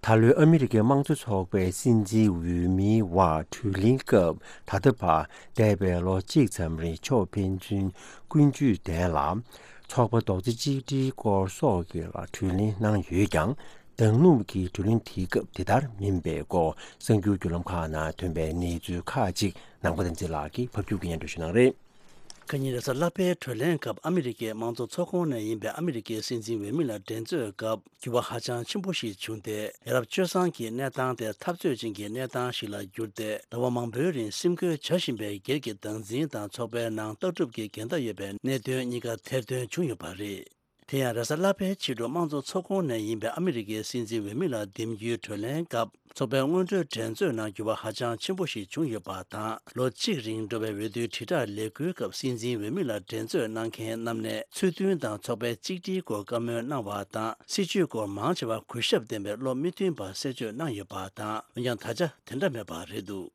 ད་ལོའི་ཨ་མི་རི་ཀའི་དམངས་གཙོ་ཚོགས་པའི་སྲིད་འཛིན་འོས་མིའི་དབར་གྲོས་གླེང་སྐབས་ད་ལྟ་བར་འདས་པའི་ལོ་གཅིག་ཙམ་རིང་ཕྱོགས་ཕན་ཚུན་ཀུན་སྤྱོད་ལྡན་ལ། ཚོགས་པ་རྡོག་རྩ་གཅིག་སྒྲིལ་སྐོར་སོགས་ཀྱི་ལ་གྲོས་གླེང་གནང་ཡོད་ཀྱང་། ད་ནུབ་ཀྱི་གྲོས་གླེང་དེའི་སྐབས་དེ་ལྟར་མིན་པའི་སྐོར་གསར་འགྱུར་བརྒྱུད་ལམ་ཁག་ནང་ཐོན་པའི་གནས་ཚུལ་ཁག་ཅིག་ནང་པ་བསྟན་འཛིན་ལགས་ཀྱིས་ཕབ་སྒྱུར་གྱིས་སྙན་སྒྲོན་ཞུ་གནང་རེད། ཁ་ཉིན་རེས་གཟའ་ལྷག་པའི་གྲོས་གླེང་སྐབས་ཨ་མི་རི་ཀའི་དམངས་གཙོ་ཚོགས་ཁོངས་ནས་ཡིན་པའི་ཨ་མི་རི་ཀའི་སྲིད་འཛིན་འོས་མི་ལ་འགྲན་རྩོད་སྐབས་འགྱུར་བ་ཧ་ཅང་ཆེན་པོ་ཞིག་བྱུང་སྟེ། ཡ་རབས་སྤྱོད་བཟང་གི་གནས་སྟངས་དེ་འཐབ་རྩོད་ཅན་གྱི་གནས་སྟངས་ཤིག་ལ་གྱུར་ཏེ། ཟླ་བ་མང་པོའི་རིང་སེམས་ཁུར་བྱ་བཞིན་པའི་སྒེར་གྱི་སྡང་འཛིན་དང་ཚོགས་པའི་ནང་ལྟ་གྲུབ་ཀྱི་འགལ་ཟླ་ཡོད་པའི་གནད་དོན་གཉིས་ཀ་ཐེར་འདོན་བྱུང་ཡོད་པ་རེད། དེ་ཡང་རེས་གཟའ་ལྷག་པའི་ཕྱི་དྲོ་དམངས་གཙོ་ཚོགས་ཁོངས་ནས་ཡིན་པའི་ཨ་མི་རི་ཀའི་སྲིད་འཛིན་འོས་མི་ལ་འདེམས་རྒྱུའི་གྲོས་གླེང་སྐབས། ཚོགས་པའི་སྔོན་འགྲོའི་འགྲན་རྩོད་ནང་འགྱུར་བ་ཧ་ཅང་ཆེན་པོ་ཞིག་བྱུང་ཡོད་པ་དང་། ལོ་གཅིག་རིང་འགྲོ་བའི་འོས་བསྡུའི་དྲིལ་བསྒྲགས་ལས་འགུལ་སྐབས་སྲིད་འཛིན་འོས་མི་ལ་འགྲན་རྩོད་གནང་མཁན་རྣམས་ནས་ཚུལ་མཐུན་དང་ཚོགས་པའི་གཅིག་སྒྲིལ་སྐོར་བཀའ་མོལ་གནང་བ་དང་། སྲིད་བྱུས་སྐོར་མང་ཆེ་བ་གུས་ཞབས་ལྡན་པའི་བློ་མི་མཐུན་པ་གསལ་བརྗོད་གནང་ཡོད་པ་དང་། འོན་ཀྱང་ད་ཆ་དེ་འདྲ་མེད་པ་རེད་འདུག་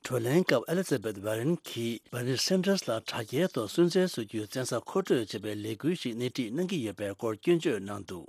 གྲོས་གླེང་སྐབས་ཨེ་ལི་ཛ་བེད་ཝེ་རན་གྱིས་བར་ནི་སན་ཏྲར་ལ་དྲ་རྒྱའི་ཐོག་སུན་གཙེར་བཟོ་རྒྱུའི་བཙན་ས་མཁོ་སྤྲོད་བྱེད་པའི་ལས་འགུལ་ཞིག་སྣེ་ཁྲིད་གནང་གི་ཡོད་པའི་སྐོར་སྐྱོན་བརྗོད་གནང་འདུག་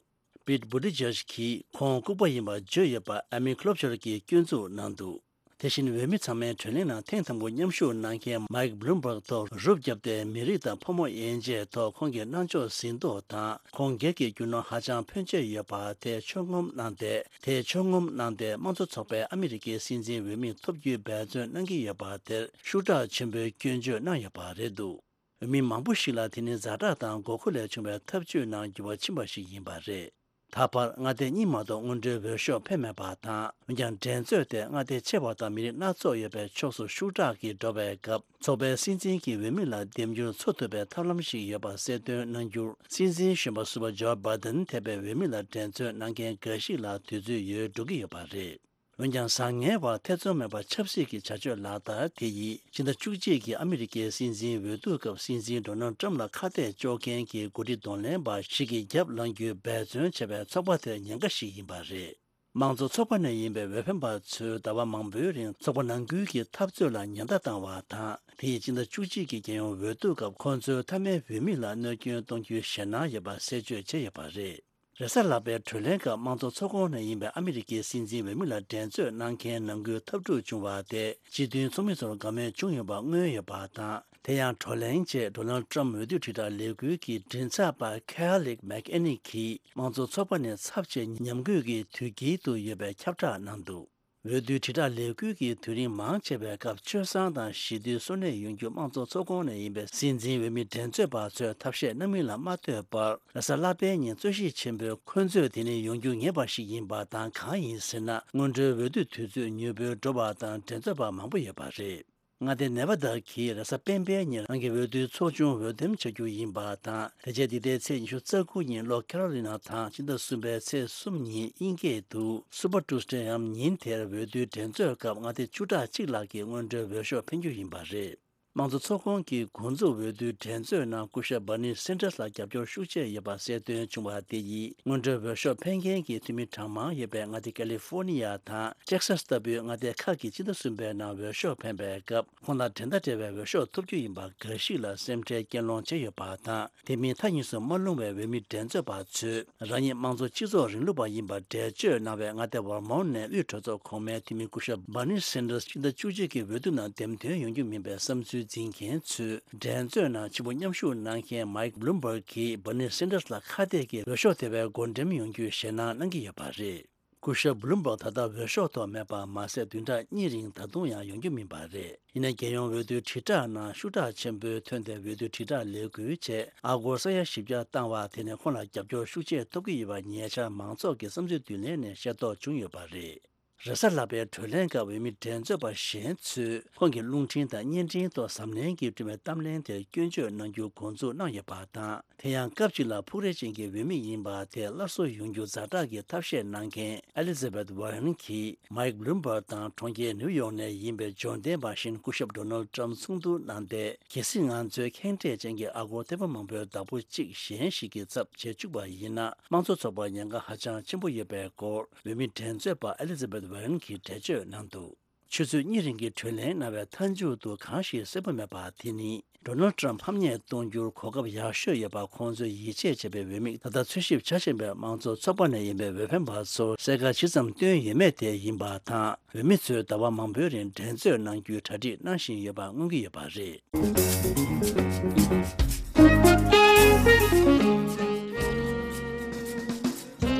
པིད་བུ་ཏི་ཇེཇ་གྱིས་ཁོང་ལྐུགས་པ་ཡིན་པ་བརྗོད་ཡོད་པ་ཨ་མི་ཀློ་བྱར་གྱིས་སྐྱོན་འཛུགས་གནང་འདུག་དེ་བཞིན་འོས་མི་ཚང་མའི་གྲོས་གླེང་ནང་ཐེངས་དང་པོ་མཉམ་ཞུགས་གནང་མཁན་མའིག་བྷ་ལུམ་བྷག་ཐོག་རུབ་བརྒྱབ་སྟེ། མི་རིགས་དང་ཕོ་མོ་དབྱེ་འབྱེད་ཐོག་ཁོང་གི་གནང་ཕྱོགས་ཟིན་ཐོ་དང་། ཁོང་སྒེར་གྱི་རྒྱུ་ནོར་ཧ་ཅང་ཕོན་ཆེ་ཡོད་པ་དེ་ཕྱོགས་ངོམ་གནང་སྟེ། དེ་ཕྱོགས་ངོམ་གནང་སྟེ། དམངས་གཙོ་ཚོགས་པའི་ཨ་མི་རི་ཀའི་སྲིད་འཛིན་འོས་མི་ཐོབ་རྒྱུའི་འབད་བརྩོན་གནང་གི་ཡོད་པ་དེར་ཤུགས་དྲག་ཆེན་པོས་སྐྱོན་བརྗོད་གནང་ཡོད་པ་རེད་འདུག་འོས་མི་མང་པོ་ཞིག་ལ་དེ་ནི་ཛ་དྲག་དང་དགོས་མཁོ་ལས་བྱུང་བའི་ཐབས་ཇུས་ནང་འགྱུར་བ་ཕྱིན་པ་ཞིག་ཡིན་པ་རེད། ད་བར་མངའ་སྡེ་གཉིས་མ་གཏོགས་སྔོན་འགྲོའི་འོས་ཤོག་འཕེན་མེད་པ་དང་། འོན་ཀྱང་། འགྲན་རྩོད་དེ་མངའ་སྡེ་ཆེ་བ་དང་མི་རིགས་སྣ་ཚོགས་ཡོད་པའི་ཕྱོགས་སུ་ཤུགས་དྲག་གིས་འགྲོ་བའི་སྐབས། ཚོགས་པའི་སྲིད་འཛིན་གྱི་འོས་མི་ལ་འདེམས་འགྱུར་འཚོ་ཐུབ་པའི་ཐབས་ལམ་ཞིག་ཡོད་པ་གསལ་སྟོན་གནང་རྒྱུར། སྲིད་འཛིན་གཞོན་པ་ཟུར་པ་ཇོ་བྷའི་ཌེན་ཐེ་བའི་འོས་མི་ལ་འགྲན་རྩོད་གནང་མཁན་འགའ་ཞིག་ལ་དུས་ཚོད་ཡོལ་འགྲོ་གི་ཡོད་པ་རེད། འོན་ཀྱང་། བཟང་ངན་བར་ཐེ་ཚོམ་མེད་པར་ཆབ་སྲིད་ཀྱི་བྱ་སྤྱོད་ལག་བསྟར་དེ་ཡིས། ཕྱི་ཟླ་བཅུ་གཅིག་གི་ཨ་མི་རི་ཀའི་སྲིད་འཛིན་འོས་བསྡུ་སྐབས། སྲིད་འཛིན་ཌོ་ནལ་ཊམ་ལ་ཁ་གཏད་གཅོག་མཁན་གྱི་འགོ་ཁྲིད་གདོང་ལེན་པ་ཞིག་གི་རྒྱབ་ལངས་རྒྱུའི་འབད་བརྩོན་བྱས་པའི་ཚོགས་པ་དེར་ཉེན་ཁ་ཞིག་ཡིན་པ་རེད། དམངས་གཙོ་ཚོགས་པ་ནས་ཡིན་པའི་འོས་འཕེན་པ་ཚོས་ཟླ་བ་མང་པོའི་རིང་ཚོགས་པ་ནང་ཁུལ་གྱི་འཐབ་རྩོད་ལ་ཉེན་བརྡ་བཏང་བ་དང་། དེ་ཡིས་ཕྱི་ཟླ་བཅུ་གཅིག་གི་རྒྱལ་ཡོངས་འོས་བསྡུ་སྐབས། ཁོང་ཚོའི་མཐའ་མའི་འོས་མི་ལ་གནོད་སྐྱོན་གཏོང་རྒྱུའི་ཞེད་སྣང་ཡོད་པ་གསལ་བརྗོད་བྱས་ཡོད་པ་རེད། རེས་གཟའ་ལྷག་པའི་གྲོས་གླེང་སྐབས། དམངས་གཙོ་ཚོགས་ཁོངས་ནས་ཡིན་པའི་ཨ་མི་རི་ཀའི་སྲིད་འཛིན་འོས་མི་ལ་འགྲན་རྩོད་གནང་མཁན་ནང་ཁུལ་འཐབ་འཁྲུག་བྱུང་བ་དེ། སྤྱི་མཐུན་ཚོགས་མི་ཚོར་དགའ་མོས་བྱུང་ཡོད་པ་མངོན་ཡོད་པ་དང་། དེ་ཡང་། བགྲོ་གླེང་རྗེས། ཌོ་ནལ་ཊམ་འོས་བསྡུ་དྲིལ་བསྒྲགས་ལས་འགུལ་གྱི་མགྲིན་ཚབ་པ་ཁེ་ལིག་མེག་ཨེ་ནི་གིས། དམངས་གཙོ་ཚོགས་པ་ནི་ཚབས་ཆེ་ཉམས་རྒུད་ཀྱི་དུས་དཀྱིལ་དུ་ཡོད་པའི་ཁྱབ་བསྒྲགས་གནང་འདུག་འོས་བསྡུའི་དྲིལ་བསྒྲགས་ལས་འགུལ་གྱི་དུས་རིམ་མང་ཆེ་བའི་སྐབས། སྤྱོད་བཟང་དང་ཞི་དུལ་གསོ་གནས་ཡོང་རྒྱུ། དམངས་གཙོ་ཚོགས་ཁོངས་ནས་ཡིན་པའི་སྲིད་འཛིན་འོས་མི་འགྲན་རྩོད་པ་ཚོས་ཐབས་ཤེས་གནང་མིན་ལ་མ་ལྟོས་པར། རེས་གཟའ་ལྷག་པའི་ཉིན་རྩོད་གཞི་ཆེན་པོའི་འཁོན་རྩོད་དེ་ནི་ཡོང་རྒྱུ་ངེས་པ་ཞིག་ཡིན་པ་དང་། གང་ཡིན་ཟེར་ན། སྔོན་འགྲོའི་འོས་བསྡུ་དུས་ཚོད་མྱུར་པོའི་འགྲོ་བ་དང་། འགྲན་རྩོད་པ་མང་པོ་ཡོད་པ་རེད། མངའ་སྡེ་ནེ་བྷ་དཱ་གིས་རེས་གཟའ་སྤེན་པའི་ཉིན་རང་གི་འོས་བསྡུའི་ཚོགས་ཆུང་འོས་འདེམས་བྱ་རྒྱུ་ཡིན་པ་དང་། དེ་རྗེས་འདི་ཟླའི་ཚེས་ཉི་ཤུ་རྩ་དགུ་ཉིན་ལྷོ་ཁེ་རོ་ལི་ན་དང་། ཕྱི་ཟླ་གསུམ་པའི་ཚེས་གསུམ་ཉིན་དབྱིན་སྐད་དུ་སུ་པར་ཊུས་ཌེའམ། ཉིན་དེར་འོས་བསྡུའི་འགྲན་རྩོད་སྐབས། མངའ་སྡེ་བཅུ་ཕྲག་གཅིག་ལྷག་གིས་སྔོན་འགྲོའི་འོས་ཤོག་འཕེན་རྒྱུ་ཡིན་པ་རེད། དམངས་གཙོ་ཚོགས་ཁོངས་ཀྱི་འགོ་འཛུགས་འོས་བསྡུའི་འགྲན་རྩོད་ནང་སྐུ་ཞབས་བྷར་ནི་སན་ཏར་ལ་རྒྱབ་སྐྱོར་ཤུགས་ཆེ་ཡོད་པ་གསལ་སྟོན་བྱུང་བ་དེ་ཡིས། སྔོན་འགྲོའི་འོས་ཤོག་འཕེན་མཁན་གྱི་འཐུས་མི་གྲངས་མང་ཡོད་པའི་མངའ་སྡེ་ཀ་ལི་ཧྥོ་ནི་ཡ་དང་། ཊེག་སཱས་ལྟ་བུའི་མངའ་སྡེ་ཁག་གིས་ཕྱི་ཟླ་གསུམ་པའི་ནང་འོས་ཤོག་འཕེན་པའི་སྐབས། ཁོང་དང་འགྲན་ཟླ་བྲལ་བའི་འོས་ཤོག་ཐོབ་རྒྱུ་ཡིན་པ་འགའ་ཞིག་ལ་སེམས་ཁྲལ་སྐྱེད་སློང་བྱས་ཡོད་པ་དང་། དེ་མིན་མཐའ་གཉིས་སུ་མ་ལྷུང་བའི་འོས་མི་འགྲན་རྩོད་པ་ཚོས། རང་ཉིད་དམངས་གཙོ་སྤྱི་ཚོགས་རིང་ལུགས་པ་ཡིན་པར་འགྲེལ་བརྗོད་གནང་བའི་མངའ་སྡེ་ཝར་མོན་ནས་དབུས་གྲོས་ཚོགས་གོང་མའི་འཐུས་མི་སྐུ་ཞབས་བྷར་ནི་སན་ཏར་ཕྱི་ཟླ་བཅུ་གཅིག་གི་འོས་བསྡུ་ནང་འདེམས་ཐོན་ཡོང་རྒྱུ་མིན་པའི་བསམ་ཚུལ་འཛིན་མཁན་ཚོས། འགྲན་རྩོད་ནང་ཕྱི་པོ་མཉམ་ཞུགས་གནང་མཁན་མའིག་བྷ་ལུམ་བྷག་གིས་བྷར་ནི་སན་ཏར་ལ་ཁ་གཏད་ཀྱིས་འོས་ཤོག་དེ་བས་བགོ་འགྲེམས་ཡོང་རྒྱུའི་ཞེད་སྣང་གནང་གི་ཡོད་པ་རེད། སྐུ་ཞབས་བྷ་ལུམ་བྷག་ད་ལྟ་འོས་ཤོག་ཐོག་མེད་པ་མ་ཟད། བདུན་ཕྲག་གཉིས་རིང་ད་དུང་ཡང་ཡོང་རྒྱུ་མིན་པ་རེད། ཡིན་ནའི་རྒྱལ་ཡོངས་འོས་བསྡུའི་དྲིལ་བསྒྲགས་ནང་ཤུགས་དྲག་ཆེན་པོས་ཐོན་ཏེ། འོས་བསྡུ་དྲིལ་བསྒྲགས་ལས་འགུལ་བྱས། ཨ་སྒོར་ས་ཡ་བཞི་བརྒྱ་བཏང་བ་དེ་ནི་ཁོང་ལ་རྒྱབ་སྐྱོར་ཤུགས་ཆེ་ཐོབ་ཀྱི་ཡོད་པ་ཉེ་ཆར་མང་ཚོགས་ཀྱི་བསམ་ཚུལ་བསྡུ་ལེན་ནས་ཤེས་རྟོགས་བྱུང་ཡོད་པ་རེད། རེས་གཟའ་ལྷག་པའི་གྲོས་གླེང་སྐབས། འོས་མི་འགྲན་རྩོད་པ་གཞན་ཚོས་ཁོང་གི་རླུང་འཕྲིན་དང་བརྙན་འཕྲིན་ཐོག་གཟབ་ནན་གྱིས་བསྐྲུན་པའི་གཏམ་གླེང་དེར་སྐྱོན་བརྗོད་གནང་རྒྱུ་འགོ་འཛུགས་གནང་ཡོད་པ་དང་། དེ་ཡང་སྐབས་གཅིག་ལ་ཕུགས་རེ་ཅན་གྱི་འོས་མི་ཡིན་པ་དེ་སླར་གསོ་ཡོང་རྒྱུ་ཛ་དྲག་གི་ཐབས་ཤེས་གནང་མཁན་ཨེ་ལི་ཛ་བེད་ཝར་རན་གྱིས། མའིག་བྷ་ལུམ་བྷག་དང་གྲོང་ཁྱེར་ནིའུ་ཡོག་ནས་ཡིན་པའི་འབྱོར་ལྡན་པ་གཞན་སྐུ་ཞབས་ཌོ་ནལ་ཊམ་མཚུངས་བསྡུར་གནང་སྟེ། གལ་སྲིད་ང་ཚོའི་ཁེངས་དྲེགས་ཅན་གྱི་ཨ་སྒོར་ཐེར་འབུམ་མང་པོའི་བདག་པོ་གཅིག་གཞན་ཞིག་གི་ཚབ་བྱེད་བཅུག་པ་ཡིན་ན། དམངས་གཙོ་ཚོགས་པར་ཉེན་ཁ་ཧ་ཅང་ཆེན་པོ་ཡོད་པའི་སྐོར་འོས་མི་འགྲན་རྩོད་པ་ཨེ་ལི་ཛ་བེད་ཝར་རན་གྱིས་འགྲེལ་བརྗོད་གནང་འདུག་ཆུ་ཚོད་གཉིས་རིང་གི་གྲོས་གླེང་གནང་བའི་མཐའ་མཇུག་ཏུ་གང་ཞིག་གསལ་པོ་མེད་པ་དེ་ནི། ཌོ་ནལ་ཊམ་ཕམ་ཉེས་གཏོང་རྒྱུར་གོ་སྐབས་ཡག་ཤོས་ཡོད་པ་ཁོང་ཚོས་ཡིད་ཆེས་བྱས་པའི་འོས་མི། ད་ལྟ་འཚོལ་ཞིབ་བྱ་བཞིན་པའི་དམངས་གཙོ་ཚོགས་པ་ནས་ཡིན་པའི་འོས་འཕེན་པ་ཚོར་གསལ་ཁ་ཇི་ཙམ་བཏོན་ཡོད་མེད་དེ་ཡིན་པ་དང་། འོས་མི་ཚོས་ཟླ་བ་མང་པོའི་རིང་འགྲན་རྩོད་གནང་རྒྱུའི་གྲ་སྒྲིག་གནང་བཞིན་ཡོད་པ་མངོན་གྱི་ཡོད་པ་རེད།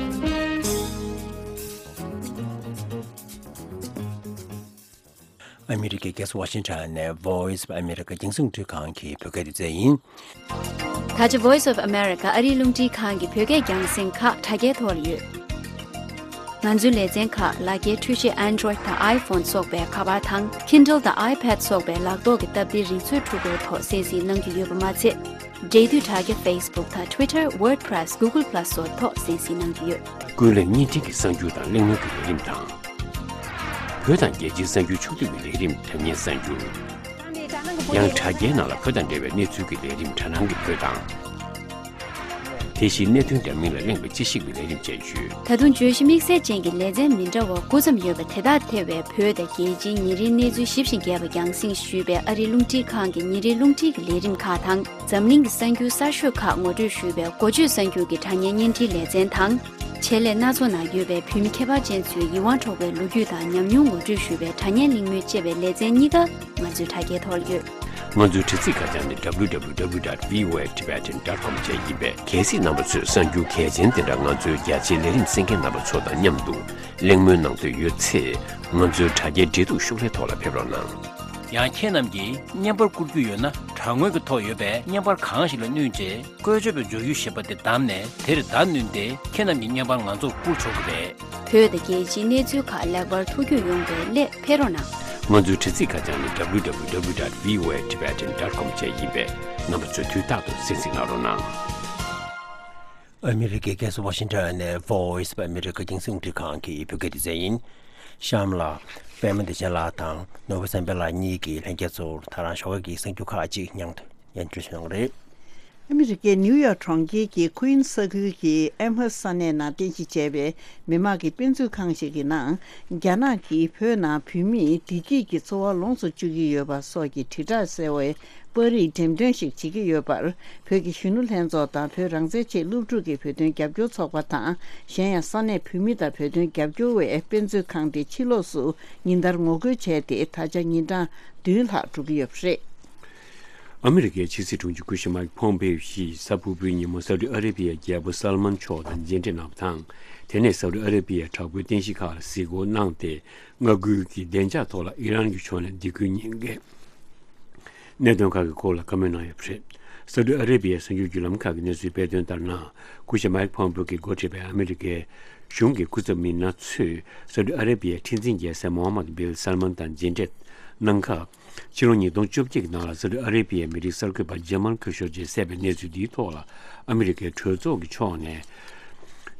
ཨ་མི་རི་ཀའི་རྒྱལ་ས་ཝ་ཤིང་ཊོན་ནས་Voice of America་རྒྱང་སྲིང་རླུང་འཕྲིན་ཁང་གི་བོད་སྐད་སྡེ་ཚན་ཡིན། ད་ཆ་Voice of America་ཨ་རིའི་རླུང་འཕྲིན་ཁང་གི་བོད་སྐད་རྒྱང་སྲིང་ཁག་དྲ་རྒྱའི་ཐོག་ལ་ཡོད། ང་ཚོའི་ལེ་ཚན་ཁག་ལག་འཁྱེར་འཕྲུལ་ཆས་Android་དང་iPhone་སོགས་པའི་ཁ་པར་དང་Kindle་དང་iPad་སོགས་པའི་ལག་ཐོག་གི་སྟབས་བདེའི་རིག་མཛོད་འཕྲུལ་འཁོར་ཐོག་གསན་གཟིགས་གནང་རྒྱུ་ཡོད་པ་མ་ཚད། འབྲེལ་མཐུད་དྲ་རྒྱ་Facebook་དང་Twitter, WordPress, Google Plus་སོགས་ཐོག་གསན་གཟིགས་གནང་རྒྱུ་ཡོད། ཀུན་གླེང་བརྙན་འཕྲིན་གྱི་གསར་འགྱུར་དང་གླེང་མོལ་གྱི་ལས་རིམ་དང་། བོད་དང་རྒྱལ་སྤྱིའི་གསར་འགྱུར་ཕྱོགས་བསྡུས་ཀྱི་ལས་རིམ་དྲ་བརྙན་གསར་འགྱུར། ཡང་དྲ་རྒྱའི་ནང་ལ་བོད་དང་འབྲེལ་བའི་གནས་ཚུལ་གྱི་ལས་རིམ་དྲ་སྣང་གི་བོད་དང་། དེ་བཞིན་གནད་དོན་འདྲ་མིན་ལ་གླེང་བའི་དཔྱད་ཞིབ་ཀྱི་ལས་རིམ་བཅས་ཡོད། ད་དུང་བརྗོད་གཞི་དམིགས་བསལ་ཅན་གྱི་ལེ་ཚན་མི་འདྲ་བ་དགུ་ཙམ་ཡོད་པ་དེ་དག་ཐེ་བའི་བོད་དང་རྒྱལ་སྤྱིའི་ཉིན་རེའི་གནས་ཚུལ་ཞིབ་ཅིང་རྒྱས་པ་རྒྱང་སྲིང་ཞུས་པའི་ཨ་རིའི་རླུང་འཕྲིན་ཁང་གི་ཉིན་རེའི་རླུང་འཕྲིན་གྱི་ལས་རིམ་ཁག་དང་། འཛམ་གླིང་གི་གསར་འགྱུར་གསར་ཤོས་ཁག་ངོ་སྤྲོད་ཞུས་པའི་འགོ་བརྗོད་གསར་འགྱུར་གྱི་དྲ་བརྙན་བརྙན་འཕྲིན་ལེ་ཚན་དང་། ཆེད་ལས་སྣ་ཚོགས་ནང་ཡོད་པའི་བོད་མི་ཁྱད་པར་ཅན་ཚོའི་ཡིད་དབང་འཕྲོག་པའི་ལོ་རྒྱུས་དང་ཉམས་མྱོང་ངོ་སྤྲོད་ཞུས་པའི་དྲ་བརྙན་གླེང་མོལ་བཅས་པའི་ལེ་ཚན་གཉིས་ཀ་ང་ཚོའི་དྲ་རྒྱའི་ཐོག་ལ་ཡོད། ང་ཚོའི་དྲ་ཚིགས་ཁ་བྱང་ནི་W W W dot V O A Tibetan dot com བཅས་ཡིན་པས། གལ་སྲིད་རྣམ་པ་ཚོས་གསར་འགྱུར་གལ་ཆེན་དེ་འདྲ་ང་ཚོའི་རྒྱ་ཆེའི་ལས་རིམ་གསན་མཁན་རྣམ་པ་ཚོ་དང་མཉམ་དུ་གླེང་མོལ་གནང་འདོད་ཡོད་ཚེ། ང་ཚོའི་དྲ་རྒྱའི་འབྲེལ་གཏུག་ཤོག་ལྷེ་ཐོག་ལ་ཕེབས་རོགས་གནང་། ཡང་ཁྱེད་རྣམས་ཀྱིས་བརྙན་པར་བསྐུར་རྒྱུ་ཡོད་ན། དྲ་ངོས་ཀྱི་ཐོག་ཡོད་པའི་བརྙན་པར་གང་ཞིག་ལ་བསྣུན་རྗེས། བཀོལ་སྤྱོད་པའི་མཇུག་ཡུལ་ཞེས་པ་དེ་བདམས་ནས། དེར་བརྡ་བསྣུན་ཏེ། ཁྱེད་རྣམས་ཀྱི་བརྙན་པར་ང་ཚོར་བསྐུར་ཆོག་གི་རེད། བོད་དང་རྒྱལ་སྤྱིའི་གནས་ཚུལ་ཁག་ལེགས་པར་ཐུགས་རྒྱུས་ཡོང་བའི་སླད་ཕེབས་རོགས་གནང་། ང་ཚོའི་དྲ་ཚིགས་ཁ་བྱང་ནི་W W W dot V O A Tibetan dot com བཅས་ཡིན་པས། རྣམ་པ་ཚོས་དུས་རྟག་ཏུ་གསན་གཟིགས་གནང་རོགས་གནང་། ཨ་མི་རི་ཀའི་རྒྱལ་ས་ཝ་ཤིང་ཊོན་ནས་Voice of America་རྒྱང་སྲིང་རླུང་འཕྲིན་ཁང་གི་བོད་སྐད་སྡེ་ཚན་ཡིན། གཤམ་ལ། པད་མ་བདེ་ཆེན་ལགས་དང་ནོར་བུ་བསམ་འཕེལ་ལགས་གཉིས་ཀྱིས་ལྷན་རྒྱས་ཚོར་ད་རང་ཞོགས་ཀ་གི་གསར་འགྱུར་ཁག་ཅིག་སྙན་སྙན་སྒྲོན་ཞུ་གནང་གི་རེད། ཨ་མི་རི་ཀའི་ནིའུ་ཡོག་གྲོང་ཁྱེར་གྱི་ཁུ་ཨིན་ས་ཁུལ་གྱི་ཨེམ་ཧར་ས་གནས་ནང་རྟེན་གཞི་བྱས་པའི་མི་མང་གི་དཔེ་མཛོད་ཁང་ཞིག་གི་ནང་། རྒྱ་ནག་གིས་བོད་ནང་བོད་མིས་བདེ་སྐྱིད་ཀྱི་འཚོ་བ་ལོངས་སུ་སྤྱོད་ཀྱི་ཡོད་པ་སོགས་ཀྱི་དྲིལ་བསྒྲགས་གསལ་བའི་པར་རིས་འགྲེམས་སྟོན་ཞིག་བྱེད་ཀྱི་ཡོད་པར། བོད་ཀྱི་གཞོན་ནུ་ལྷན་ཚོགས་དང་བོད་རང་བཙན་ཆེད་སློབ་ཕྲུག་གི་བོད་དོན་རྒྱབ་སྐྱོར་ཚོགས་པ་དང་། གཞན་ཡང་ས་གནས་བོད་མི་དང་བོད་དོན་རྒྱབ་སྐྱོར་བས་དཔེ་མཛོད་ཁང་དེ་ཕྱི་ལོགས་སུ་ཉིན་ལྟར་ངོ་རྒོལ་བྱས་ཏེ། ད་ཆ་ཉིན་གྲངས་བདུན་ལྷག་འགྲོ་གི་ཡོད་པ་རེད། ཨ་མི་རི་ཀའི་ཕྱི་སྲིད་དྲུང་ཆེ་སྐུ་ཞབས་མཱིག་ཕོམ་པེའོ་ཡིས་གཟའ་ཕུར་བུའི་ཉིན་མོ་སའུ་ཏི་ཨ་རེ་བི་ཡའི་རྒྱལ་པོ་སལ་མན་མཆོག་དང་མཇལ་འཕྲད་གནང་བ་དང་། དེ་ནས་སའུ་ཏི་ཨ་རེ་བི་ཡའི་དྲག་པོའི་རྟེན་གཞི་ཁག་ལ་གཟིགས་སྐོར་གནང་སྟེ། མངའ་ཁུལ་གྱི་བདེ་འཇགས་ཐོག་ལ་ཨི་རན་གྱི་ཕྱོགས་ནས་སྡིགས་སྐུལ་ཉེན་གྱི་གནད་དོན་ཁག་གི་སྐོར་ལ་བཀའ་མོལ་གནང་ཡོད་པ་རེད། སའུ་ཏི་ཨ་རེ་བི་ཡའི་གསར་འགྱུར་བརྒྱུད་ལམ་ཁག་གིས་གནས་ཚུལ་སྤེལ་དོན་ལྟར་ན། སྐུ་ཞབས་མཱིག་ཕོམ་པེའོ་གིས་འགོ་ཁྲིད་པའི་ཨ་མི་རི་ཀའི་གཞུང་གི་སྐུ་ཚབ་མི་སྣ་ཚོས་སའུ་ཏི་ཨ་རེ་བི་ཡའི་ཁྲི་འཛིན་རྒྱལ་སྲས་མོ་ཧམ་མད་བིལ་སལ་མན་དང་མཇལ་འཕྲད་གནང་སྐབས། ཕྱི་ལོ་ཉིས་སྟོང་བཅོ་བརྒྱད་ཀྱི་ནང་ལ་སའུ་ཏི་ཨ་རེ་བི་ཡའི་མི་རིགས་གསར་འགོད་པ་ཇ་མལ་ཁོ་ཤོ་ཇིས་བསད་པའི་གནས་ཚུལ་འདིའི་ཐོག་ལ། ཨ་མི་རི་ཀའི་གྲོས་ཚོགས་ཀྱི་ཕྱོགས་ནས་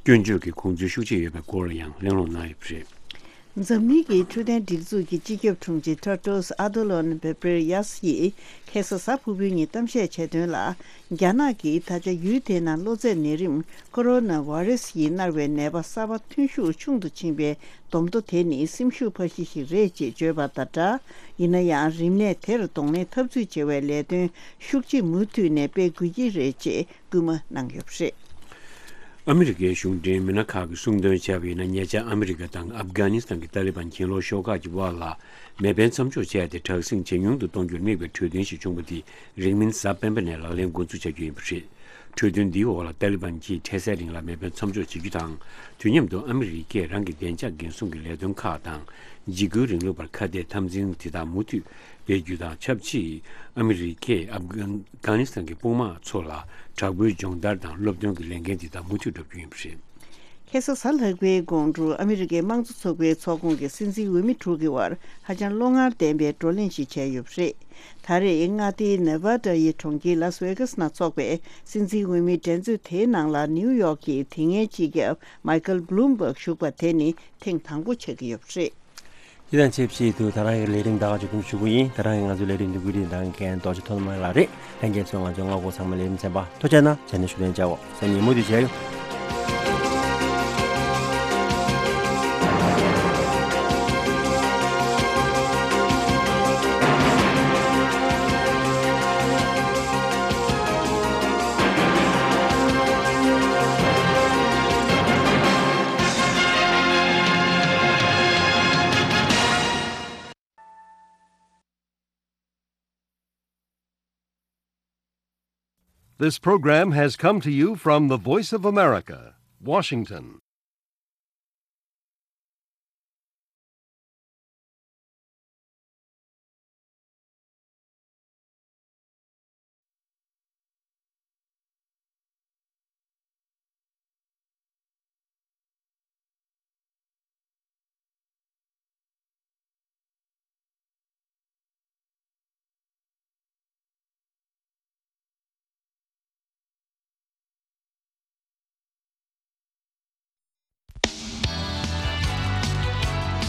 སྐྱོན་བརྗོད་ཀྱི་དགོངས་ཚུལ་ཤུགས་ཆེ་ཡོད་པའི་སྐོར་ལ་ཡང་གླེང་སློང་གནང་ཡོད་པ་རེད། འཛམ་གླིང་གི་འཕྲོད་བསྟེན་སྒྲིག་འཛུགས་ཀྱི་སྤྱི་ཁྱབ་དྲུང་ཆེ་ཊེ་ཌྲོས་ཨ་དྷ་ནོམ་གྷེ་བྷི་རི་ཡེ་སི་ཡིས་ཁ་སང་གཟའ་ཕུར་བུའི་ཉིན་གཏམ་བཤད་བྱས་དོན་ལ། རྒྱ་ནག་གིས་ད་ཆ་ཡུལ་དེའི་ནང་གློ་ཚད་ནད་རིམས་ཀོ་རོ་ན་བྷ་རེ་སི་ཡིས་མནར་བའི་ནད་པ་གསར་པ་ཐོན་ཤུགས་ཆུང་དུ་ཕྱིན་པའི་སྡོམ་ཐོ་དེ་ནི་སེམས་ཤུགས་འཕར་གཞི་ཞིག་རེད་ཅེས་བརྗོད་པ་དང་སྦྲགས། ཡིན་ན་ཡང་རིམས་ནད་དེར་གདོང་ལེན་འཐབ་རྩོད་བྱེད་པའི་ལས་དོན་ཤུགས་ཆེ་མུ་མཐུད་ནས་སྤེལ་དགོས་ཀྱི་རེད་ཅེས་སྐུལ་མ་གནང་ཡོད་པ་རེད། ཨ་མི་རི་ཀའི་གཞུང་འབྲེལ་མི་སྣ་ཁག་གིས་གསུངས་དོན་བྱས་པ་ཡིན་ན། ཉེ་ཆར་ཨ་མི་རི་ཀ་དང་ཨབ་གྷ་ནི་སི་ཐན་གྱི་ཏཱ་ལི་བན་གྱེན་ལོག་ཤོག་ཁག་གི་དབར་ལ་མེ་འཕེན་མཚམས་འཇོག་བྱས་ཏེ། དྲག་ཟིང་ཇེ་ཉུང་དུ་གཏོང་རྒྱུར་དམིགས་པའི་གྲོས་མཐུན་ཞིག་བྱུང་བ་དེ་རིང་མིན་གཟའ་སྤེན་པ་ནས་ལག་ལེན་འགོ་འཛུགས་བྱ་རྒྱུ་ཡིན་པ་རེད། གྲོས་མཐུན་འདིའི་འོག་ལ་ཏཱ་ལི་བན་གྱིས་འཕྲལ་སེལ་རིང་ལ་མེ་འཕེན་མཚམས་འཇོག་བྱེད་རྒྱུ་དང་། དུས་མཉམ་དུ་ཨ་མི་རི་ཀས་རང་གི་བདེ་འཇགས་འགན་སྲུང་གི་ལས་དོན་ཁག་དང་། འཇིགས་སྐུལ་རིང་ལུགས་པར་ཁ་གཏད་འཐབ་འཛིང་དེ་དག་མུ་མཐུད་སྤེལ་རྒྱུ་དང་ཆབས་ཅིག་ཨ་མི་རི་ཀས་ཨབ་གྷ་ནི་སི་ཐན་གྱི་དཔུང་དམག་ཚོ་ལ་དྲག་པོའི་སྦྱོང་བརྡར་དང་སློབ་སྟོན་གྱི་ལས་འགན་དེ་དག་མུ་མཐུད་བསྒྲུབ་རྒྱུ་ཡིན་པ་རེད། ཁ་སང་གཟའ་ལྷག་པའི་དགོང་དྲོ་ཨ་མི་རི་ཀའི་དམངས་གཙོ་ཚོགས་པའི་ཚོགས་ཁོངས་ཀྱི་སྲིད་འཛིན་འོས་མི་དྲུག་གི་དབར་ཧ་ཅང་བློ་ངར་ལྡན་པའི་བགྲོ་གླེང་ཞིག་བྱས་ཡོད་པ་རེད། ད་རེས་མངའ་སྡེའི་ནེ་ཝ་ཌ་ཡི་གྲོང་ཁྱེར་ལཱ་སི་ཝེ་གྷ་སི་ནང་འཚོགས་པའི་སྲིད་འཛིན་འོས་མིའི་འགྲན་རྩོད་དེའི་ནང་ལ་ནིའུ་ཡོག་གི་དེ་སྔའི་སྤྱི་ཁྱབ་མའི་ཁལ་བྷ་ལུམ་བྷག་ཞུགས་པ་དེ་ནི་ཐེངས་དང་པོ་ཆགས་ཀྱི་ཡོད་པ་རེད། འདི་དང་ཆབས་ཅིག་ཏུ་ད་རང་གི་ལས་རིམ་ད་ག་མཇུག་སྡོམ་ཞུ་གི་ཡིན། ད་རང་གི་ང་ཚོའི་ལས་རིམ་འདི་བཀོད་སྒྲིག་དང་འགན་རྡོ་རྗེ་ཐོག་མ་ལགས་རེད། ལྷན་རྒྱས་ཚོས་ང་ཚོའི་མངའ་ཁོངས་ཚང་མ་ལས་རིམ་ཚན་པ་ཐུགས་རྗེ་གནང་། ཇ་ནི་ཞུ་ལན་བྱའོ། སང་ཉིན་མུ་མཐུད་མཇལ་ཡོང་། This program has come to you from the Voice of America, Washington.